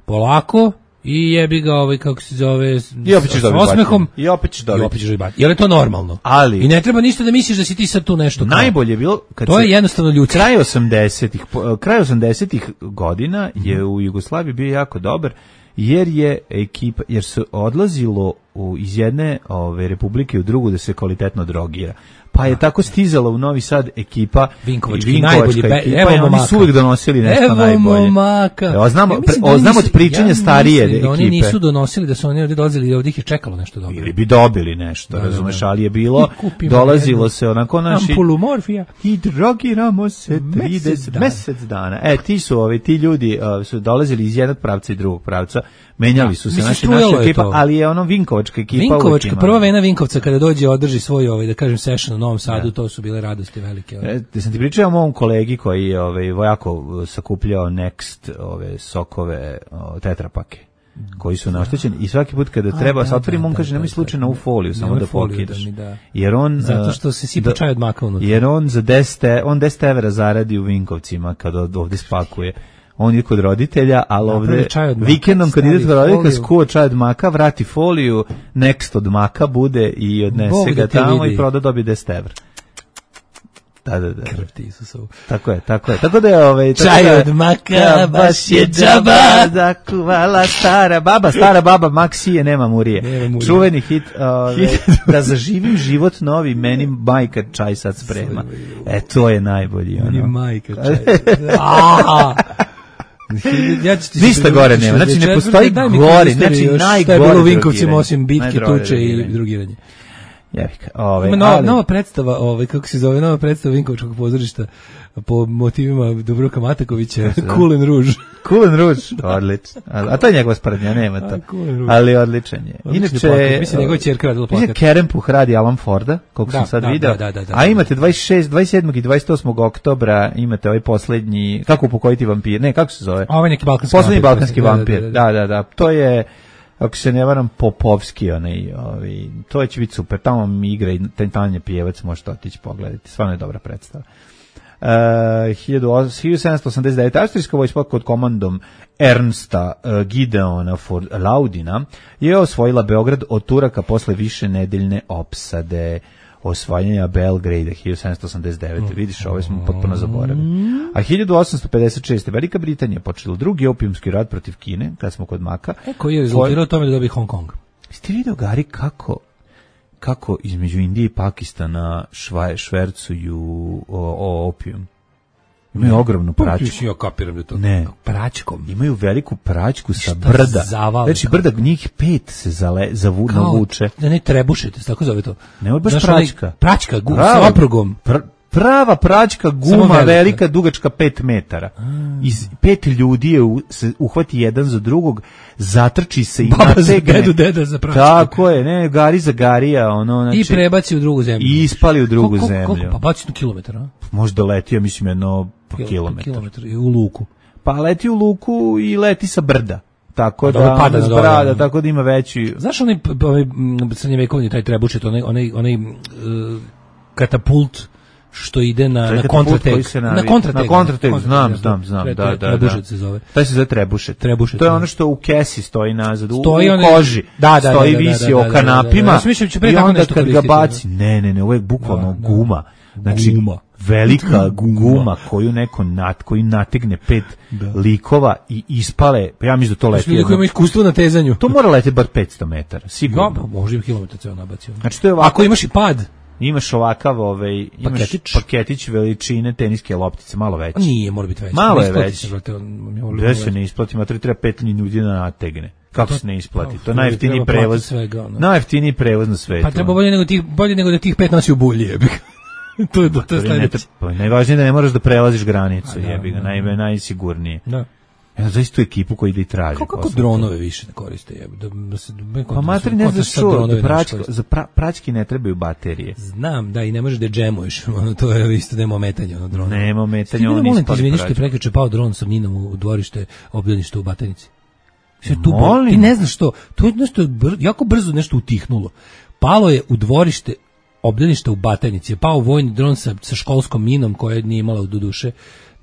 polako, i jebi ga ovaj, kako se zove, I opet ćeš s dobiti osmehom, batinu. I opet ćeš i dobiti. opet ćeš dobiti batinu. Jer je to normalno. Ali- I ne treba ništa da misliš da si ti sad tu nešto kao. Najbolje je bilo kad To se je jednostavno ljudski. kraj osamdesetih po- kraj osamdesetih godina je u Jugoslaviji bio jako dobar jer je ekipa jer se odlazilo u, iz jedne ove republike u drugu da se kvalitetno drogira. Pa je tako stizala u Novi Sad ekipa Vinkovački, Vinkovačka najbolji, be- ekipa evo i oni momaka. su uvijek donosili nešto Evo najbolje. momaka. Evo, znamo, Ja mislim da o, oni znamo nisu- od pričanja ja starije mislim da ekipe. oni nisu donosili, da su oni ovdje dolazili i ovdje ih je čekalo nešto dobro. Ili bi dobili nešto, Da, razumeš, da, da. ali je bilo, I kupimo dolazilo jednu se onako naši... Ampulu morfija. I drogiramo se Mesec trideset dana. mesec dana. E, ti su ovi, ti ljudi uh, su dolazili iz jednog pravca i drugog pravca, menjali su se Mislim, naši, strujalo naša je ekipa, to. ali je ono Vinkovačka ekipa. uvijek Vinkovačka, ima. prva vena Vinkovca kada dođe održi svoj, ovaj, da kažem, session u Novom Sadu, to su bile radosti velike. Ovaj. E, da sam ti pričao o mom kolegi koji je ovaj, vojako uh, sakupljao Next ove sokove o, tetrapake koji su naštećeni i svaki put kada treba da, se otvorim, da, on da, kaže da, nemoj da, slučajno da. u foliju, samo Nemoj da foliju da pokidaš. mi da. Jer on Zato uh, što se sipa da- čaj od maka unutra. Jer on za deset, e- on deset evra zaradi u Vinkovcima kada od- ovde spakuje. On je kod roditelja, ali Napravi ovde čaj od maka, vikendom kad stavi ide kod roditelja, foliju. skuo čaj od maka, vrati foliju, next od maka bude i odnese Bog da ga te tamo vidi. i proda dobije deset evra. Da, da, da. Krv ti Isusovu. Tako je, tako je. Tako da je ovaj tako Čaj da- od maka, Ja, baš je džaba. zakuvala stara baba, stara baba Maksije, nema murije. Nema murije. Čuveni hit, ovaj, da zaživim život novi, meni majka čaj sad sprema. E, to je najbolji. Meni Ono. majka čaj. A! Ja ću ti Ništa se gore priuštiš nema, znači, ne šezdeset četvrte. postoji Daj mi gori, istoriju znači, još, najgore šta je bilo u Vinkovcima drogiranje. osim bitke, Najgore tuče i drogiranje. drugiranje. Jevika. Ove, Ima nova, ali... nova predstava, ovaj, kako se zove, nova predstava Vinkovačkog pozorišta po motivima Dubravka Matakovića, Cool and Rouge. Cool and Rouge, odlično. A to je njegova sprednja, nema to. Ali odličan je. Inače, mislim njegova ćerka radila plakat. Kerempuh radi Alan Forda, koliko da, sam sad da, video. Da, da, da, da, a imate dvadeset šestog, dvadeset sedmog i dvadeset osmog oktobra, imate ovaj poslednji, kako upokojiti vampir, ne, kako se zove? Ovaj neki balkanski poslednji vampir. balkanski vampir, da, da, da, da. To je, ako se ne varam, Popovski, onaj, ovaj, to će biti super. Tamo mi igra i Tanje Pijevac, možete otići pogledati. Stvarno je dobra predstava. Uh, hiljadu sedamsto osamdeset devetog. Austrijska vojska pod komandom Ernsta uh, Gideona for Laudina je osvojila Beograd od Turaka posle više nedeljne opsade. Osvajanja Belgrada hiljadu sedamsto osamdeset devete. Vidiš, ovo smo potpuno zaboravili. A hiljadu osamsto pedeset šeste. Velika Britanija počela drugi opijumski rat protiv Kine, kad smo kod Maka. E, koji je rezultirao tome da dobije Hong Kong? Ste vidio, Gari, kako kako između Indije i Pakistana švaj, švercuju o, o opijum? Imaju ogromnu pračku. Ja kapiram da to ne. pračkom. Imaju veliku pračku sa brda. Zavale, znači brda, njih pet se zale, zavu, kao, navuče. Da ne trebušite, tako zove to. Ne, baš znaš, pračka. Pračka, gu, sa oprugom. Pr, prava pračka guma, velika. velika, dugačka pet metara. Iz pet ljudi je u, se uhvati jedan za drugog, zatrči se i Baba nategne. za dedu, deda za pračku. Tako je, ne, Gari za Garija. Ono, znači, i prebaci u drugu zemlju. I ispali u drugu koliko, zemlju. Koliko, pa baci na kilometar, a? Možda leti, ja mislim, jedno kilometar. Kilometar i u luku. Pa leti u luku i leti sa brda. Tako da, da pada na brada, tako da ima veći. Znaš onaj ovaj srednjevekovni taj trebušet, onaj onaj onaj uh, katapult što ide na na kontratek. Na kontratek. Na kontratek, znam, znam, znam, da, da, da. Trebušet se zove. Taj se zove trebušet. Trebušet. To je ono što u kesi stoji nazad, u, stoji u koži. Da, da, stoji da, da, visi da, o kanapima. Ja mislim će pre tako nešto kad ga baci, ne, ne, ne, ovo je bukvalno da, guma. Znači guma. velika guma koju neko nat, koji nategne pet da. likova i ispale, pa ja mislim da to leti. Ljudi koji imaju iskustvo na tezanju. To mora leteti bar petsto metara, sigurno. Da, može i kilometar ceo nabacio. Znači to je ovako, ako imaš i pad, imaš ovakav, ovaj, imaš paketić, paketić veličine teniske loptice, malo veći. Nije, mora biti veći. Malo je veći. Gde se ne isplati, ma treba pet ljudi da nategne. Kako se ne isplati? To je najjeftiniji prevoz. Svega, no. Najjeftiniji prevoz na svetu. Pa treba bolje nego tih, bolje nego da tih pet nosi u bulji, jebi ga. to je to, to je sledeće. Najvažnije da ne moraš da prelaziš granicu, jebi ga, naj, najsigurnije. Da. Ja zaista tu ekipu koji ide i traži. Kako, kako dronove više ne koriste? Jebi, da, da se, pa materi ne znaš što, da pračka, za pra, prački ne trebaju baterije. Znam, da, i ne možeš da džemuješ, ono, to je isto nema ometanja, ono, drona. Nema ometanja, ono molim ti, izvini što je prekjuče pao dron sa minom u dvorište, obdanište u Batajnici. Sve tu, ti ne znaš što, to je nešto, br, jako brzo nešto utihnulo. Palo je u dvorište obdaništa u Batajnici, je pao vojni dron sa, sa školskom minom koja nije imala u duše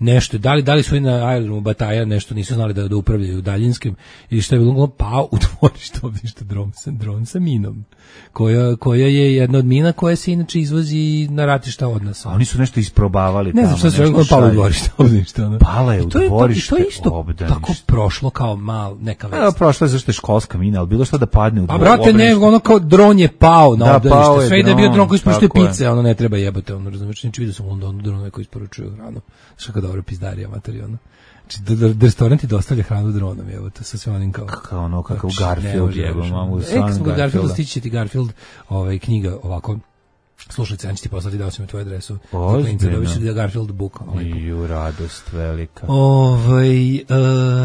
nešto, da li, da li su i na aerodromu Bataja nešto nisu znali da, da upravljaju daljinskim ili što je bilo pao u dvorište obdaništa dron sa, dron sa minom koja, koja je jedna od mina koja se inače izvozi na ratišta od nas. A oni su nešto isprobavali ne tamo. Ne znam što se palo u dvorište obdaništa. Ono. Pala je u dvorište obdaništa. To je isto tako prošlo kao mal neka vest. Evo prošlo je zašto je školska mina, ali bilo što da padne u dvorište. A brate, ne, ono kao dron je pao na da, obdanište. Sve i da je bio dron koji isporučuje pice, ono ne treba jebate, ono razumiješ, nič vidio sam u Londonu dronove koji isporučuju hranu. Što kao dobro pizdarija materijalno. Znači, da, da restoranti dostavlja hranu dronom, evo, to sa sve onim kao... Kako ono, kakav Garfield, evo, mamu, u stvarnom Garfielda. Garfielda, stići će ti Garfield, ovaj, knjiga, ovako, slušajte, ja ću ti poslati, dao sam mi tvoju adresu. Ozbiljno. Dobit ću da Garfield book. Ju, radost velika. Ovaj, uh,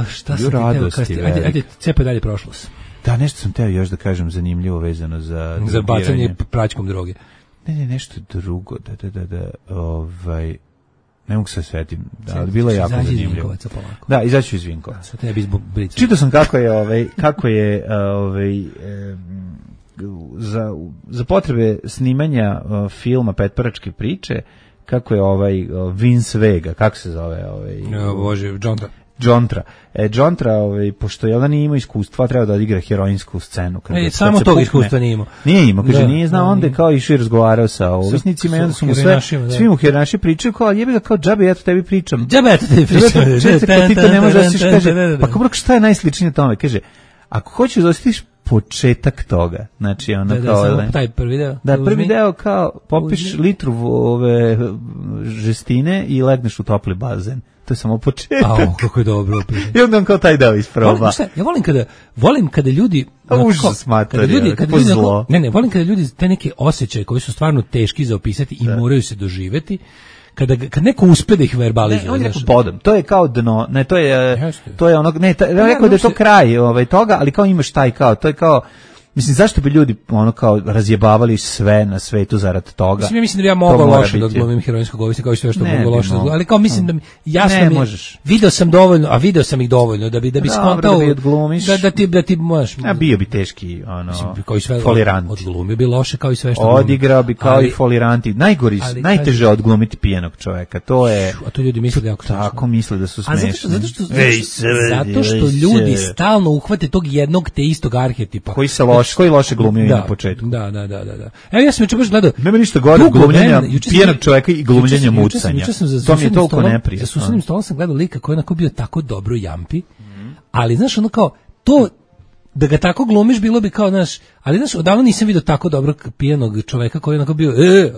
šta sam ti teo kasti? Ajde, ajde, cepaj dalje prošlost. Da, nešto sam teo još da kažem zanimljivo vezano za... Za bacanje praćkom droge. Ne, ne, nešto drugo, da, da, da, da, ovaj... Ne mogu se svetim, da, ali bilo je jako zanimljivo. Da, izaću iz Vinkovaca. Čitao sam kako je, ovaj, kako je ovaj, eh, za, za potrebe snimanja uh, filma Petparačke priče, kako je ovaj uh, Vince Vega, kako se zove? Ovaj, o, Bože, Jontra. Jontra. E, Jontra, ovaj, pošto je ona nije imao iskustva, treba da odigra heroinsku scenu. Kad, e, kad samo tog iskustva nije imao. Nije imao, kaže, da, nije znao, da, onda je kao išao i razgovarao sa ovisnicima i onda su mu sve, svi mu herinaši pričaju, kao, jebi ga, kao, džabe, ja to tebi pričam. Džabe, ja to tebi pričam. Pa ti to ne možeš da siš, kaže, pa kako šta je najsličnije tome? Kaže, ako hoćeš da osjetiš početak toga, znači ono da, kao... Da, samo taj prvi deo. Da, prvi deo kao, popiš litru ove žestine i legneš u topli bazen. to je samo početak. Au, kako je dobro. I onda on kao taj deo isproba. Ja volim kada, volim kada ljudi... Užas mater, ljudi, kada ljudi zlo. Ne, ne, volim kada ljudi te neke osjećaje koji su stvarno teški za opisati i da. moraju se doživeti, kada kad neko uspe da ih verbalizuje. Ne, on je podom. To je kao dno, ne, to je, Jeste. to je onog, ne, ta, ja rekao da je to kraj ovaj, toga, ali kao imaš taj kao, to je kao, mislim, zašto bi ljudi ono kao razjebavali sve na svetu zarad toga? Mislim, ja mislim da bi ja mogao loše da glumim heroinskog ovisnika, kao i sve što ne, mogu loše da glumim, ali kao mislim da mi, jasno ne, mi, možeš. video sam dovoljno, a video sam ih dovoljno, da bi, da bi skontao, da, bi da, da ti, da ti možeš. A bio bi teški, ono, mislim, kao i sve, folirant. Odglumio bi loše kao i sve što odigrao bi kao ali, i foliranti. Najgori, ali, najteže odglumiti pijenog čoveka, to je... A to ljudi misle da jako smešno. Tako misle da su smešni. Zato što, zato što ljudi stalno uhvate tog jednog te istog arhetipa. Koji se loš, koji loše glumio da, na početku. Da, da, da, da. Evo ja sam juče baš gledao. Nema ništa gore od glumljenja pijenog čoveka i glumljenja mucanja. To mi je toliko neprijatno. Za susednim stolom sam gledao lika koji je onako bio tako dobro jampi, ali znaš ono kao to da ga tako glumiš bilo bi kao, znaš, ali znaš, odavno nisam vidio tako dobrog pijenog čoveka koji je onako bio, e,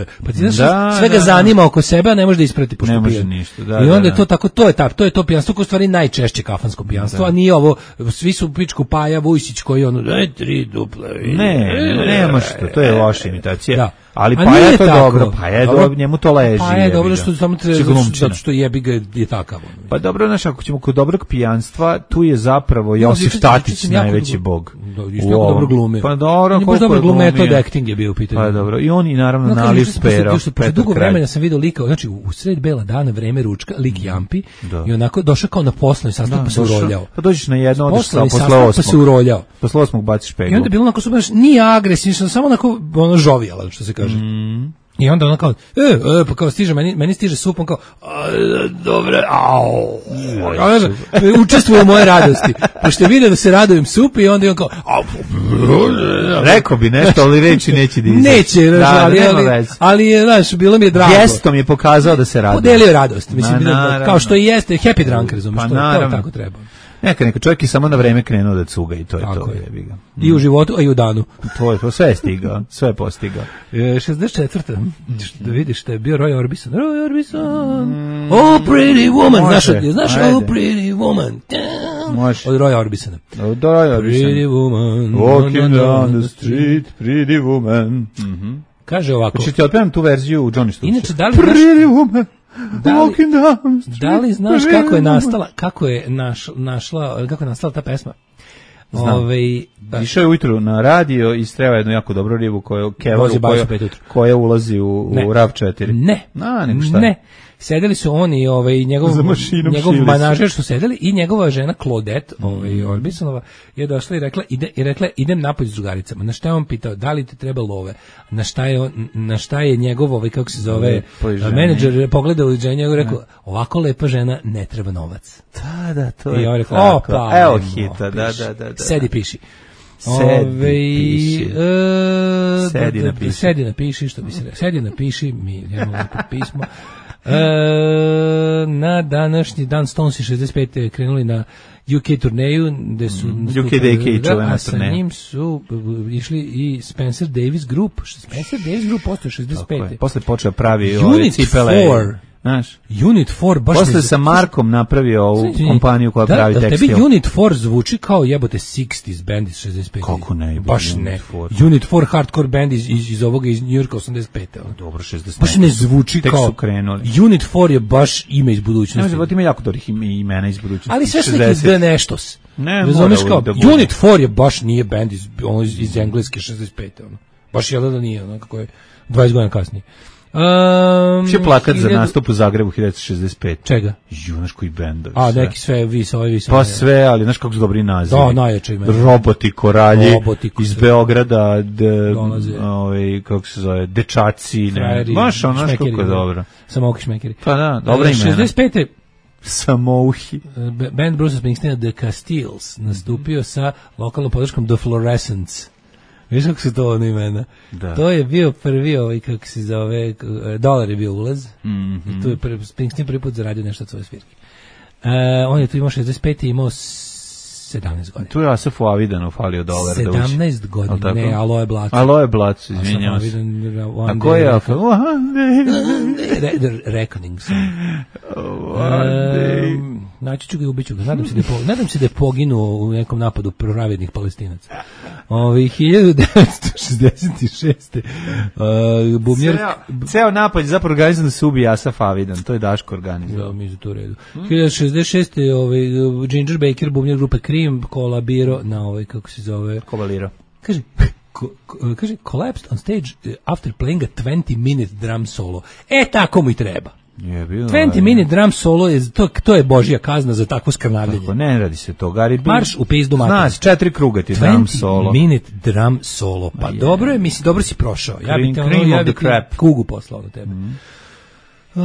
e, pa ti znaš, da, sve ga da, zanima oko sebe, a ne može da isprati pošto ne može ništa, da, i onda da, je to tako, to je ta, to je to pijanstvo koje u stvari najčešće kafansko pijanstvo, da. A nije ovo, svi su pičku Paja Vujsić koji ono, e, tri duple, ne, ne, nema što, to je loša imitacija. Da. Ali Paja je to tako. Dobro, Paja je dobro, njemu to leži. Paja je dobro što samo treba, zato što jebi ga je takav. Pa dobro, znaš, ako ćemo kod dobrog pijanstva, tu je zapravo Josif Tatić najveći bog. Isto jako dobro glume. Pa dobro, koliko dobro glume, to acting je bio u pitanju. Pa dobro, i on i naravno Naliv Pero. Posle dugo vremena sam video lika, znači u sred bela dana, vreme ručka, lik jampi i onako došao kao na poslovni sastanak pa se uroljao. Pa dođeš na jedno, odeš sa posle osmog. Pa se uroljao. Posle osmog baciš peglu. I onda je bilo onako, baš nije agresivno, samo onako ono žovijalan, što se kaže. I onda ona kao, e, e, pa kao stiže, meni, meni stiže sup, on kao, dobre, au, učestvuje u moje radosti, pošto je vidio da se radujem sup i onda je on kao, au, rekao bi nešto, ali reći neće da izaći. Neće, da, ali, ali, ali, znaš, bilo mi je drago. Gestom je pokazao da se raduje. Podelio radost, mislim, na, kao što i jeste, happy drunk, razumiješ, pa, to, to tako treba. Neka, neka čovjek je samo na vreme krenuo da cuga i to je tako to. Je. Je. Mm. I u životu, a i u danu. To je to, sve je stigao, sve je postigao. E, šezdeset četvrta Da vidiš što je bio Roy Orbison. Roy Orbison, mm. Oh pretty woman. Znaš, znaš Oh pretty woman. Može. Od Roy Orbisona. Od Roy Orbison. Pretty woman. Walking down the street, pretty woman. Mm-hmm. Kaže ovako. Hoćeš ti otpevam tu verziju u Johnny Stubbs? Inače, da li pretty woman. Da li, da li znaš kako je nastala, kako je naš, našla, kako je nastala ta pesma? Ove, da. Išao je ujutru na radio i streva jednu jako dobru ribu koju kevaru, koja, koja ulazi u, u RAV četiri. Ne, A, nego šta? Ne. Sedeli su oni, ovaj njegov njegov manažer su sedeli i njegova žena Claudette, ovaj Orbisonova, je došla i rekla ide i rekla idem napolje s drugaricama. Na šta je on pitao da li ti treba love? Na šta je on, na šta je njegov ovaj kako se zove menadžer pogledao u ženju i rekao ovako lepa žena ne treba novac. Da, da, to je. I on rekao opa, evo hita, da, da, da, da. Sedi piši. Sedi piši. E, sedi napiši. Sedi napiši, što bi se rekao. Sedi napiši, mi imamo pismo. E, na današnji dan Stonesi šezdeset pete krenuli na U K turneju gde su mm, U K D K da, a sa njim su išli i Spencer Davis Group. Spencer Davis Group postoje šezdeset pete Posle počeo pravi ove cipele. Znaš, Unit četiri baš posle sa Markom napravio ovu Znači, kompaniju koja da, pravi da, tekstil. Tebi Unit četiri zvuči kao jebote šezdeset band iz šezdeset pete Kako ne? Baš Unit ne. četiri. Unit četiri hardcore band iz, iz, iz ovoga iz New Yorka osamdeset pete Dobro, šezdeset Baš ne zvuči tek kao. Su krenuli. Unit četiri je baš ime iz budućnosti. Ne, ima jako dobrih imena iz budućnosti. Ali sve su neki da neštos. Ne, razumeš kao. Da Unit četiri je baš nije band iz, ono, iz, iz engleske šezdeset pete ono. Baš je da nije, ono kako je dvadeset godina kasnije. Um, Še plakat za nastup u Zagrebu hiljadu devetsto šezdeset pete Čega? Ju, znaš koji bendovi. A, sve. Neki sve, vi sa ovi, vi sa Pa sve, ali znaš kako su dobri nazivi. Da, najjače imena. Roboti koralji Roboti iz Beograda, de, ovaj, kako se zove, dečaci, ne. Baš ono, znaš kako je dobro. Samouki šmekeri. Pa da, dobra imena. šezdeset pete Samouhi. Band Bruce Springsteena The Castiles nastupio sa lokalnom podrškom The Fluorescence. Viš kako su to ono imena? Da. To je bio prvi ovaj, kako se zove, dolar je bio ulaz. Mm-hmm. I tu je prvi, Springsteen prvi put zaradio nešto od svoje svirke. Uh, on je tu imao šezdeset pete imao sedamnaest godina. Tu je Asafu Avidanu falio dolar da uđe. sedamnaest godina, ne, Aloe Blac. Aloe Blac, izvinjam se. A ko je Asafu? Reckoning song. Naći ću ga i ubiću ga. Nadam se da je, po, nadam se da je poginuo u nekom napadu pravednih Palestinaca. Ovi hiljadu devetsto šezdeset šeste. Uh, bubnjar... Ceo, ceo napad je zapravo organizan da se ubije Asaf Avidan. To je Daško organizovao. Da, mi je to u redu. Hmm. hiljadu šezdeset šeste. Ovaj, Ginger Baker, bubnjar grupe Cream, kolabiro na ovaj, kako se zove... Kobaliro. Kaže... Ko, ko, kaže, collapsed on stage after playing a twenty minute drum solo. E, tako mu i treba. Je bilo. twenty minute drum solo je to, to je božja kazna za takvo skrnavljenje. Tako, ne radi se to, Gari. Marš u pizdu mater. Znaš, četiri kruga ti drum solo. twenty minute drum solo. Pa yeah. Dobro je, misli, dobro si prošao. Ja bih te ono, ja bih kugu poslao na tebe. Mm. Uh,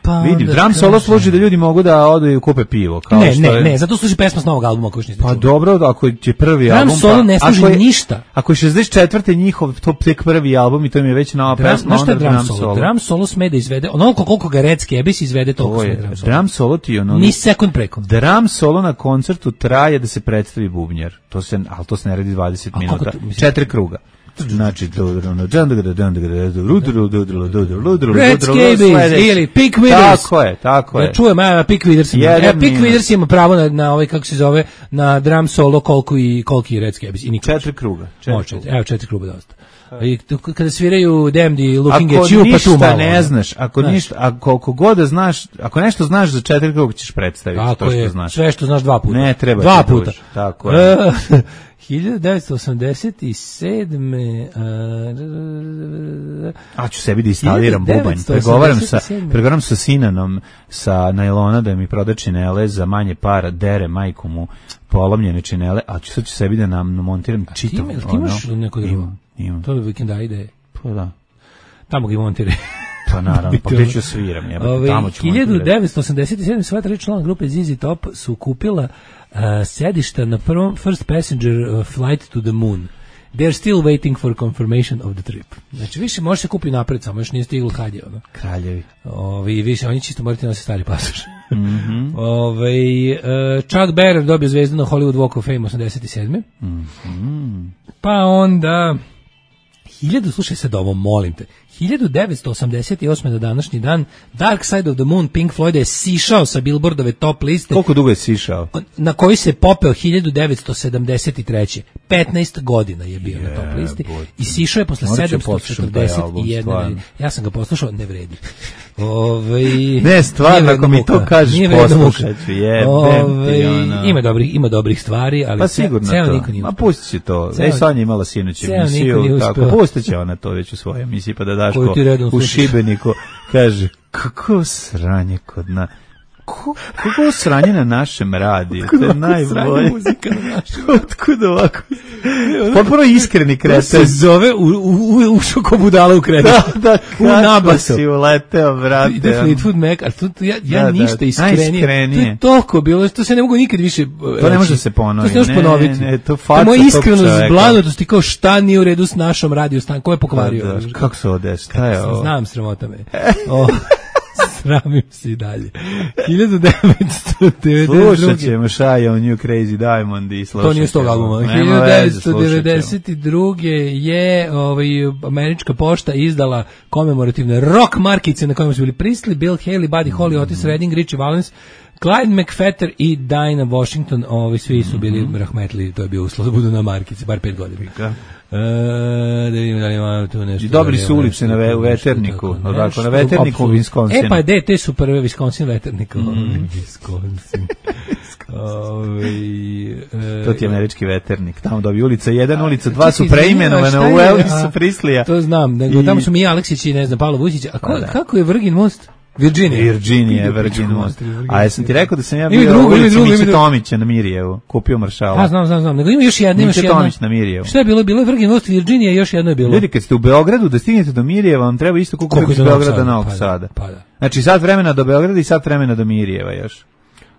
pa vidi, drum solo služi da ljudi mogu da odu i kupe pivo. Kao ne, što ne, je... ne, zato služi pesma s novog albuma koji što niste Pa čuli. dobro, ako je prvi drum album... Drum solo pa, ne služi je, ništa. Ako je šezdeset četvrte njihov top tek prvi album i to mi je već nova drum, pesma, onda drum, drum solo. solo. Drum solo sme da izvede, onoliko koliko ga Red Skebis izvede, toliko sme drum solo. Drum solo ti ono... Ni sekund preko. Drum solo na koncertu traje da se predstavi bubnjar. To se, ali to se ne radi dvadeset minuta. Četiri kruga. Znači Red Scabies ili Pick Withers. Tako je, tako je. Da čujem, ja Pick Withers. Ja Pick Withers ima pravo na na ovaj kako se zove na drum solo koliko i koliko i Red Scabies i niko. Četiri kruga. Četiri. Evo četiri kruga dosta. I kada sviraju Damned i Looking at You pa tu malo. Ako ništa ne znaš, ako ništa, ako koliko god da znaš, ako nešto znaš za četiri kruga ćeš predstaviti to što znaš. Sve što znaš dva puta. Ne treba. Dva puta. Tako je. hiljadu devetsto osamdeset sedme A ću sebi da instaliram bubanj. Pregovaram sa, pregovaram sa Sinanom sa najlona da mi proda činele za manje para, dere majku mu polomljene činele, a ću sad ću sebi da nam montiram čitav. Ti imaš neko drugo? Imam, imam. To je vikenda ide. Pa da. Tamo ga montiraj. Pa naravno, pa gdje ću sviram, jebate, tamo ću montirati. hiljadu devetsto osamdeset sedme sva tri člana grupe Z Z Top su kupila uh, sedišta na prvom First Passenger uh, Flight to the Moon. They're still waiting for confirmation of the trip. Znači, više može se kupiti napred, samo još nije stiglo kad je. Ono. Kraljevi. Ovi, više, oni čisto morate nositi stari pasoš. Mm-hmm. Ove, uh, Chuck Berry dobio zvezdu na Hollywood Walk of Fame osamdeset sedme Mm-hmm. Pa onda... Hiljadu, slušaj sad ovo, molim te. hiljadu devetsto osamdeset osme na današnji dan Dark Side of the Moon Pink Floyd je sišao sa Billboardove top liste. Koliko dugo je sišao? Na koji se popeo hiljadu devetsto sedamdeset treće petnaest godina je bio yeah, na top listi i sišao je posle sedamsto četrdeset jedan. Ja sam ga poslušao, ne vredi. Ove, ne, stvarno, ako mi to kažeš, poslušat ću, jebem. Ima dobrih, ima dobrih stvari, ali pa sigurno ceo to. niko nije. Ma pustit će to. Ne, Sonja imala sinoć emisiju, tako, pustit će ona to već u svojoj emisiji, pa da Daško u Šibeniku kaže, kako sranje kod na... Kako sranje na našem radiju? To je najbolje. Muzika na našem. Otkud ovako? Potpuno iskreni kreten. Se zove u, u, u šokobudala u kretu. Da, da, u nabasu. Si uleteo, vrate. Ide Fleetwood Mac, ali to, ja, ja da, ništa da, iskrenije. To je toliko bilo, to se ne mogu nikad više... To ne može se ponoviti. To se ne može ponoviti. Ne, ne, to faca tog čoveka. Zblanutosti kao šta nije u redu s našom radio stan, ko je pokvario? Da, da, kako se ode, šta je ovo? Znam, sramota me. O, sramim se i dalje. hiljadu devetsto devedeset druge Slušat ćemo Shy on You Crazy Diamond i slušat ćemo. To nije s tog albuma. hiljadu devetsto devedeset druge je ovaj, američka pošta izdala komemorativne rock markice na kojima su bili Priestley, Bill Haley, Buddy Holly, Otis Redding, Richie Valens, Clyde McPhatter i Dinah Washington, ovi svi su bili mm-hmm. rahmetli, to je bio uslov da budu na markici, bar pet godina. E, da vidimo da li imamo tu nešto. I dobri su ulice na ve, u Veterniku, odako, na Veterniku u Wisconsinu. E pa de, te su prve Wisconsin Veternika. Mm. Wisconsin. Ove, e, to ti je američki Veternik. Tamo dobi ulica jedan, ulica dva su preimenovane u Elvisa Priesleya. To znam, nego I... tamo su mi Aleksić i ne znam, Pavlo Vučić. A ko, kako je Virgin Most? Virginia. Virginia, Virgin Most. A jesam ti rekao da sam ja bio u ulici Miće Tomića na Mirjevu, kupio Maršala. A znam, znam, znam. Nego ima još jedna, ima još jedna. Miće Tomić na Mirjevu. Šta je bilo? Bilo je Virgin Most, Virginia i još jedno je bilo. Ljudi, kad ste u Beogradu, da stignete do Mirjeva, vam treba isto koliko iz Beograda do Novog Sada. Pa da. Znači, sat vremena do Beograda i sat vremena do Mirjeva još.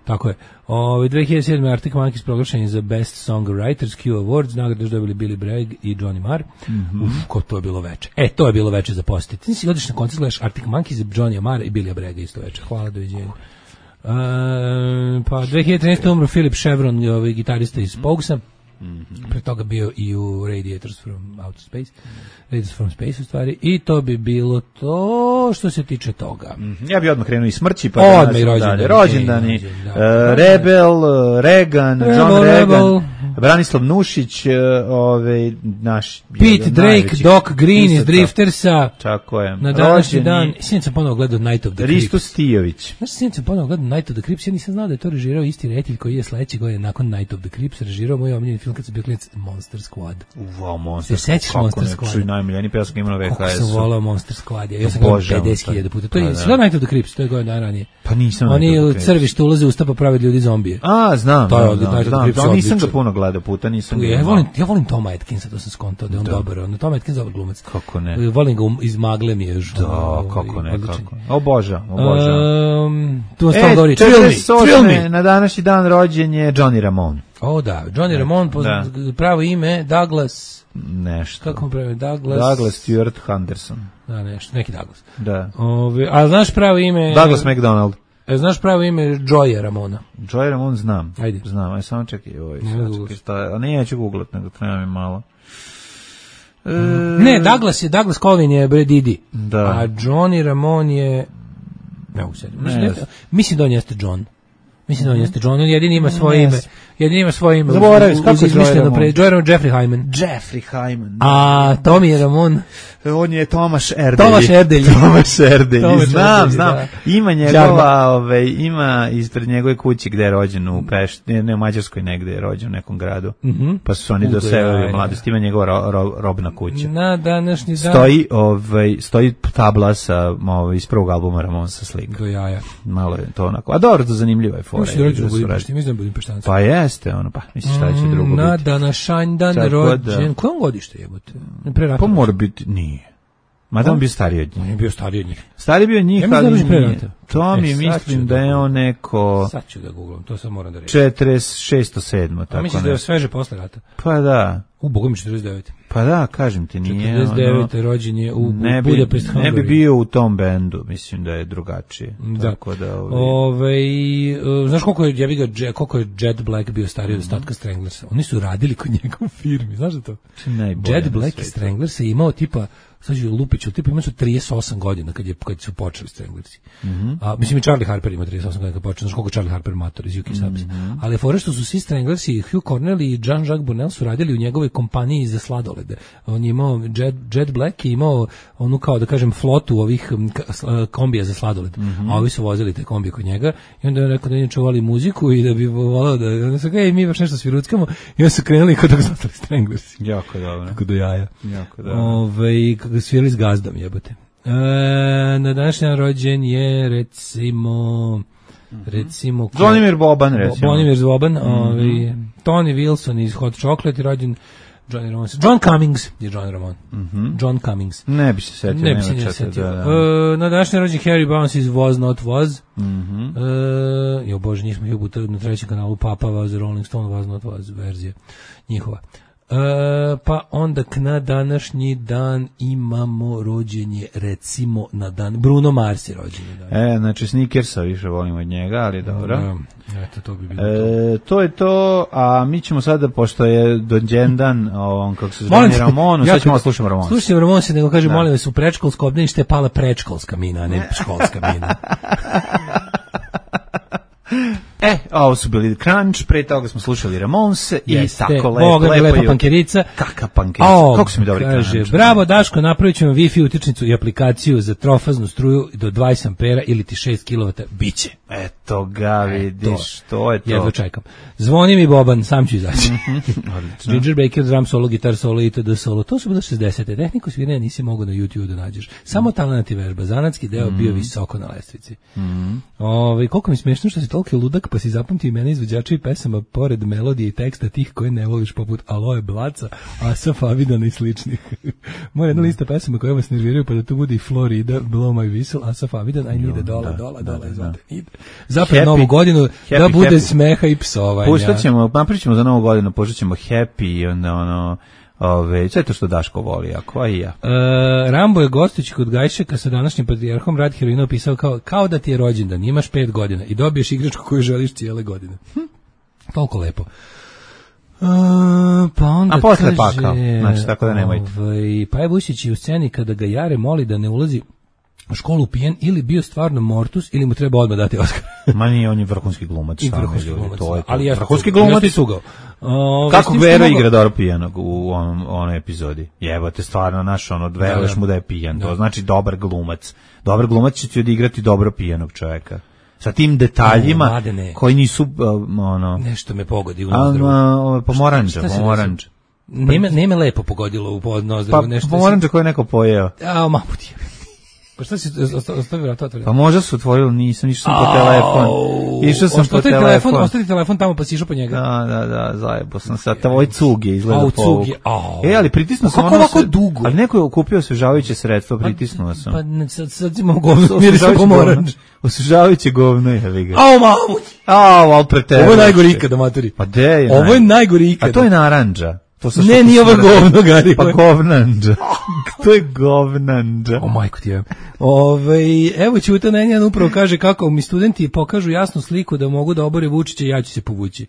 Tako je. Ove, dve hiljade sedme Arctic Monkeys proglašeni za Best Songwriters Q Awards, nagrade su dobili Billy Bragg i Johnny Marr. Mm-hmm. Uf, ko to je bilo veče. E, to je bilo veče za posjetiti. Ti si odeš na koncert, gledaš Arctic Monkeys, Johnny Marr i Billy Bragga isto veče. Hvala, doviđenja. pa dve hiljade trinaeste. umro Philip Chevron, ovaj gitarista iz Pogsa. Mm-hmm. Pre toga bio i u Radiators from Outer Space, Radiators from Space u stvari, i to bi bilo to što se tiče toga. Mm-hmm. Ja bi odmah krenuo i smrći, pa odmah i rođendani, rođendani, uh, Rebel, Reagan, Rebel, John Reagan, Rebel. Branislav Nušić, uh, ovaj naš Pete Drake, Doc Green iz Driftersa. Tako je. Na današnji dan, sinoć sam ponovo gledao Night of the Crips. Risto Stijović. Znaš, sinoć sam ponovo gledao Night of the Crips, ja nisam znao da je to režirao isti reditelj koji je sledeće godine nakon Night of the Crips režirao moj omiljeni film kad sam bio klinac, Monster Squad. Wow, Monster Squad. Se sećaš Monster Squad? Čuj, najmiljeni pesak imao na V H S-u. Kako sam volao Monster Squad, ja sam gledao pedeset hiljada puta. To je sve Night of the Crips, to je godina ranije. Pa nisam. Oni u crvištu ulaze u usta pa prave ljudi zombije. A, znam. To je od Night of the Crips. Nisam ga puno gledao puta, nisam. Ja volim, ja volim Toma Atkinsa, to sam skontao da je on dobar. On Tom Atkins dobar glumac. Kako ne? Volim ga iz Magle mi je. Da, kako ne, kako. O Boža, o Boža. Um, tu vas tamo govori, Thrill Me. Na današnji dan rođen je Johnny Ramone. O da, Johnny Ramone, pravo ime, Douglas... Nešto. Kako mu pravi, Douglas... Douglas Stewart Henderson. Da, nešto, neki Douglas. Da. Ove, a znaš pravo ime... Douglas McDonald. E, znaš pravo ime Joya Ramona? Joy Ramone znam. Ajde. Znam, aj samo čekaj, ovaj, čekaj, šta, a ne, ja ću googlat, nego treba mi malo. E... Ne, Douglas je, Douglas Colvin je bre Didi. Da. A Johnny Ramone je... Ne mogu sedim. Mislim, mislim da on jeste John. Mislim da on jeste John, on jedini ima svoje ime. Jedini ima svoje ime. Zaboravim, kako je Joy Ramone? Joy Ramone, Jeffrey Hyman. Jeffrey Hyman. A Tommy Ramone? On je Tomaš Erdelj. Tomaš Erdelj. Tomaš Erdelj. Tomaš znam, Erdelj, znam. Da. Ima njegova, ove, ima ispred njegove kuće gde je rođen u Pešti, ne, ne u Mađarskoj negde je rođen u nekom gradu. Mm-hmm. Pa su oni doselili u mladosti. Ima njegova ro, ro, robna kuća. Na današnji dan. Stoji, ovaj, stoji tabla sa, ovaj, iz prvog albuma Ramonsa slika. Do jaja. Malo je to onako. A dobro, to zanimljiva je fora. Mislim da Budimpešti, mislim da Budimpeštanci. Pa jeste, ono, pa, misliš šta će drugo biti. Na današanj dan rođen. Kojom godište jebote? Pa mora biti, nije. Mada on bio stariji od njih. On je bio stariji od njih. Stariji bio od njih, ja ali nije. To mi e, mislim da je on neko... Sad ću da googlam, to sam moram da reći. četrdeset šest sedam tako. A misliš da je sveže posle rata? Pa da. U, Boga mi četrdeset devet. Pa da, kažem ti, nije... četrdeset devet. Ono, rođen je u, ne u Budapest Hungary. Ne bi bio u tom bendu, mislim da je drugačije. Da. Tako da... Ovi... Ove, uh, znaš koliko je, ja bi ga, koliko je Jet Black bio stariji od ostatka Stranglersa? Oni su radili kod njega u firmi, znaš da to? Jet Black i Stranglersa je imao tipa sad ću Lupiću, tipa imali su trideset osam godina kad, je, kad su počeli Stranglersi. Mm-hmm. A, mislim i Charlie Harper ima trideset osam godina kad počeo, znaš koliko Charlie Harper mator iz U K Subs. Mm-hmm. Ali fore što su svi Stranglersi, Hugh Cornell i Jean-Jacques Burnel su radili u njegovoj kompaniji za sladolede. On je imao, Jet, Jet Black je imao onu kao da kažem flotu ovih kombija za sladoled. Mm-hmm. A ovi su vozili te kombije kod njega i onda je rekao da inače voli muziku i da bi volao da, onda su kao, ej, mi baš nešto sviruckamo i onda su krenuli kod dok zostali Stranglersi. Jako dobro. Tako do jaja. Jako dobro. Ove, kako svirali s gazdom, jebote. E, na današnji rođen je, recimo, recimo... Zvonimir Boban, recimo. Zvonimir Boban, mm-hmm. ovaj, Tony Wilson iz Hot Chocolate je rođen, Johnny Ramone. John Cummings je John Ramone. Mm-hmm. John Cummings. Ne bi se setio. Ne bi se ne setio. Da, da. E, na današnji rođen Harry Bounce iz Was Not Was. Mm-hmm. E, jo bože, njih smo jubuta na trećem kanalu Papa Was, Rolling Stone Was Not Was verzija njihova. Uh, pa onda k na današnji dan imamo rođenje, recimo na dan Bruno Mars je rođenje. E, znači Snickersa više volimo od njega, ali dobro. Eto, to bi bilo e, to. To je to, a mi ćemo sada, pošto je dođendan, on kako se zove Ramonu, sad ćemo slušati Ramonu. Slušajte Ramonu se, nego kaže, da. Molim vas, u predškolsko obdanište je pala predškolska mina, a ne školska mina. E, ovo su bili Crunch, pre toga smo slušali Ramonse i Jeste, tako lepo, Boga lepo. lepa pankerica. Kaka pankerica, oh, kako su mi dobri kaže, Crunch. Bravo Daško, napravit ćemo Wi-Fi utičnicu i aplikaciju za trofaznu struju do dvadeset ampera ili ti šest kilovata, biće. Eto ga, vidiš, to, to je to. Jedno čekam. Zvoni mi Boban, sam ću izaći. Ginger Baker, drum solo, gitar solo, itd. solo. To su bilo šezdesete. Tehniku sviranja nisi mogao na YouTube da nađeš. Samo talent i vežba. Zanatski deo mm. bio visoko na lestvici. Mm. Ove, koliko mi smiješno što si toliki ludak, pa si zapamti imena izvođača i pesama pored melodije i teksta tih koje ne voliš, poput Aloe Blaca, Asaf Avidan i sličnih. Moja jedna lista pesama koje vas nerviraju, pa da to bude i Florida, Blow My Whistle, Asaf Avidan, I need a dola, dola, dola, izvate. Zapred novu godinu, happy, da bude happy. Smeha i psovanja. Puštat ćemo, napričamo za novu godinu, puštat ćemo Happy i onda ono... Ove, sve to što Daško voli, ako i ja. E, Rambo je gostujući kod Gajšeka sa današnjim patrijarhom Rad heroina opisao kao, kao da ti je rođendan, imaš pet godina i dobiješ igračku koju želiš cijele godine. Hm. Toliko lepo. Uh, pa onda a posle kaže, pakao, znači tako da nemojte. Ovaj, pa je Vučić u sceni kada ga Jare moli da ne ulazi u školu pijen ili bio stvarno mortus ili mu treba odmah dati Oskar. Ma nije, on je vrhunski glumac. I vrhunski glumac, to je to. Ali ja vrhunski glumac i sugao. Uh, Kako Vero mogo... igra dobro pijanog u onom, onoj epizodi? Jebote, stvarno, naš ono, veruješ mu da je pijan. Da. To znači dobar glumac. Dobar glumac će ti odigrati dobro pijanog čovjeka. Sa tim detaljima o, koji nisu uh, ono nešto me pogodi u nozdrvu. A, pomoranđa, pomoranđa. Nema nema lepo pogodilo u nozdrvu, pa, nešto. Pomoranđa koje neko pojeo. A, mamut je. Pa šta si ostavio vrata otvoreno? Pa možda su otvorili, nisam, išao sam po telefon. Išao sam po telefon. Ostavi telefon tamo pa si išao po njega. Da, da, da, zajebo sam sad. Tvoj cug je izgleda po ovog. E, ali pritisnuo sam. Kako ovako dugo? Ali neko je okupio osvežavajuće sredstvo, pritisnuo sam. Pa sad, sad imamo govno, mirisam pomoranđ. Osvežavajuće govno je, vi ga. Ao, mamut! Ao, al pretero. Ovo je najgori ikada, materi. Pa de je. Ovo je najgori ikada. A to je narandža. To ne, nije ovo govno, Gari. Pa govnanđa. To je govnanđa. O, majko ti je. Ove, evo Ćuta Nenjan upravo kaže kako mi studenti pokažu jasnu sliku da mogu da obore Vučića, ja ću se povući.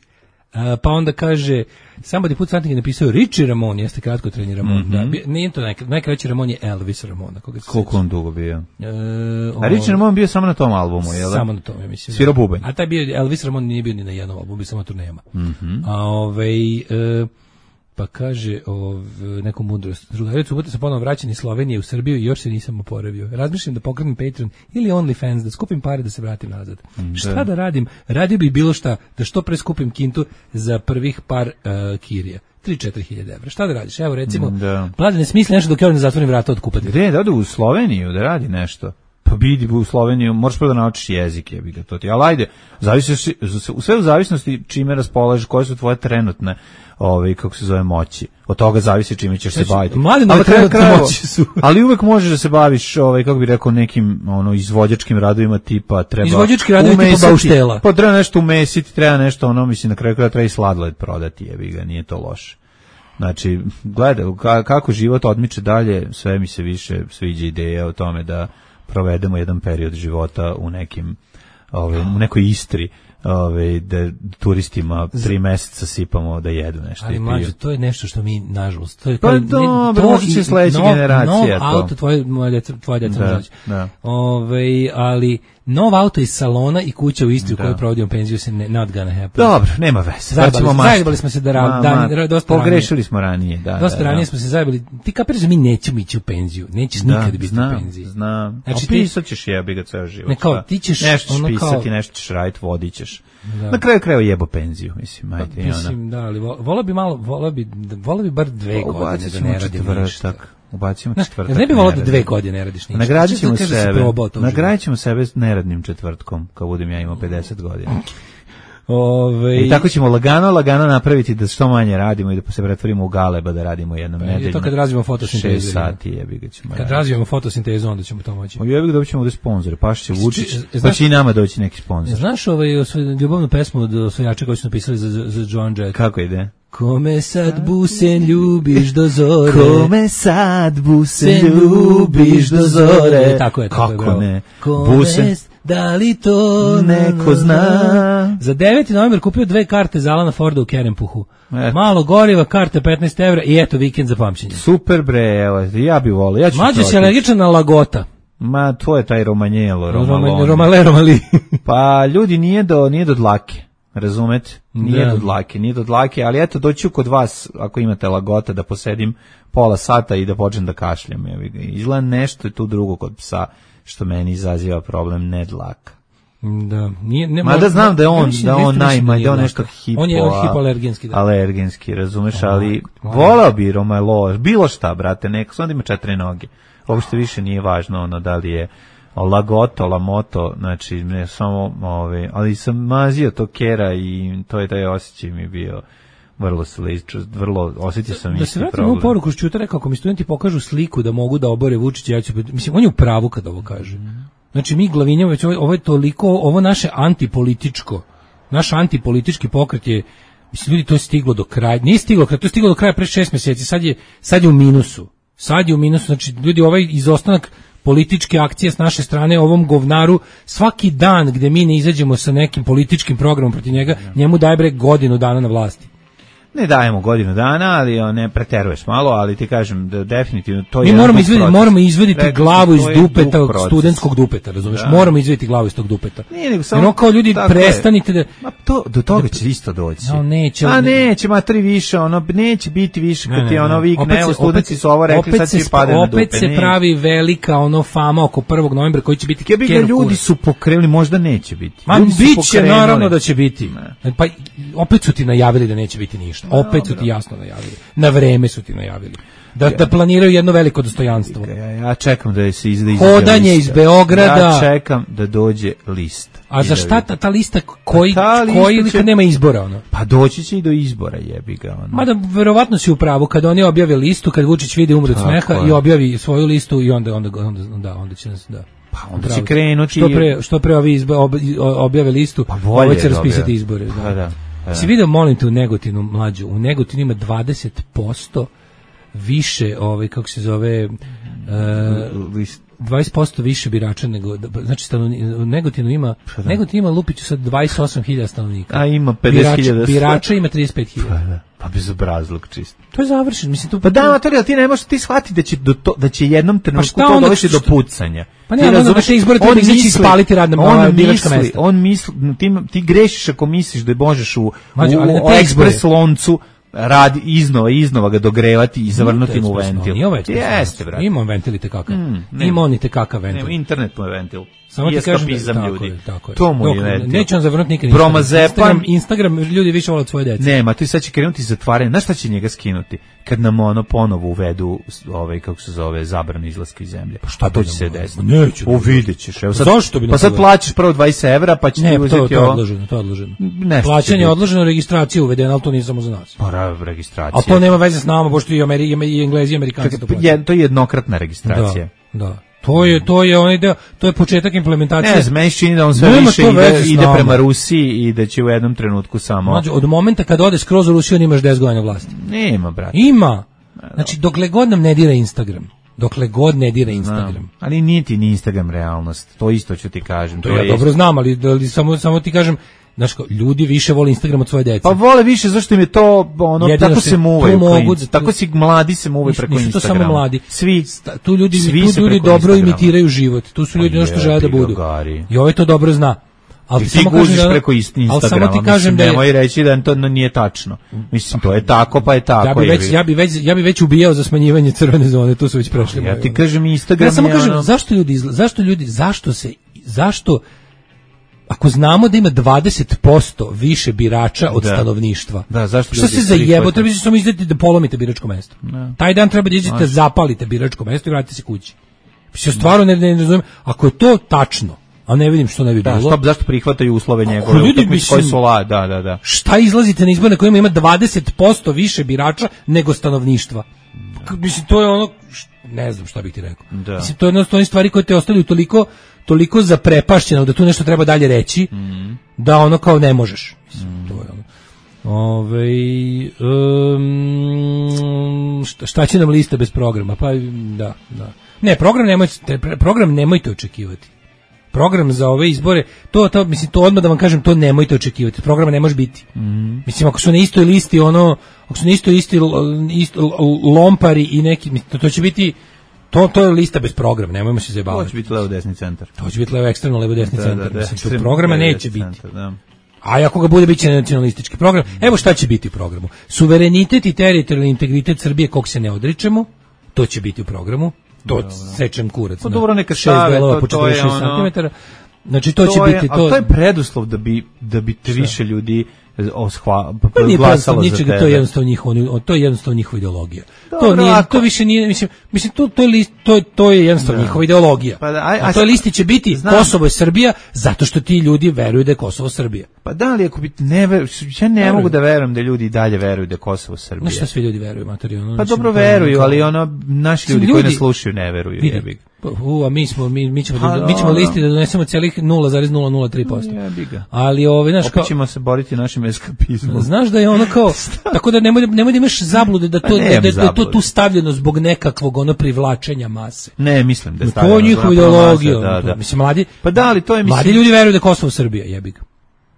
A, pa onda kaže, somebody put something je napisao Richie Ramon, jeste kratko treni Ramon. Mm -hmm. Da, nije to najkraći, najkraći Ramon je Elvis Ramon. Koliko on dugo bio? E, o, A Richie Ramon bio samo na tom albumu, je li? Samo na tom, ja mislim. Svirao bubanj. A taj bio, Elvis Ramon nije bio ni na jednom albumu, bio samo turnejama. Mm -hmm. A ovaj... E, pa kaže ov, neku mudrost. Drugaricu subota sam ponovno vraćan iz Slovenije u Srbiju i još se nisam oporavio. Razmišljam da pokrenem Patreon ili OnlyFans, da skupim pare da se vratim nazad. Da. Šta da radim? Radio bi bilo šta, da što pre skupim kintu za prvih par uh, kirija. tri do četiri hiljade evra. Šta da radiš? Evo recimo, Mladen ne smisli nešto dok ja ne zatvorim vrata od kupati. Gde, da ode u Sloveniju da radi nešto? Pa bidi u Sloveniju, možeš prvo da naučiš jezik, je bi ga to ti. Ali ajde, zavisi, sve u zavisnosti čime raspolažeš, koje su tvoje trenutne ovaj kako se zove moći. Od toga zavisi čime ćeš se baviti. Ali trenutne moći su. Ali uvek možeš da se baviš, ovaj kako bi rekao, nekim ono izvođačkim radovima tipa treba. Izvođački radovi tipa bauštela. Pa treba nešto umesiti, treba nešto ono, mislim na kraju kraja treba i sladoled prodati, je bi ga, nije to loše. Znači, gledaj kako život odmiče dalje, sve mi se više sviđa ideja o tome da provedemo jedan period života u nekim ovaj u nekoj Istri, ovaj da turistima tri meseca sipamo da jedu nešto. Ali mlađe, to je nešto što mi nažalost, to je pa dobro, možda će sledeća generacija to. Auto tvoje moje djeca, tvoje djeca da, da. Ovaj, ali nov auto iz salona i kuća u Istri u kojoj provodimo penziju se ne, not gonna happen. Dobro, nema veze. Zajebali smo se da ra, dan, ma, dosta pogrešili ranije. smo ranije, da. Dosta da, ranije da. smo se zajebali. Ti kapiraš da mi nećemo ići u penziju. Nećeš da, nikad biti znam, u penziji. Znam. Znači ti pisat ćeš jebi ga ceo život. Ne kao ti ćeš nešto ono pisati, kao, nešto ćeš raditi, vodit ćeš. Da. Na kraju krajeva jebo penziju, mislim, ajde pa, mislim, da, ali volao bi malo, volao bi, volao bi bar dve o, godine da ne radim ništa. Ubacimo četvrtak. Ne bi volao da dve godine ne radiš ništa. Nagradit ćemo sebe, nagradit ćemo sebe neradnim četvrtkom, kao budem ja imao pedeset godina. Ove... I tako ćemo lagano, lagano napraviti da što manje radimo i da se pretvorimo u galeba da radimo jednom nedeljno. I to kad razvijemo fotosintezu. šest sati jebi ga ćemo. Kad razvijemo fotosintezu, onda ćemo to moći. Jebi ga dobit ćemo ovdje sponzore, Paš će Vučić, pa će i nama doći neki sponzor. Znaš ovaj ljubavnu pesmu od osvajača koju su napisali za, za Joan Jett? Kako ide? Kome sad busen ljubiš do zore. Kome sad busen ljubiš do zore. Tako je, tako Kako je, ne? Kome busen, da li to neko zna? Za deveti novembar kupio dve karte za Alana Forda u Kerempuhu. Eto. Malo goriva, karte petnaest evra i eto vikend za pamćenje. Super bre, evo, ja bih volio. Ja Mlađe si alergičan na lagota. Ma, to je taj romanjelo, romalon. Romale, romali. Pa ljudi nije do, nije do dlake. Razumete? Nije da. do dlake, nije do dlake, ali eto doću kod vas, ako imate lagota, da posedim pola sata i da počnem da kašljam. Izgleda nešto je tu drugo kod psa, što meni izaziva problem, ne dlaka. Da, nije, ne, Ma da znam da je on, da on najmanje, da on nešto hipo, on je hipoalergenski, da. Alergenski, razumeš, ali volao bi romalo, bilo šta, brate, neko, onda ima četiri noge. Uopšte više nije važno ono da li je lagoto, lamoto, znači ne samo, ove, ali sam mazio to kera i to je taj osjećaj mi bio vrlo slično, vrlo osjetio sam da isti problem. Da se vratim u poruku što rekao, ako mi studenti pokažu sliku da mogu da obore Vučića, ja ću, mislim, on je u pravu kad ovo kaže. Znači mi Glavinjević, ovo, ovo je toliko, ovo naše antipolitičko, naš antipolitički pokret je Mislim, ljudi, to je stiglo do kraja. Nije stiglo, to je stiglo do kraja pre šest mjeseci, sad je, sad je u minusu. Sad je u minusu, znači, ljudi, ovaj izostanak političke akcije s naše strane ovom govnaru, svaki dan gde mi ne izađemo sa nekim političkim programom protiv njega, njemu daje bre godinu dana na vlasti. Ne dajemo godinu dana, ali on ne preteruješ malo, ali ti kažem da definitivno to je. Mi moramo izvediti, moramo izvediti Rekli, glavu iz dupeta, studentskog dupeta, razumeš? Da. Moramo izvediti glavu iz tog dupeta. Nije nego samo. Jer kao ljudi prestanite da ma to do toga će isto doći. No, neće. A neće, ma tri više, ono neće biti više kad ti ono vikne, evo studenti su ovo rekli, sad će padati na dupe. Opet se pravi velika ono fama oko prvog novembra koji će biti kebi ga ljudi su pokrenuli, možda neće biti. Ma biće naravno da će biti. Pa opet su ti najavili da neće biti ništa. Opet su ti jasno najavili. Na vreme su ti najavili. Da, ja, da planiraju jedno veliko dostojanstvo. Ja, ja čekam da se izda hodanje iz Beograda. Ja čekam da dođe list. A za šta ta, ta lista koji, ta lista koji ili kad nema izbora? Ono? Pa doći će i do izbora, jebi ga. Ono. Mada verovatno si u pravu, kad oni objave listu, kad Vučić vidi umre od smeha i objavi svoju listu i onda, onda, onda, da, onda će nas, da. Pa onda će krenuti. Što pre, što pre ovi izba, ob, objave listu, pa ovo će raspisati izbore. Da. Pa da. Da. Si vidio, molim te, u Negotinu, mlađu, u Negotinu ima dvadeset posto više, ovaj, kako se zove, uh, dvadeset posto više birača nego, znači stanovni, u Negotinu ima, Negotin ima Lupiću sad dvadeset osam hiljada stanovnika. A ima pedeset hiljada. Birača, birača ima trideset pet hiljada. Pa, da. Pa bezobrazluk čist. To je završeno, mislim tu. Pa da, materija, ti ne možeš ti shvatiti da će do to, da će jednom trenutku pa to dovesti do pucanja. Pa ne, onda da će izbori treba izaći i spaliti radna on biračka mesta. On misli, ti, ti grešiš ako misliš da možeš u, Mađu, u, u ekspres loncu radi iznova iznova ga dogrevati i zavrnuti mu ventil. Jeste, brate. Ima ventil te kakav. Mm, ima on i te kakav ventil. Nema, internet mu je ventil. Samo ti kažem, tako ljudi. Je, tako je. To mu je ventil. Neće on zavrnuti nikad Instagram. Instagram ljudi više vole od svoje dece. Nema, tu sad će krenuti zatvaranje. Znaš šta će njega skinuti? Kad nam ono ponovo uvedu ovaj, kako se zove, zabranu izlaska iz zemlje. Pa šta to će se desiti? Neće. O, vidjet ćeš. Evo sad, zašto bi pa sad plaćaš prvo dvadeset evra, pa će ti uzeti ovo. Ne, to je odloženo, to je odloženo. Plaćanje je odloženo, registracija uvedena, ali to nije samo za nas. Pa, registracija. A to nema veze s nama, pošto i Ameri, i Englezi i Amerikanci to plaćaju. To je jednokratna registracija. Da, da. To je to je onaj deo, to je početak implementacije. Ne, meni čini da on sve Nema više ide, ide prema Rusiji i da će u jednom trenutku samo. Znači, od momenta kad odeš skroz u Rusiju, imaš deset godina vlasti. Nema, brate. Ima. Znači, dokle god nam ne dira Instagram. Dokle god ne dira Instagram. Znam, ali nije ti ni Instagram realnost. To isto ću ti kažem. To, to ja je dobro isto. Znam, ali, ali samo, samo ti kažem, znaš, ljudi više vole Instagram od svoje dece. Pa vole više, zašto im je to, ono, jedino tako se muvaju klinci, tako si mladi se muvaju preko Instagrama. Nisu to samo mladi. Svi, tu ljudi, svi tu ljudi dobro Instagrama. Imitiraju život. Tu su ljudi ono što žele da budu. I ovaj to dobro zna. Ali ti samo guziš da, preko Instagrama, ali samo ti kažem da je, nemoj reći da to nije tačno. Mislim, to je tako, pa je tako. Ja bi već, ja bi već, ja bi već ubijao za smanjivanje crvene zone, tu su već prešli. Ja ti kažem Instagram. Ja samo kažem, ono... zašto ljudi, zašto ljudi, zašto se, zašto, ako znamo da ima dvadeset posto više birača od da. Stanovništva, da, zašto što se zajebo, treba samo izdati da polomite biračko mesto. Da. Taj dan treba da izdete, zapalite biračko mesto i vratite se kući. Mislim, stvarno ne, ne, ne razumijem, ako je to tačno, a ne vidim što ne bi da, bilo. Stop, zašto prihvataju uslove njegove utakmice koji su la, da, da, da. Šta izlazite na izbore na kojima ima dvadeset posto više birača nego stanovništva? Da. Mislim, to je ono, ne znam šta bih ti rekao. Da. Mislim, to je jedno od onih stvari koje te ostavljaju toliko, toliko zaprepašćeno da tu nešto treba dalje reći, mm. da ono kao ne možeš. Mislim, mm. to je ono. Ove, um, šta, šta će nam lista bez programa? Pa da, da. Ne, program nemojte, program nemojte očekivati. Program za ove izbore, to, to, mislim, to odmah da vam kažem, to nemojte očekivati. Programa ne može biti. Mm. Mislim, ako su na istoj listi, ono, ako su na istoj listi isto, lompari i neki, mislim, to, to će biti, to, to je lista bez programa, nemojmo se zajebavati. To će biti levo desni centar. To će biti levo ekstremno, levo desni da, centar. Da, da, mislim, to programa neće biti. Centar, da. A ako ga bude, bit će nacionalistički program. Evo šta će biti u programu. Suverenitet i teritorijalni integritet Srbije, kog se ne odričemo, to će biti u programu. To da, sečem kurac. Pa dobro, neka šave, to, to je ono... Znači to, to će je, biti to. A to je preduslov da bi da bi te više ljudi oshva, pa glasalo za tebe. To je jednostavno njihova, to je jednostavno njihova ideologija. Dobro, to nije, ako... to više nije, mislim, mislim to to je to to je jednostavno njihova ideologija. Pa da, aj, a to listi će biti znam. Kosovo je Srbija zato što ti ljudi veruju da je Kosovo Srbija. Pa da li ako bi ne ver, ja ne verujem. Mogu da verujem da ljudi dalje veruju da je Kosovo Srbija. No šta svi ljudi veruju, materijalno. Pa dobro veruju, ali ono naši ljudi, ljudi koji ne slušaju ne veruju, jebi. U, a mi smo mi mi ćemo da, mi ćemo listi da donesemo celih nula zarez nula nula tri posto. Ali ovaj naš kao ćemo se boriti našim eskapizmom. Znaš da je ono kao tako da nemoj nemoj da imaš zablude da to da, da, da je to tu stavljeno zbog nekakvog ono privlačenja mase. Ne, mislim da je stavljeno. To je njihova ideologija. Da, da. Mislim mladi. Pa da li to je mislim mladi ljudi veruju da je Kosovo Srbija, jebi ga.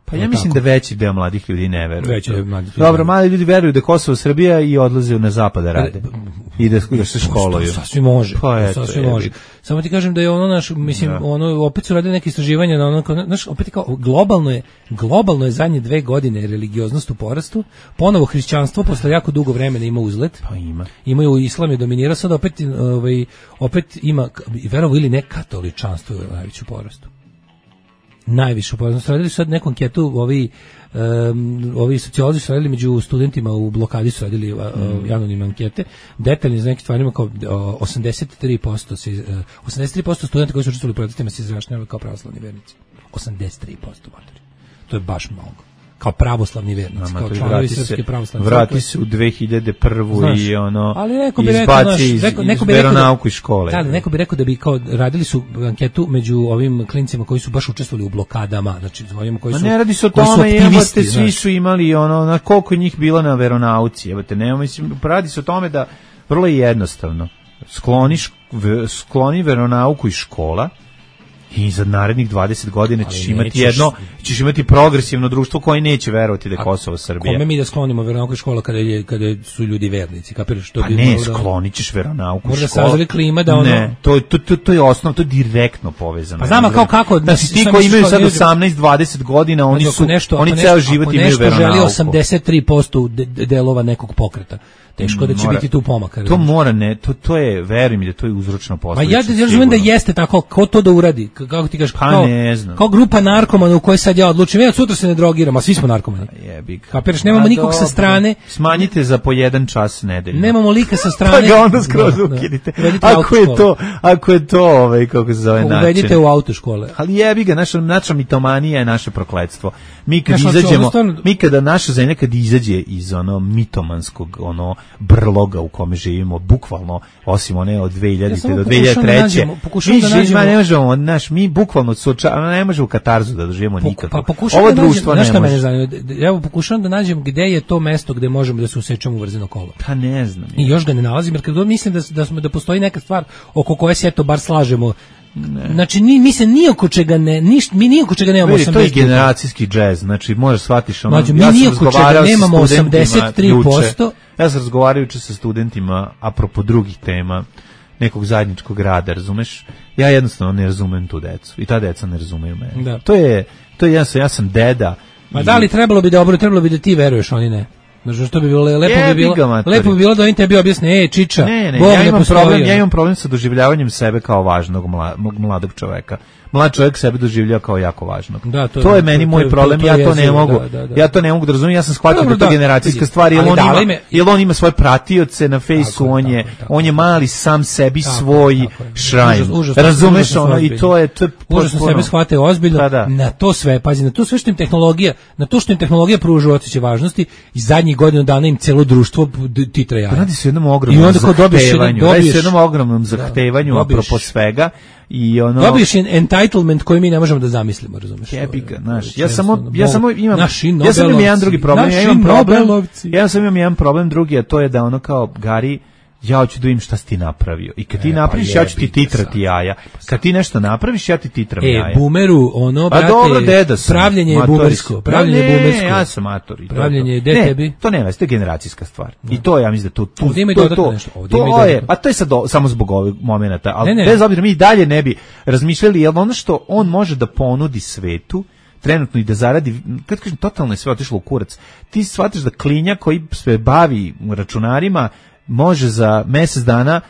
Pa ja mislim tako. Da veći deo mladih ljudi ne veruje. Veći deo mladih ljudi. Dobro, mladi ljudi veruju da je Kosovo Srbija i odlaze na zapad da rade. I da, da se školuju. To sasvim može. Pa eto, sasvim može. Samo ti kažem da je ono naš, mislim, da. ono opet su radili neke istraživanja na ono, znaš, opet kao globalno je, globalno je zadnje dve godine religioznost u porastu. Ponovo hrišćanstvo posle jako dugo vremena ima uzlet. Pa ima. Imaju islam je dominira, sad opet ovaj opet ima verovo ili ne katoličanstvo je najveće u porastu. Najviše upoznao. Radili su sad neku anketu, ovi, um, ovi sociolozi su radili među studentima u blokadi, su radili uh, mm. anonimne ankete, detaljni za neke stvarima kao uh, osamdeset tri posto se, uh, osamdeset tri posto studenta koji su učestvovali u protestima se izrašnjavaju kao pravoslavni vernici. osamdeset tri posto matori. To je baš mnogo. Kao pravoslavni vernici, kao članovi srpske pravoslavne crkve. Vrati se u dve hiljade prvu. Znaš, i ono, ali neko bi rekao, znaš, iz, neko, neko iz bi veronauku iz škole. Da, neko bi rekao da bi kao radili su anketu među ovim klincima koji su baš učestvovali u blokadama, znači ovima koji su Ma ne radi se o tome, jebote, svi su imali ono, na koliko njih bilo na veronauci, jebote, nema, mislim, radi se o tome da vrlo je jednostavno. Skloni, skloni veronauku iz škola, i za narednih dvadeset godina ćeš imati nećeš, jedno, ćeš imati progresivno društvo koje neće verovati da je Kosovo Srbija. Kome mi da sklonimo veronauku iz škola kada je kada su ljudi vernici, kapiraš što pa bi ne, sklonićeš veronauku iz škola. Možda klima da ono. Ne, to to to to je osnov, to je direktno povezano. Pa znamo kao kako da si ti koji imaju sad osamnaest dvadeset godina, oni su nešto, oni ceo život imaju veronauku. Ako želi osamdeset tri posto delova nekog pokreta. Teško da će mora, biti tu pomaka. To mora ne, to to je, veruj mi da to je uzročno posledica. Ma ja da razumijem da jeste tako, ko to da uradi, kako ti kažeš, pa kao, ne znam. Kao grupa narkomana u kojoj sad ja odlučim, ja sutra se ne drogiram, a svi smo narkomani. Jebi ga. Kapiraš, nemamo nikog sa strane. Smanjite za po jedan čas nedeljno. Nemamo lika sa strane. Pa ga onda skroz ukinite. Ako je to, ako je to, ovaj kako se zove način. Uvedite u autoškole. Ali jebi ga, naša naša mitomanija je naše prokletstvo. Mi kad naša, izađemo, stvarno... mi kada naša zemlja kad izađe iz ono mitomanskog ono brloga u kome živimo, bukvalno, osim one od dve hiljadite ja do dve hiljade treće. Mi da živimo, ne možemo, naš, mi bukvalno suočavamo, ne možemo katarzu da doživimo nikako. Pa Ovo da društvo nađem, ne može. Zanima, evo pokušavam da nađem gde je to mesto gde možemo da se usečemo u vrzino kolo. Pa ne znam. I još ga ne nalazim, jer kad mislim da, da, smo, da postoji neka stvar oko koje se eto bar slažemo. Ne. Znači ni mi se ni oko čega ne ništa mi ni oko čega nemamo osamdeset. To je generacijski džez, znači možeš shvatiš ono. Znači, mi ja ni oko čega nemamo osamdeset tri posto. Ja sam razgovarajući sa studentima apropo drugih tema nekog zajedničkog rada, razumeš? Ja jednostavno ne razumem tu decu i ta deca ne razumeju mene. Da. To je to je ja sam ja sam deda. Ma i... da li trebalo bi dobro, trebalo bi da ti veruješ, oni ne. Znači što bi bilo lepo bi bilo lepo bi bilo da oni tebi objasne, ej čiča, ne, ne, Bog ja imam problem, ja imam problem sa doživljavanjem sebe kao važnog mladog, mladog čoveka. Mlad čovjek sebe doživljava kao jako važnog. Da, to, to je meni to, moj to, problem, to, to, to ja to ne mogu. Da, da, da. Ja to ne mogu da razumijem, ja sam shvatio da je to generacijska stvar, jer on ima me... jer on ima svoje pratioce na fejsu, on je tako, on je mali sam sebi tako, svoj šrajn. Razumeš ono i to je to je užasno sebe shvate ozbiljno. Da, da. Na to sve, pazi, na to sve što im tehnologija, na to što im tehnologija pruža osjećaj važnosti i zadnjih godinu dana im celo društvo titra jaja. Radi se o jednom ogromnom zahtevanju, radi se o jednom ogromnom zahtevanju apropo svega. I ono dobiješ entitlement koji mi ne možemo da zamislimo, razumiješ? Jebika, znaš. Ja samo ja samo imam ja sam imam jedan drugi problem, ja imam problem. Ja sam imam jedan problem drugi, a to je da ono kao Gari, ja hoću da vidim šta si ti napravio. I kad ti e, napraviš, pa ja ću ti titrati jaja. Kad ti nešto napraviš, ja ti titram e, jaja. E, bumeru, ono, brate, dobro, deda sam, pravljenje je bumersko. Pravljenje je bumersko. Ne, ja sam mator. Pravljenje je de tebi. To nema, to je generacijska stvar. No. I to ja mislim da to... tu, ovdje ima i to, dodatno to, nešto. Ovdje to ima je, a to je sad do, samo zbog ovih momenata. Ali ne, ne. bez obzira, mi dalje ne bi razmišljali, jer ono što on može da ponudi svetu, trenutno i da zaradi, kad kažem, totalno je sve otišlo u kurac. Ti shvatiš da klinja koji se bavi računarima može za mjesec dana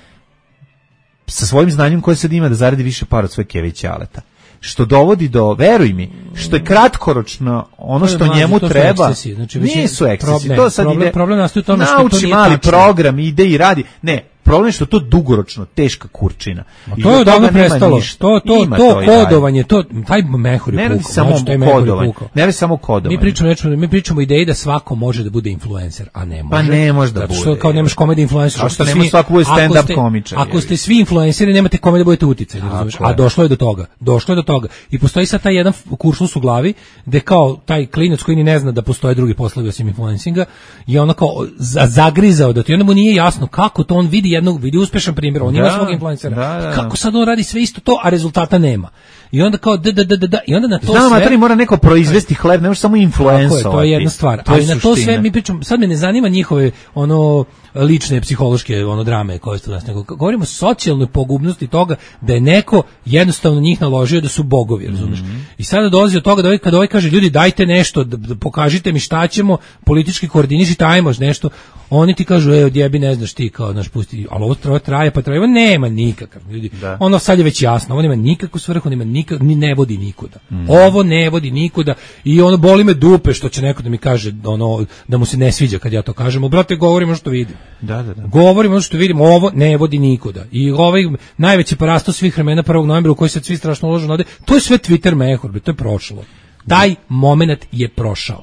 sa svojim znanjem koje sad ima da zaradi više para od svoje keve i ćaleta. Što dovodi do, veruj mi, što je kratkoročno ono što mlađe, njemu treba. Znači, nisu ekscesi. Problem, to sad problem, ide, problem nastaje u tome što nauči to nije mali tačno. Program, ide i radi. Ne, problem je što to dugoročno teška kurčina. I to je odavno prestalo. To to to, to kodovanje, to taj mehur je pukao. Samo kodovanje. Ne radi samo kodovanje. Mi pričamo, nečemo, mi pričamo o ideji da svako može da bude influencer, a ne može. Pa ne može da bude. Što kao nemaš komedi influencer, što ne može svako bude stand up komičar. Ako ste svi influenceri, nemate kome da budete uticajni, razumeš? A došlo je do toga. Došlo je do toga. I postoji sad taj jedan kuršlus u glavi gde kao taj klinac koji ni ne zna da postoje drugi poslovi osim influencinga i ono kao zagrizao da to, i onda mu nije jasno kako to on vidi jednog, vidi uspešan primjer, on da, ima svog influencera, da, da. Kako sad on radi sve isto to, a rezultata nema. I onda kao da da da da i onda na to Znam, sve Znam, mora neko proizvesti hleb, ne može samo influencovati. To je jedna stvar. Ali na to sve mi pričamo, sad me ne zanima njihove ono lične psihološke ono drame koje su nas, nego govorimo o socijalnoj pogubnosti toga da je neko jednostavno njih naložio da su bogovi, razumiješ? Mm-hmm. I sada dolazi od toga da ovaj, kada ovaj kaže ljudi dajte nešto, da, da pokažite mi šta ćemo, politički koordinišite, ajmo nešto, oni ti kažu ej odjebi ne znaš ti kao naš pusti, ali ovo traje, traje pa traje, nema nikakav ljudi. Da. Ono sad je već jasno, ovo nema nikakvu svrhu, nema nikak, ni ne vodi nikuda. Mm. Ovo ne vodi nikuda i ono boli me dupe što će neko da mi kaže ono da mu se ne sviđa kad ja to kažem, brate govorimo što vidim. Da, da, da. Govorimo što vidimo, ovo ne vodi nikuda. I ovaj najveći porasto svih vremena prvog novembra u koji se svi strašno ložu nade, to je sve Twitter mehur, to je prošlo. Taj momenat je prošao.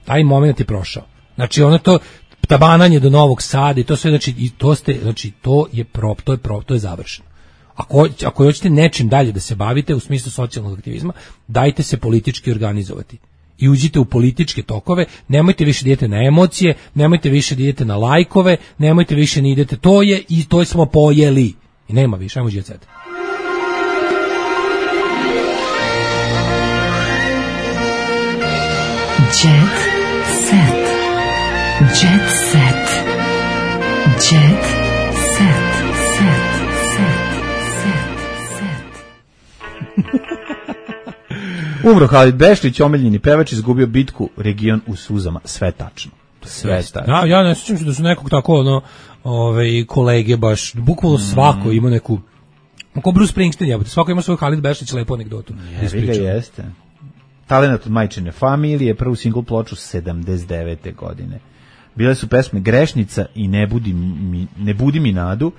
Taj momenat je prošao. Znači ono to tabananje do Novog Sada i to sve, znači i to ste, znači to je prop, to je prop, to je završeno. Ako ako hoćete nečim dalje da se bavite u smislu socijalnog aktivizma, dajte se politički organizovati. I uđite u političke tokove, nemojte više da idete na emocije, nemojte više da idete na lajkove, nemojte više da idete, to je i to smo pojeli. I nema više, ajmo Jet Set. Jet Set. Jet Set. Jet Set. Set. Set. Set. Umro Halid Bešlić, omiljeni pevač, izgubio bitku, region u suzama. Sve tačno. Sve tačno. Ja, ja ne sjećam se da su nekog tako ono, ove, kolege baš, bukvalno svako ima neku, kao Bruce Springsteen, jebote, svako ima svoj Halid Bešlić lepu anegdotu. Jebi ga jeste. Talenat od majčine familije, prvu singl ploču sedamdeset devete godine. Bile su pesme Grešnica i Ne budi mi, ne budi mi nadu.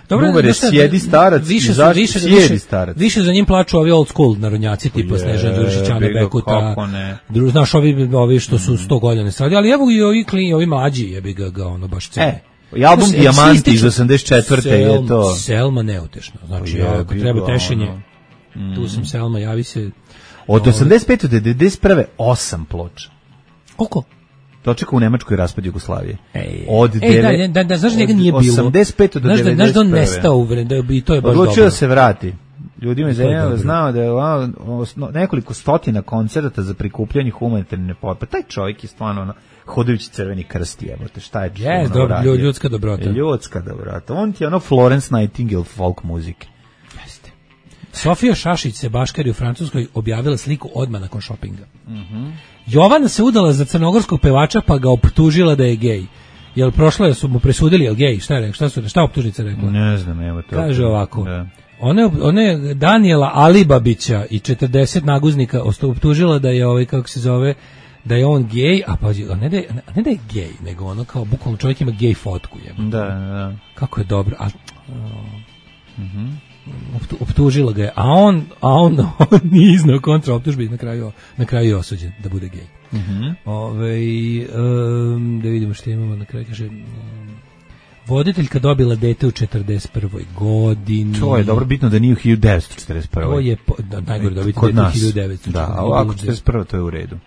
Dobro, Numere Sjedi starac više i zašto više, Sjedi više, starac. Više za njim plaču ovi old school narodnjaci tipa Snežan Đurišić, Ana Bekuta. Dru, znaš, ovi, ovi što su sto godina stradili, ali evo i ovi, kli, ovi mlađi jebi ga, ga ono baš cene. E, i album Dijamanti iz osamdeset četvrte je to. Selma neutešno. Znači, ja, ako treba tešenje, mm. tu sam Selma, javi se. Od osamdeset pete do devedeset prve osam ploča. Koliko? Dočekao u Nemačkoj raspad Jugoslavije. Ej, od Ej deve, da, da, da, znaš njega nije bilo. osamdeset pete do devedeset prve. Znaš da on nestao u vreme, i to je baš dobro. Odlučio da se vrati. Ljudima je zanimljivo, znao da je nekoliko stotina koncerata za prikupljanje humanitarne pomoći. Taj čovjek je stvarno ono, hodajući crveni krst, jebote, šta je yes, ono dobro, radio? Ljudska dobrota. Ljudska dobrota. On ti je ono Florence Nightingale folk muzike. Jeste. Sofija Šašić se baškari u Francuskoj objavila sliku odmah nakon šopinga. Mhm. Jovana se udala za crnogorskog pevača pa ga optužila da je gej. Jel prošlo je su mu presudili jel gej? Šta je rekla? Šta su šta optužnica rekla? Ne znam, evo to. Kaže ovako. Da. One one Daniela Alibabića i četrdeset naguznika optužila da je ovaj kako se zove da je on gej, a pa ne da je, ne da je gej, nego ono kao bukvalno čovjek ima gej fotku je. Da, da. Kako je dobro. A mhm. Uh, optužila ga je, a on, a on, on nije iznao kontra optužbi, na kraju, na kraju je osuđen da bude gej. Mm-hmm. Ove, um, da vidimo što imamo na kraju, kaže, um, voditeljka dobila dete u četrdeset prvoj godini. To je dobro, bitno da nije u hiljadu devetsto četrdeset prvoj. To je, po, da, najgore dobiti dete u hiljadu devetsto. Da, a ovako četrdeset prva to je u redu.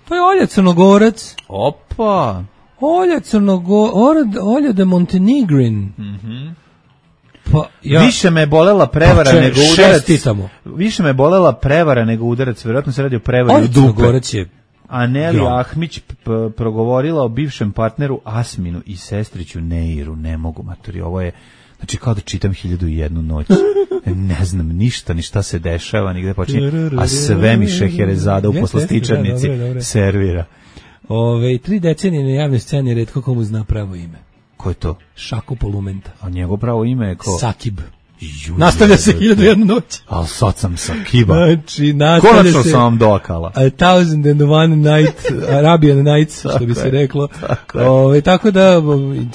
To je Olja Crnogorac. Opa! Olja Crnogorac, Olja de Montenegrin. Mhm. Pa, ja, više me bolela prevara pa če, nego udarac. Više me bolela prevara nego udarac, verovatno se radi o prevari u dupe. Je a Neli Ahmić p- progovorila o bivšem partneru Asminu i sestriću Neiru. Ne mogu, maturi, ovo je, znači kao da čitam hiljadu i jednu noć. Ne znam ništa, ni šta se dešava, nigde počinje, a sve mi Šeherezada u poslastičarnici servira. Ove, tri decenije na javnoj sceni retko komu zna pravo ime. Ko je to? Šako Polumenta. A njegov pravo ime je ko? Sakib. Nastavlja se hiljadu jednu noć. Al sad sam sa kiba. Znači, nastavlja Konačno se... sam vam dokala. A thousand and one night, Arabian Nights, što bi se reklo. Tako, Ove, tako da,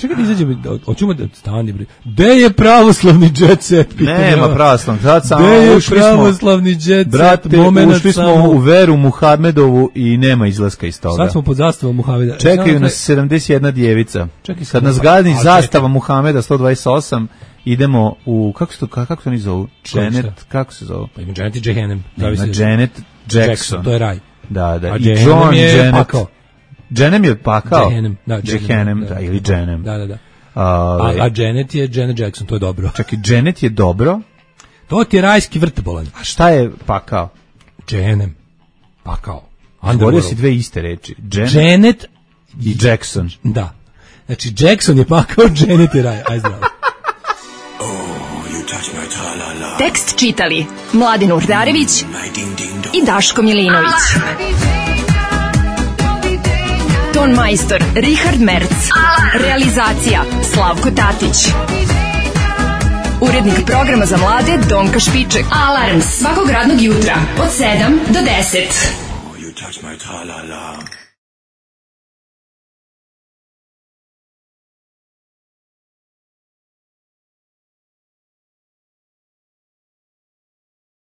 čekaj da izađemo, hoćemo da stani, bre. Gde je pravoslavni jet set? Nema pravoslavni, sad samo Gde je ušli pravoslavni jet set? Brate, ušli smo samo u veru Muhamedovu i nema izlaska iz toga. Sad smo pod zastavom Muhameda. Čekaju nas sedamdeset jedna djevica. Čekaj, kad nas gadni zastava Muhameda sto dvadeset osam, idemo u, kako se to, kako se oni zovu? Janet, kako se zovu? Pa ima Janet i Jehenem. Ima Janet Jackson. Jackson. To je raj. Da, da. A I John je Janet. Pakao. Jehenem je pakao. Jehenem, da. Jehenem, da, ili Jehenem. Da, da, da. A, a Janet je Janet Jackson, to je dobro. Čekaj, Janet je dobro. To ti je rajski vrt bolan. A šta je pakao? Jehenem. Pakao. Govorio si dve iste reči. Janet, Janet i Jackson. Da. Znači, Jackson je pakao, Janet je raj. Aj zdravo. Tekst čitali Mladin Urdarević i Daško Milinović. Ton majstor Richard Merc. Realizacija Slavko Tatić. Urednik programa za mlade Donka Špiček. Alarms svakog radnog jutra od sedam do deset.